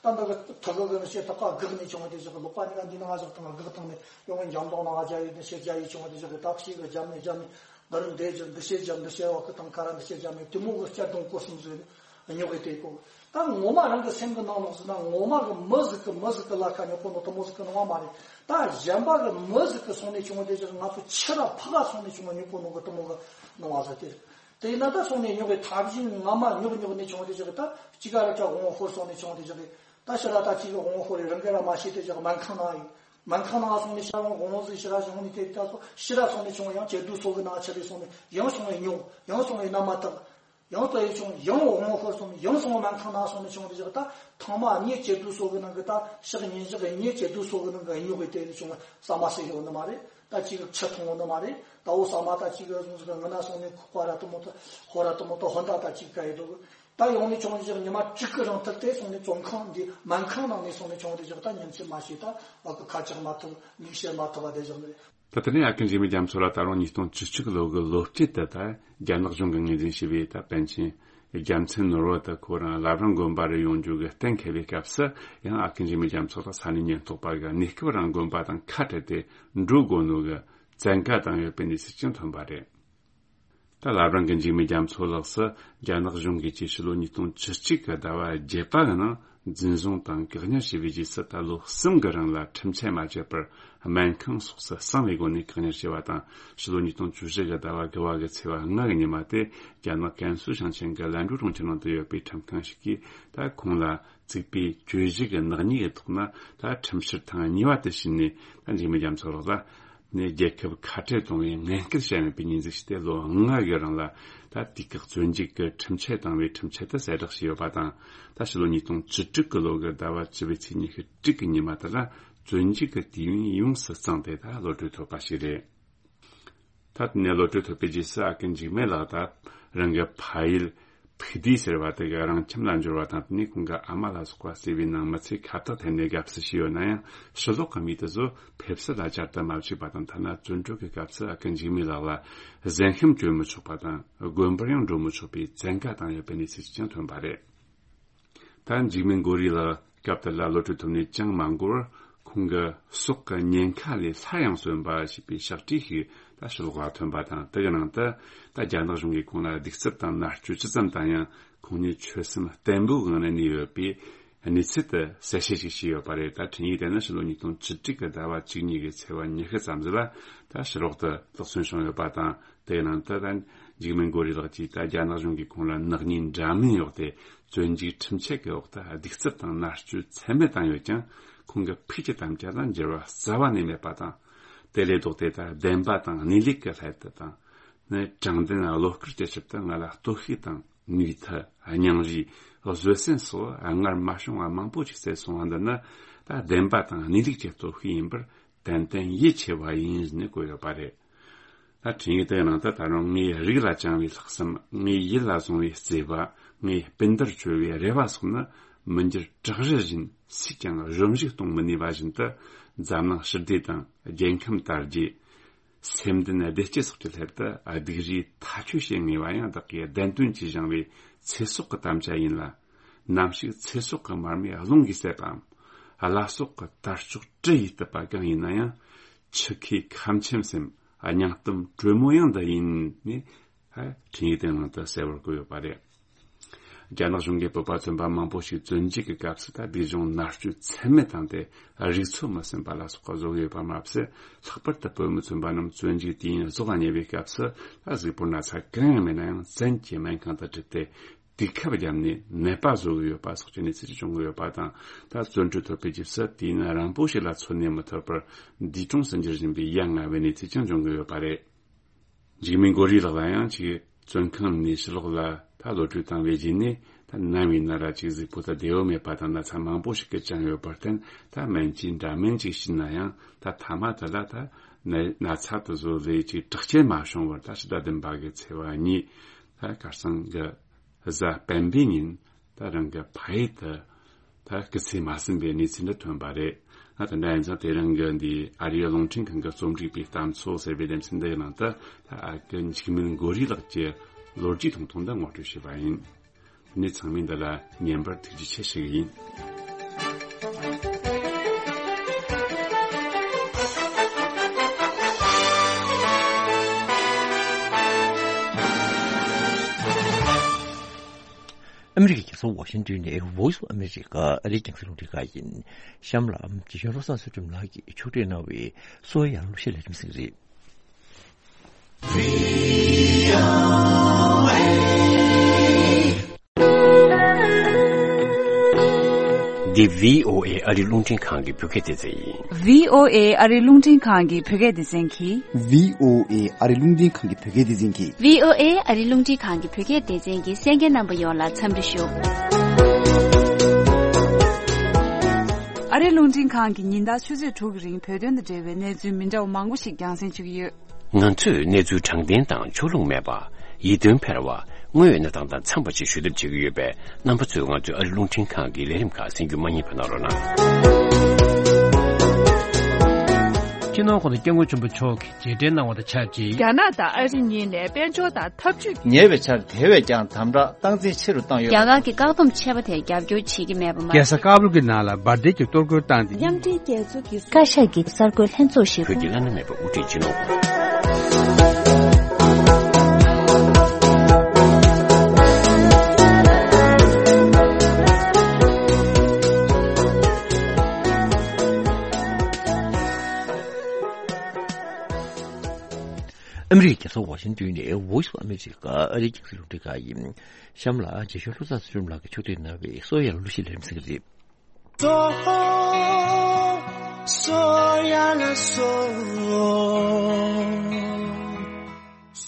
ད་འདི་གི་ཐག་གི་གི་ནི་ཞེ་ཐག་ག་གག་ནས་བྱུང་བ་དེ་ཞིག་གི་ལོག་པ་ནི་ང་འདི་ནང་ཞག་དང་གག་དང་ནི་ཡོང་བའི་འཇམ་དོང་ནང་རྒྱ་ཡི་ནི་ཤེས་རྒྱ་ཡི་བྱུང་བ་དེ་ཞིག་གི་ད་ཤེས་གི་རྒྱ་མི་རྒྱ་མི་འདི་རུ་འདས་ཀྱི་འདི་ཤེས་རྒྱ་འདི་ཤེས་བ་གི་དང་ཁ་ར་འདི་ཤེས་རྒྱ་མི་དེ་མོ་གི་སྐྱ་དོང་གོ་གསུམ་ཟིག་ནི་ཉོ་གི་དེ་གོ། ད་ངོ་མ་རང་གི་སེམས་གི་ནང་ལོགས་སུ་ན་ངོ་མ་གི་མི་ཟིག་གི་མི་ཟིག་གི་ལ་ཁ་ཉོ་གོ་ནོ་དེ་མོ་ཟིག་གི་ནོ་བ་མ་རེད། ད་གཞན་པ་གི་མི་ཟིག་གི་སོང་ནས་བྱུང་བ་དེ་ཞིག་ང་ཚོ་ཕྱི་ར་ཕག་ག་སོང་ནས་བྱུང་བ་ཉོ་གོ་ནོ་གི་དེ་མོ་གི་ནོ་བ་ཟིག་དེ་རེད། དེ་ཡིན་ན་ད་སོང་ནས་ཉོ་གི་ཐབས་ཤེས་ངོ་མ་ཉོ་གི་ཉོ་གི་ནས་བྱུང་བ་དེ་ཞིག་གི་ད་གཅིག་ག་ར་ཁྲ་དབང་ཧོར་སོང་ནས་བྱུང་བ་དེ་ཞིག་གི། ད་ཕྱི་ར་ད་གཅིག་གི་དབང་ཧོར་རི་རང་གི་ར་མ་ཤེས་དེ་ཞིག་སྨན་ཁང་ནང་ཡོད། སྨན་ཁང་ནང་སོང་ནས་ཤ་རང་དབང་ཟིག་ཕྱི་ར་བྱུང་ནས་དེ་ད་སོ་ཕྱི་ར་སོང་ནས་བྱུང་ཡང་ཇེ་སྡུག་སོ་གི་ནང་ཆ་རེ་སོང་ནས་ཡང་སོང་བའི་ཉོ་ཡང་སོང་བའི་ན་མ་ཐག་ཡང་ལྟ་ཡི་བྱུང་ཡང་དབང་ཧོར་སོང་ཡང་སོང་སྨན་ཁང་ནང་སོང་ནས་བྱུང་བ་དེ་ཞིག་ད་ཐང་མ་ཉེ་ཇེ་སྡུག་སོ་གི་ནང་གི་ད་ཕྱག་ཉིན་ཞག་ཉེ་ཇེ་སྡུག་སོ་གི་ནང་གི་ཉོ་གི་དེ་ནས་བྱུང་བ་ཟ་མ་ཟེར་ཡོད་ནི་མ་རེད། ད་གཅིག་གི་ཆུ་འཐུང་ནི་མ་རེད། ད་འོ་ཟ་མ་ད་གཅིག་གི་སོང་ཟིག་ངི་ན་སོང་ནས་ཁོག་པ་ར་དུ་མོ་ད་ཧོ་ར་དུ་མོ་ད་ཧོ་ད་ད་གཅིག་ག་ཡི་འདུག་ད་ཡོང་ནས་བྱུང་བ་དེ་ཞིག་ཉི་མ་དྲུག་གི་རིང་ཐུབ་དེ་སོང་ནས་བཙོན་ཁང་འདི་སྨན་ཁང་ནང་ནས་སོང་ནས་བྱུང་བ་དེ་ཞིག་ད་ཉིན་མཚན་མ་ཤེས། ད་ཨ་ཁུ་ཁ་ཆག་མ་ཐུབ་མིག་ཤེས་མ་ཐུབ་པ་དེ་ཞིག་ནི། ད་དེ་ནས་ཨ་ཀུན་འཇིགས་མེད་རྒྱ་མཚོ་ལགས་ད་རུང་ཉིས་སྟོང་བཅུ་གཅིག་ལོ་གི་ལོ་དཀྱིལ་དུ་ད་རྒྱ་ནག་གཞུང་གིས་ངོས་འཛིན་བྱས་པའི་ད་པཎ་ཆེན་རྒྱལ་མཚན་ནོར་བུ་དེ་ཁོ་རང་བླ་བྲང་དགོན་པ་རུ་ཡོང་རྒྱུ་གི་གཏན་འཁེལ་བའི་སྐབས་སུ་ཡང་ཨ་ཀུན་འཇིགས་མེད་རྒྱ་མཚོ་ལགས་ས་གནས་ཉེན་རྟོག་པ་གི་གནས་སྐབས་རང་དགོན་པ་དང་ཁ་བྲལ་ཏེ་འགྲོ་དགོས་ནོ་གི་བཙན་བཀའ་བཏང་ཡོད་པའི་གནས་ཚུལ་ཀྱང་ཐོན་པ་རེད། ད་བླ་བྲང་གི་འཇིགས་མེད་རྒྱ་མཚོ་ལགས་སུ་རྒྱ་ནག་གཞུང་གིས་ཕྱི་ལོ་ཉིས་སྟོང་བཅུ་གཅིག་གི་ཟླ་བ་བརྒྱད་པ་གི་ནང་འཛིན་བཟུང་དང་བཀག་ཉར་བྱས་པའི་རྗེས་སུ་ད་ལོ་གསུམ་གི་རིང་ལ་ཁྲིམས་ཆད་མ་བཅད་པར་སྨན་ཁང་སོགས་སུ་གསང་བའི་སྒོ་ནས་བཀག་ཉར་བྱས་པ་དང་། ཕྱི་ལོ་ཉིས་སྟོང་བཅུ་བཞི་གི་ཟླ་བ་དགུ་པ་གི་ཚེས་པ་ལྔ་གི་ཉི་མ་སྟེ་རྒྱ་ནག་ཀན་སུའུ་ཞིང་ཆེན་གྱི་ལན་ཀྲུའུ་གྲོང་ཁྱེར་ནང་དུ་ཡོད་པའི་ཁྲིམས་ཁང་ཞིག་གིས་ད་ཁོང་ལ་བཙུགས་པའི་གྱོད་གཞི་གི་ནག་ཉེས་ཀྱི་ཐོག་ན་ད་ཁྲིམས་ཕྱིར་ཐེངས་གཉིས་པ་དེ་བྱས་ནས། ད་འཇིགས་མེད་རྒྱ་མཚོ་ལགས་ལ་ནས་རྒྱལ་ཁབ་ཁ་བྲལ་གཏོང་བའི་ངན་སྐུལ་བྱས་མེད་པའི་ཉེས་འཛུགས་བྱས་ཏེ་ལོ་ལྔ་གི་རིང་ལ་ད་དུས་བཀག་བཙོན་འཇུག་གི་ཁྲིམས་ཆད་བཏང་བའི་ཁྲིམས་ཆད་དེ་གསལ་བསྒྲགས་བྱས་ཡོད་པ་དང་། ད་ཕྱི་ལོ་ཉིས་སྟོང་བཅུ་དྲུག་གི་ལོ་གི་ཟླ་བ་བཅུ་པའི་ཚེས་ཉི་ཤུ་དྲུག་གི་ཉི་མ་དེ་ལ་བཙོན་འཇུག་གི་དུས་ཡུན་ཡོངས་སུ་བརྩམས་ཏེ་ད་གློད་གྲོལ་ཐོབ་པ་ཞིག་རེད། ད་དེ་ནས་གློད་གྲོལ་ཐོབ་པའི་རྗེས་སུ་ཨ་ཀུན་འཇིགས་མེད་ལགས་ད་རང་གི་ཕ་ཡུལ་ཕུག་བདེ་ཟེར་བ་དེ་གི་རང་ཁྱིམ་ལ་འབྱོར་བ་དང་། དེ་ནས་ཁོང་གི་ཨ་མ་ལ་སོགས་པ་བརྩེ་བའི་ནང་མི་ཚེ་ཁ་བཏགས་འཐེན་ནས་དགའ་བསུ་བྱས་ཡོད་ན་ཡང་། ཕྱི་ལོགས་ཀྱི་མི་དེ་ཚོ་ཕེབས་བསུ་ལ་བཅར་དུ་མ་བཅུག་པ་དང་། ཐ་ན་བཙོན་གྲོལ་གྱི་སྐབས་སུ་ཨ་ཀུན་འཇིགས་མེད་ལགས་ལ་གཟན་ཤམ་གྱོན་མི་ཆོག་པ་དང་། དགོན་པར་ཡང་འགྲོ་མི་ཆོག་པའི་བཙན་བཀའ་བཏང་ཡོད་པའི་གནས་ཚུལ་ཞིག་ཀྱང་ཐོན་པ་རེད། ད་འཇིགས་མེད་མགོ་རིས་ལགས་སྐབས་དེ་ལ་གློད་གྲོལ་ཐོབ་ནས་ཅང་མ་འགོར། ཁོང་གི་སྲོག་གི་ཉེན་ཁ་ལས་སླར་ཡང་གསོན་པ་ཞེས་པའི་ཕྱག་བྲིས་ཤིག་ད་ཕྱི་ལོགས་ལ་ཐོན་པ་དང་། དེ་གི་ནང་དུ་ད་རྒྱ་ནག་གཞུང་གིས་ཁོང་ལ་གདུག་རྩུབ་དང་མནར་གཅོད་ཅི་ཙམ་བཏང་ཡང་། ཁོང་ཉིད་ཆོད་སེམས་བརྟན་པོའི་ངང་ནས་གནས་ཡོད་པའི་གནས་ཚུལ་དེ་གསལ་བཤད་ཅིག་བྱས་ཡོད་པ་རེད། ད་འཕྲིན་ཡིག་དེ་ནི་ཕྱི་ལོ་ཉིས་སྟོང་བཅུ་དྲུག་གི་ཟླ་བ་བཅུ་གཉིས་ཀྱི་ཚེས་པ་ཉི་ཤུ་ཙམ་ཞིག་ལ་ད་ཕྱི་ལོགས་དུ་བསླབ་ཚན་བྱུང་ཡོད་པ་དང་། དེའི་ནང་དུ་ད་འཇིགས་མེད་མགོ་རིས་ལགས་ཀྱིས་ད་རྒྱ་ནག་གཞུང་གིས་ཁོང་ལ་ནག་ཉེས་འདྲ་མིན་འོག་སྟེ་བཙོན་འཇུག་ཁྲིམས་ཆད་ཀྱི་འོག་ཏུ་གདུག་རྩུབ་དང་མནར་གཅོད་ཚད་མེད་བཏང་ཡོད་ཀྱང་། ཁོང་གི་ཕུགས་ཀྱི་དམ་བཅའ་ལ་འགྱུར་བ་རྩ་བ་ནས་མེད་པ་དང་། དེ་ལས་ལྡོག་སྟེ་ད་བདེན་པ་དང་གནས་ལུགས་ཀྱི་སླད་དུ་དང་། ནི་དྲང་བདེན་བློ་དཀར་གྱི་ཆེད་དུ་ང་ལ་གཏོར་བཤིག་དང་ ནུས་མཐུ། སྙིང་རུས། བཟོད་བསྲན་སོགས་སྔར་མ་བྱུང་བ་མང་པོ་ཞིག་བསྩལ་སོང་བ་འདི་ནི། ད་བདེན་པ་དང་གནས་ལུགས་ཀྱི་སྟོབས་ཤུགས་ཡིན་པར་ཏན་ཏན་ཡིད་ཆེས་པ་ཡིན་ནས་བཀོད་ཡོད་པ་རེད། ད་འཕྲིན་ཡིག་དེའི་ནང་དུ། ད་རུང་ངའི་རིགས་ལ་བཅངས་པའི་ལྷག་བསམ། ངའི་ཡིད་ལ་བཟུང་བའི་བརྩེ་བ། ངའི་སྤུན་ཟླར་བཅོལ་བའི་རེ་བ་སོགས་ནི། མི་འགྱུར་བྲག་རི་བཞིན་སུས་ཀྱང་གཞོམ་གཞིག་གཏོང་མི་ནུས་པ་བཞིན་དུ། འཛམ་གླིང་ཞི་བདེ་དང་རྒྱལ་ཁམས་དར་རྒྱས། སེམས་ལྡན་བདེ་སྐྱིད་སོགས་ཀྱི་སླད་དུ་སྡིགས་རའི་མཐའ་དཔྱོད་བྱེད་ངེས་པ་ཡང་བདག་གིས་བདེན་དོན་གྱིས་བཞེངས་པའི་ཚེ་སྲོག་གི་དམ་བཅའ་ཡིན་ལ། ནམ་ཞིག་ཚེ་སྲོག་གི་མར་མེ་རླུང་གིས་བསྲེགས་པའམ། བླ་སྲོག་གི་དར་ལྕོག་གྲི་ཡིས་གཏུབ་པ་གང་ཡིན་ན་ཡང་། འཆི་ཁའི་ཁམས་ཆེན་སེམས། སྙིང་གཏམ་དྲོན་མོ་ཡང་འདི་ཡིན་ནས། ཧ། འཕྲིན་ཡིག་དེའི་ནང་དུ་གསལ་བོར་བཀོད་ཡོད་པ་རེད། རྒྱ་ནག་གཞུང་གིས་བོད་པ་ཚོན་པ་མང་པོ་ཞིག་བཙོན་འཇུག་གི་སྐབས་སུ། ད་སྡིག་གཞུང་མནར་གཅོད་ཚད་མེད་བཏང་སྟེ། རིག་འཚོ་མི་ཟིན་པ་ལ་སོགས་པ་བཟོ་གི་ཡོད་པ་མ་ཟད། ལྷག་པར་དུ་བོད་མི་ཚོན་པ་རྣམས་བཙོན་འཇུག་དུས་ཡུན་རྫོགས་ལ་ཉེ་བའི་སྐབས་སུ། ད་གཟུགས་པོར་ན་ཚ་གང་ཡང་མེད་ན་ཡང་། བཙན་གྱིས་སྨན་ཁང་དུ་ཁྲིད་དེ། དུས་ཁབ་བརྒྱབ་ནས་ནད་པ་བཟོ་གི་ཡོད་པ་སོགས་ཀྱི་གནས་ཚུལ་བྱུང་གི་ཡོད་པ་དང་། ད་བཙོན་གྲོལ་ཐོབ་པའི་རྗེས་སུ་དུས་ཡུན་རིང་པོ་ཞིག་ལ་འཚོ་གནས་མི་ཐུབ་པར། འདས་གྲོངས་སུ་འགྱུར་བཞིན་པའི་ཡ་ང་བའི་གནས་ཚུལ་ཀྱང་འབྱུང་གི་ཡོད་པ་རེད། འཇིགས་མེད་མགོ་རིས་ལགས་ལ་ཡང་། ཅིག་བཙོན་ཁང་ནས་ཕྱི་ལོགས་ལ་ད་གློད་གྲོལ་བཏང་བའི་རྗེས་ནས། ད་ནམ་ཡིན་ན་ར་ཅིག་གཟུགས་པོ་ད་བདེ་བོ་མེད་པ་དང་། ན་ཚ་མང་པོ་ཞིག་གིས་བཅིངས་ཡོད་པར་བརྟེན། ད་སྨན་བཅོས་འདྲ་མིན་ཅིག་བྱས་ན་ཡང་། ད་མཐའ་མ་དེ་ལ་ད་ན་ན་ཚ་དེ་ཚོ་ལས་ཅིག་དྲག་སྐྱེད་མ་བྱུང་བར། ད་ཕྱི་ཟླ་བདུན་པ་གི་ཚེས་པ་གཉིས། ད་ཁ་སང་གི་གཟའ་སྤེན་པའི་ཉིན། ད་རང་གི་ཕ་ཡུལ་དུ་ད་སྐུ་ཚེ་མ་ཟིན་པའི་གནས་ཚུལ་འདི་ཐོན་པ་རེད། ཨ། དེ་འདྲ་ཡིན་ཙང་དེ་རིང་གི་འདི་ཨ་རིའི་རླུང་འཕྲིན་ཁང་གི་རྩོམ་སྒྲིག་པའི་གཏམ་ཚོགས་ཟེར་བའི་ལེ་ཚན་འདིའི་ནང་དུ། ད་ཨ་ཁུ་འཇིགས་མེད་མགོ་རིས་ལགས་ཀྱི་ལོ་རྒྱུས་ཐུང་ཐུང་འདི་ངོ་སྤྲོད་བྱས་པ་ཡིན། དེ་ནས་ཚང་མས་འདི་ལ་ཉན་པར་ཐུགས་རྗེ་ཆེ་ཞུ་གི་ཡིན། ཨ་མི་རི་ཀའི་རྒྱལ་ས་ཝ་ཤིང་ཏོན་ནས་Voice of America ཨ་རིའི་རྒྱང་སྲིང་རླུང་འཕྲིན་ཁང་ཡིན། གཤམ་ལ་རྗེ་གཞུང་བློ་བཟང་ཚུལ་ཁྲིམས་ལགས་ཀྱིས་ཕྱོགས་སྒྲིག་གནང་བའི་གསོ་བ་ཡར་ལ་གླུ་གཞས་ལས་རིམ་གཟིགས་རེད། འདི་བྷི་ཨོ་ཨེ་ཨ་རིའི་རླུང་འཕྲིན་ཁང་གི་བོད་སྐད་སྡེ་ཚན་ཡིན། བྷི་ཨོ་ཨེ་ཨ་རིའི་རླུང་འཕྲིན་ཁང་གི་བོད་སྐད་སྡེ་ཚན་གྱིས། བྷི་ཨོ་ཨེ་ཨ་རིའི་རླུང་འཕྲིན་ཁང་གི་བོད་སྐད་སྡེ་ཚན་གྱིས། བྷི་ཨོ་ཨེ་ཨ་རིའི་རླུང་འཕྲིན་ཁང་གི་བོད་སྐད་སྡེ་ཚན་གྱི་གསན་མཁན་རྣམ་པ་ཡོངས་ལ་འཚམས་འདྲི་ཞུ། ཨ་རིའི་རླུང་འཕྲིན་ཁང་གིས་ཉིན་ལྟར་ཆུ་ཚོད་དྲུག་གི་རིང་བོད་དོན་དང་འབྲེལ་བའི་གནས་ཚུལ་མི་འདྲ་བ་མང་པོ་ཞིག་རྒྱང་སྲིང་ཞུ་གི་ཡོད། ང་ཚོས་གནས་ཚུལ་དྲང་བདེན་དང་ཕྱོགས་ལྷུང་མེད་པ། ཡིད་རྟོན་འཕེར་བ། དངོས་ཡོད་གནས་སྟངས་དང་འཚམས་པ་ཞིག་ཞུ་ཐབས་བྱེད་ཀྱི་ཡོད་པས། རྣམ་པ་ཚོས་ང་ཚོའི་ཨ་རིའི་རླུང་འཕྲིན་ཁང་གི་ལས་རིམ་ཁག་གསན་རྒྱུ་མ་བསྙེལ་བ་གནང་རོགས་གནང་། སྤྱི་ནོར་༸གོང་ས་༸སྐྱབས་མགོན་ཆེན་པོ་མཆོག་གིས་མཇལ་འཕྲད་གནང་བ་དང་ཆབས་ཅིག་རྒྱ་ནག་དང་ཨ་རི་གཉིས་ནས་དཔལ་འབྱོར་དང་འཐབ་ཇུས། ཉེ་བའི་ཆར་དེ་བས་ཀྱང་དམ་དྲག་སྟངས་འཛིན་ཆེ་རུ་བཏང་ཡོད། རྒྱ་གར་གྱི་བཀག་སྡོམ་ཆད་པ་དེར་རྒྱབ་སྐྱོར་བྱེད་ཀྱི་མེད་པ་མ། རྒྱལ་ས་ཀ་བུལ་གྱི་ནང་ལ་འབར་མདེལ་གྱི་གཏོར་རྒོལ་བཏང་སྟེ། མཉམ་འབྲེལ་རྒྱལ་ཚོགས་ཀྱི་བཀའ་ཤག་གི་གསར་འགོད་ལྷན་ཚོགས་ཤིག་བོད་ཀྱི་བླ་ན་མེད་པ་དབུ་ཁྲིད་སྤྱི་ནོར་༸གོང་ས་༸ ཨ་མི་རི་ཀའི་རྒྱལ་ས་ཝ་ཤིང་ཏོན་ནས་Voice of America ཨ་རིའི་རྒྱང་སྲིང་རླུང་འཕྲིན་ཁང་ཡིན། གཤམ་ལ་རྗེ་གཞུང་བློ་བཟང་ཚུལ་ཁྲིམས་ལགས་ཀྱིས་ཕྱོགས་སྒྲིག་གནང་བའི་གསོ་བ་ཡར་ལ་གླུ་གཞས་ལས་རིམ་གཟིགས་རེད།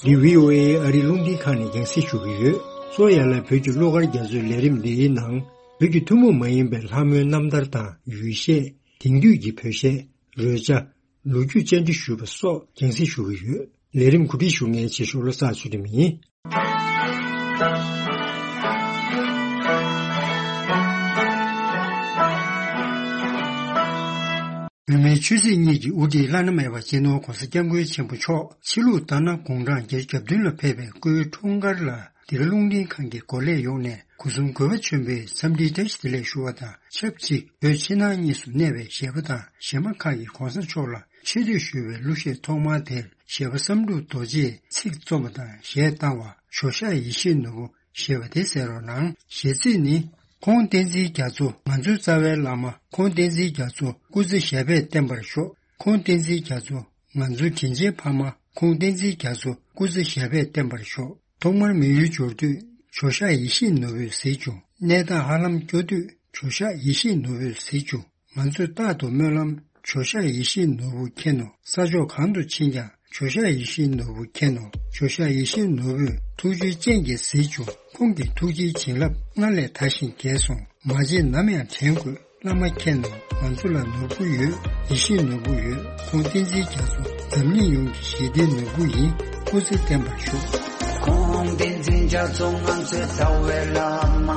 འདི་བྷི་ཨོ་ཨེ་ཨ་རིའི་རླུང་འཕྲིན་ཁང་ནས་རྒྱང་སྲིང་ཞུ་གི་ཡོད། གསོ་བ་ཡར་ལ་བོད་ཀྱི་གླུ་གར་རྒྱ་མཚོའི་ལས་རིམ་འདིའི་ནང་། བོད་ཀྱི་ཐུན་མོང་མ་ཡིན་པའི་ལྷ་མོའི་རྣམ་ཐར་དང་ཡུལ་གཞས། དེང་དུས་ཀྱི་བོད་གཞས། རོལ་ཆ། ལོ་རྒྱུས་བཅར་འདྲི་ཞུས་པ་སོགས་རྒྱང་སྲིང་ཞུ་གི་ཡོད། ལས་རིམ་གོ་སྒྲིག་ཞུ་མཁན་རྗེ་གཞུང་བློ་བཟང་ཚུལ་ཁྲིམས་ཡིན། བོད་མིའི་ཆོས་སྲིད་གཉིས་ཀྱི་དབུ་ཁྲིད་བླ་ན་མེད་པ་སྤྱི་ནོར་༸གོང་ས་༸སྐྱབས་མགོན་ཆེན་པོ་མཆོག་ཕྱི་ལུགས་ལྟར་ན་དགུང་གྲངས་བརྒྱད་ཅུ་གྱ་བདུན་ལ་ཕེབས་པའི་སྐུའི་འཁྲུངས་སྐར་ལ། འདི་ག་རླུང་འཕྲིན་ཁང་གི་འགོ་ལས་ཡོངས་ནས་སྒོ་གསུམ་གུས་པ་ཆེན་པོས་འཚམས་འདྲིའི་བཀྲ་ཤིས་བདེ་ལེགས་ཞུ་བ་དང་ཆབས་ཅིག་བོད་ཕྱི་ནང་གཉིས་སུ་གནས་པའི་གཞས་པ་དང་གཞས་མ་ཁག་གིས་༸གོང་ས་མཆོག་ལ་ཆེ་བསྟོད་ཞུ་བའི་གླུ་གཞས་ཐོག་མ་དེར་གཞས་པ་བསམ་གྲུབ་རྡོ་རྗེས་ཚིག་རྩོམ་པ་དང་གཞས་བཏང་བ་ཇོ་ཤཱཀ་ཡེ་ཤེས་ནོར་བུ་ཞེས་པ་དེ་གསན་རོགས་གནང་། གཞས་ཚིག་ནི། ཁོང་བསྟན་འཛིན་རྒྱ་མཚོ་ང་ཚོའི་རྩ་བའི་བླ་མ། ཁོང་བསྟན་འཛིན་རྒྱ་མཚོ་སྐུ་ཚེ་ཞབས་པད་བརྟན་པར་ཤོག་ཁོང་བསྟན་འཛིན་རྒྱ་མཚོ་ང་ཚོའི་དྲིན་ཆེན་ཕ་མ། ཁོང་བསྟན་འཛིན་རྒྱ་མཚོ་སྐུ་ཚེ་ཞབས་པད་བརྟན་པར་ཤོག་ཐོག་མར་མི་ཡུལ་འབྱོར་དུས་ཇོ་ཤཱཀ་ཡེ་ཤེས་ནོར་བུས་གཟིགས་བྱུང་། གནས་སྟངས་ཧ་ལམ་སྐྱོ་དུས་ཇོ་ཤཱཀ་ཡེ་ཤེས་ནོར་བུས་གཟིགས་བྱུང་། ང་ཚོས་རྟག་ཏུ་སྨོན་ལམ། ཇོ་ཤཱཀ་ཡེ་ཤེས་ནོར་བུ་མཁྱེན་ནོ། ས་ཕྱོགས་གང་དུ་ཕྱིན་ཀྱང་ ཇོ་ཤཱཀ་ཡིད་བཞིན་ནོར་བུ་མཁྱེན་ནོ། ཇོ་ཤཱཀ་ཡིད་བཞིན་ནོར་བུས་ཐུགས་རྗེའི་སྤྱན་གྱིས་གཟིགས་བྱུང་། ཁོང་གི་ཐུགས་རྗེའི་བྱིན་རླབས་སྔར་ལས་དར་ཞིང་རྒྱས་སོང་། མ་བརྗེད་ནམ་ཡང་དྲན་དགོས། བླ་མ་མཁྱེན་ནོ། ང་ཚོ་ལ་ནོར་བུ་ཡོད། ཡིད་བཞིན་ནོར་བུ་ཡོད། ཁོང་བསྟན་འཛིན་རྒྱ་མཚོ་འཛམ་གླིང་ཡོངས་ཀྱི་ཞི་བདེའི་ནོར་བུ་ཡིན། སྐུ་ཚེ་བརྟན་པར་ཤོག། ཁོང་བསྟན་འཛིན་རྒྱ་མཚོ་ང་ཚོའི་རྩ་བའི་བླ་མ།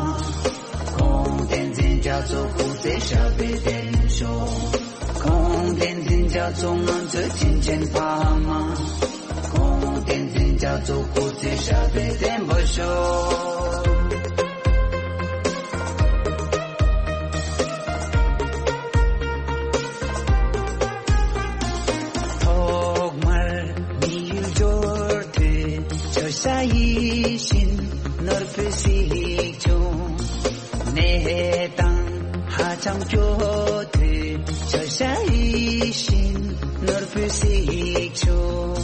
ཁོང་བསྟན་འཛིན་རྒྱ་མཚོ་སྐུ་ཚེ་ཞབས་པད་བརྟན་ཤོག། ཁོང་བསྟན་འཛིན་རྒྱ་མཚོ་ང་ཚོའི་དྲིན་ཅན་ཕ་མ། ཁོང་བསྟན་འཛིན་རྒྱ་མཚོ་སྐུ་ཚེ་ཞབས་པད་བརྟན་པར་ཤོག། ཐོག་མར་མི་ཡུལ་འབྱོར་དུས་ཇོ་ཤཱཀ་ཡིད་བཞིན་ནོར་བུས་གཟིགས་བྱུང་། གནས་སྟངས་ཧ་ཅང་སྐྱོ་དུས་ཇོ་ཤཱཀ་ཡིད་བཞིན་ནོར་བུས་གཟིགས་བྱུང་།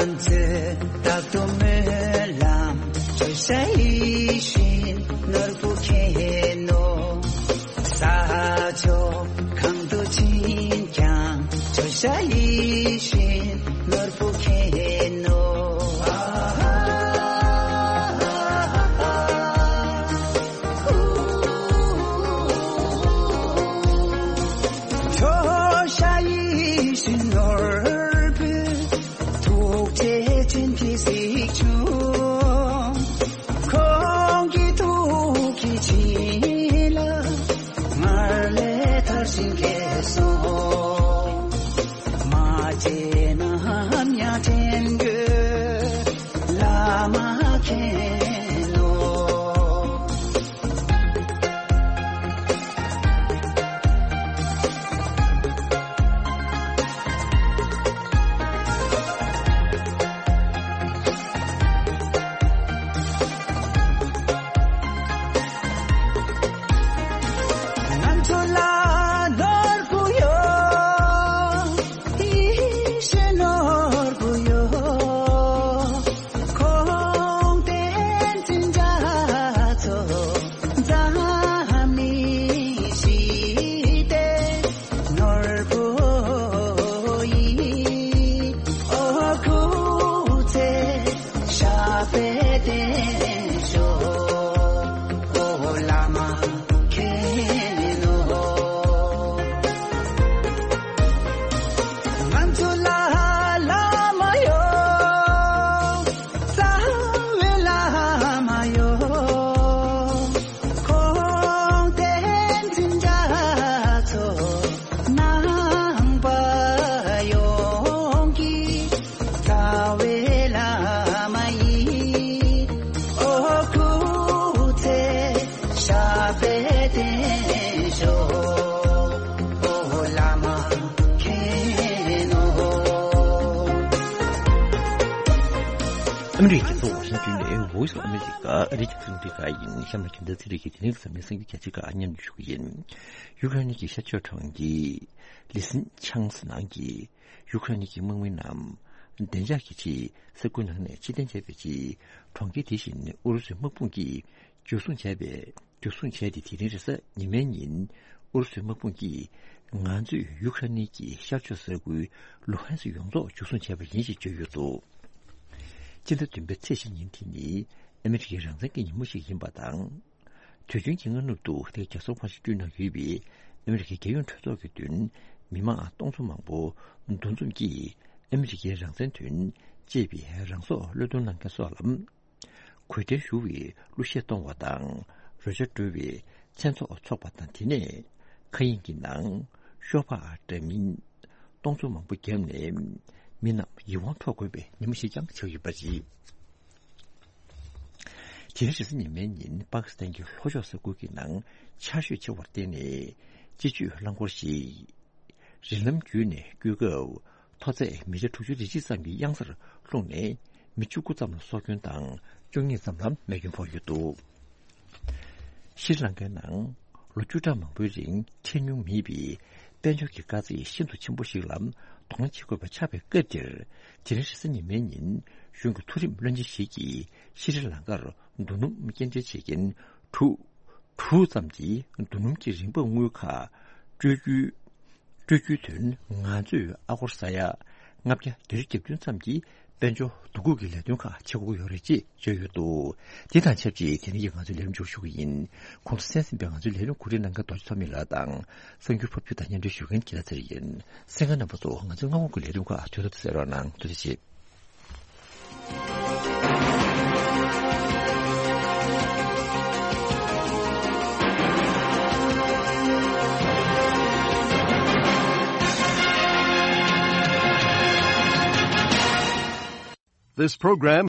ང་ཚོས་རྟག་ཏུ་སྨོན་ལམ་ཇོ་ཤཱཀ་ཡིད་བཞིན་ནོར་བུ་མཁྱེན་ནོ། ས་ཕྱོགས་གང་དུ་ཕྱིན་ཀྱང་ཇོ་ཤཱཀ་ཡིད་བཞིན་ནོར་བུ་མཁྱེན་ནོ། ཇོ་ཤཱཀ་ཡིད་བཞིན་ནོར་བུས་ཐུགས་རྗེ་བྱིན་གྱིས་གཟིགས་བྱུང་། ཁོང་གི་ཐུགས་ཀྱི་བྱིན་རླབས་སྔར་ལས་དར་ཞིང་རྒྱས་སོ། མ་བརྗེད་ནམ་ཡང་དྲན་དགོས། བླ་མ་མཁྱེན་ནོ། ང་ཚོ་ལ་ནོར་བུ་ཡོད། ཡིད་བཞིན་ནོར་བུ་ཡོད། ཁོང་བསྟན་འཛིན་རྒྱ་མཚོ་འཛམ་གླིང་ཞི་བདེའི་ནོར་བུ་ཡིན། ཨོ་སྐུ་ཚེ་ཞབས་པད་བརྟན་ཤོག། ཨོ་བླ་མ་མཁྱེན་ནོ། ང་ཚོ་ལ་བླ་མ་ཡོད། རྩ་བའི་བླ་མ་ཡོད། ཁོང་བསྟན་འཛིན་རྒྱ་མཚོ་ནང་པ་ཡོངས་ཀྱི་རྩ་བའི་བླ་མ་ཡིན། ཨོ་སྐུ་ཚེ་ཞབས་པད་བརྟན་ཤོག། ཨོ་བླ་མ་མཁྱེན་ནོ། ཨ་མི་རི་ཀའི་རྒྱལ་ས་ཝ་ཤིང་ཏོན་ནས་Voice of America ཨ་རིའི་རྒྱང་སྲིང་རླུང་འཕྲིན་ཁང་ཡིན། གཤམ་ལ་རྒྱུན་ལྡན་ཚན་རིག་གི་དེ་རིང་གི་གཟའ་མིག་དམར་གྱི་གལ་ཆེའི་ཁག་སྙན་སྒྲོན་ཞུ་གི་ཡིན། ཡུཀ་རེན་གྱི་ཤར་ཕྱོགས་གྲོང་ཁྱེར་ལི་སིན་ཆང་སི་ནང་གི་ཡུཀ་རེན་གྱི་དམག་མི་རྣམས་བདེ་འཇགས་ཀྱི་ཆེད་ས་ཁུལ་ནང་ནས་ཕྱིར་འཐེན་བྱས་པའི་རྗེས། གྲོང་ཁྱེར་དེ་བཞིན་ཨུ་རུ་སུའི་དམག་དཔུང་གིས་འཇུ་བཟུང་བྱས་པའི། འཇུ་བཟུང་བྱས་ཏེ། དེ་རིང་རེས་གཟའ་ཉི་མའི་ཉིན་ཨུ་རུ་སུའི་དམག་དཔུང་གིས་ང་ཚོས་ཡུཀ་རེན་གྱི་ཤར་ཕྱོགས་ས་ཁུལ་ལུ་ཧན་སི་ཡོངས་རྫོགས་འཇུ་བཟུང་བྱས་པ་ཡིན་ཞེས་བརྗོད་ཡོད་འདུག། སྤྱི་ཟླ་བདུན་པའི་ཚེས་བཞི་ཉིན་དེ་ནི་ཨ་མི་རི་ཀའི་རང་བཙན་གྱི་ཉིན་མོ་ཞིག་ཡིན་པ་དང་། དུས་རྒྱུན་གྱི་སྔ་ནུབ་ཏུ་དེ་རྒྱལ་ས་ཝ་ཤིང་ཏོན་ནང་ཡོད་པའི་ཨ་མི་རི་ཀའི་རྒྱལ་ཡོངས་གྲོས་ཚོགས་ཀྱི་མདུན། མི་མང་སྟོང་ཚོ་མང་པོ་འདུ་འཛོམས་ཀྱིས་ཨ་མི་རི་ཀའི་རང་བཙན་དོན་ཅེས་པའི་རང་སྲོག་བློས་གཏོང་གནང་མཁན་སོགས་ལ་གུས་བརྩི་ཞུ་བའི་གླུ་གཞས་གཏོང་བ་དང་། རོལ་ཆ་དཀྲོལ་བའི་མཚན་ཚོགས་འཚོགས་པ་དང་། དེ་ནས་མཁའ་དབྱིངས་ཀྱི་ནང་ཤོག་སྦག་འདྲ་མིན་སྟོང་ཚོ་མང་པོ་བརྒྱབ་ནས་མི་རྣམས་ཡིད་དབང་འཕྲོག་དགོས་པའི་ཉིན་མོ་ཞིག་ཀྱང་ཆགས་ཡོད་པ་རེད། དེ་རིང་རེས་གཟའ་ཉི་མའི་ཉིན་པ་ཀི་སི་ཐན་གྱི་ལྷོ་ཕྱོགས་ས་ཁུལ་གྱི་ནང་ཆར་ཞོད་ཆེ་བར་བརྟེན་ནས་སྤྱི་སྤྱོད་རླངས་འཁོར་ཞིག་རི་ལམ་བརྒྱུད་ནས་སྐྱོད་སྐབས། མཐོ་ཚད་མི་ཊར་དྲུག་ཅུ་རེ་གཅིག་ཙམ་གྱི་གཡང་སར་ལྷུང་ནས་མི་བཅུ་དགུ་ཙམ་ལ་སྲོག་སྐྱོན་དང་། བཅུ་གཉིས་ཙམ་ལ་རྨས་སྐྱོན་ཕོག་ཡོད་འདུག། ཤྲི་ལང་ཀའི་ནང་ལོ་བཅུ་ཕྲག་མང་པོའི་རིང་འཕྲད་མྱོང་མེད་པའི་དཔལ་འབྱོར་གྱི་དཀའ་ཚེགས་ཤིན་ཏུ་ཆེན་པོ་ཞིག་ལ་གདོང་ལེན་བྱེད་དགོས་པ་ཆགས་པའི་སྐབས་འདིར། དེ་རིང་རེས་གཟའ་ཉི་མའི་ཉིན་གཞུང་གི་མཐོ་རིམ་བློན་ཆེན་ཞིག་གིས་ཤྲི་ལང་ཀར་ རྡོ་སྣུམ་སྐྱེལ་འདྲེན་བྱེད་མཁན་གྲུ་དྲུག་ཙམ་གྱིས་རྡོ་སྣུམ་གྱི་རིན་འབབ་དངུལ་ཁག་སྤྲོད་རྒྱུའི་སྤྲོད་རྒྱུའི་དོན་ང་ཚོས་ཨ་སྒོར་ས་ཡ་ལྔ་བརྒྱ་བརྒྱད་ཅུ་གྱ་བདུན་ཙམ་གྱི་དཔལ་འབྱོར་བསྡུ་སྒྲིག་གི་ལས་དོན་ཁག་བྱེད་དགོས་ཀྱི་ཡོད་རེད་ཅེས་བརྗོད་ཡོད་འདུག་དེ་དང་ཆབས་ཅིག་དེ་རིང་གི་ང་ཚོའི་ལས་རིམ་མཇུག་ཞུ་གི་ཡིན། གོང་དུ་གསན་ཟིན་པའི་ང་ཚོའི་ལས་རིམ་གོ་སྒྲིག་གནང་མཁན་རྡོ་རྗེ་ཚོགས་མི་ལགས་དང་། གསར་འགྱུར་ཕབ་སྒྱུར་དང་སྙན་སྒྲོན་ཞུ་མཁན་ཁྱེད་ལ་ཚེ་རིང་ཡིན། གསན་མཁན་རྣམ་པ་ཚོ་ང་ཚོའི་སྔ་དགོང་གི་ལས་རིམ་ཁག་དུས་ཐོག་ཏུ་གསན་རོགས་གནང་། ཐུགས་རྗེ་ཆེ། This program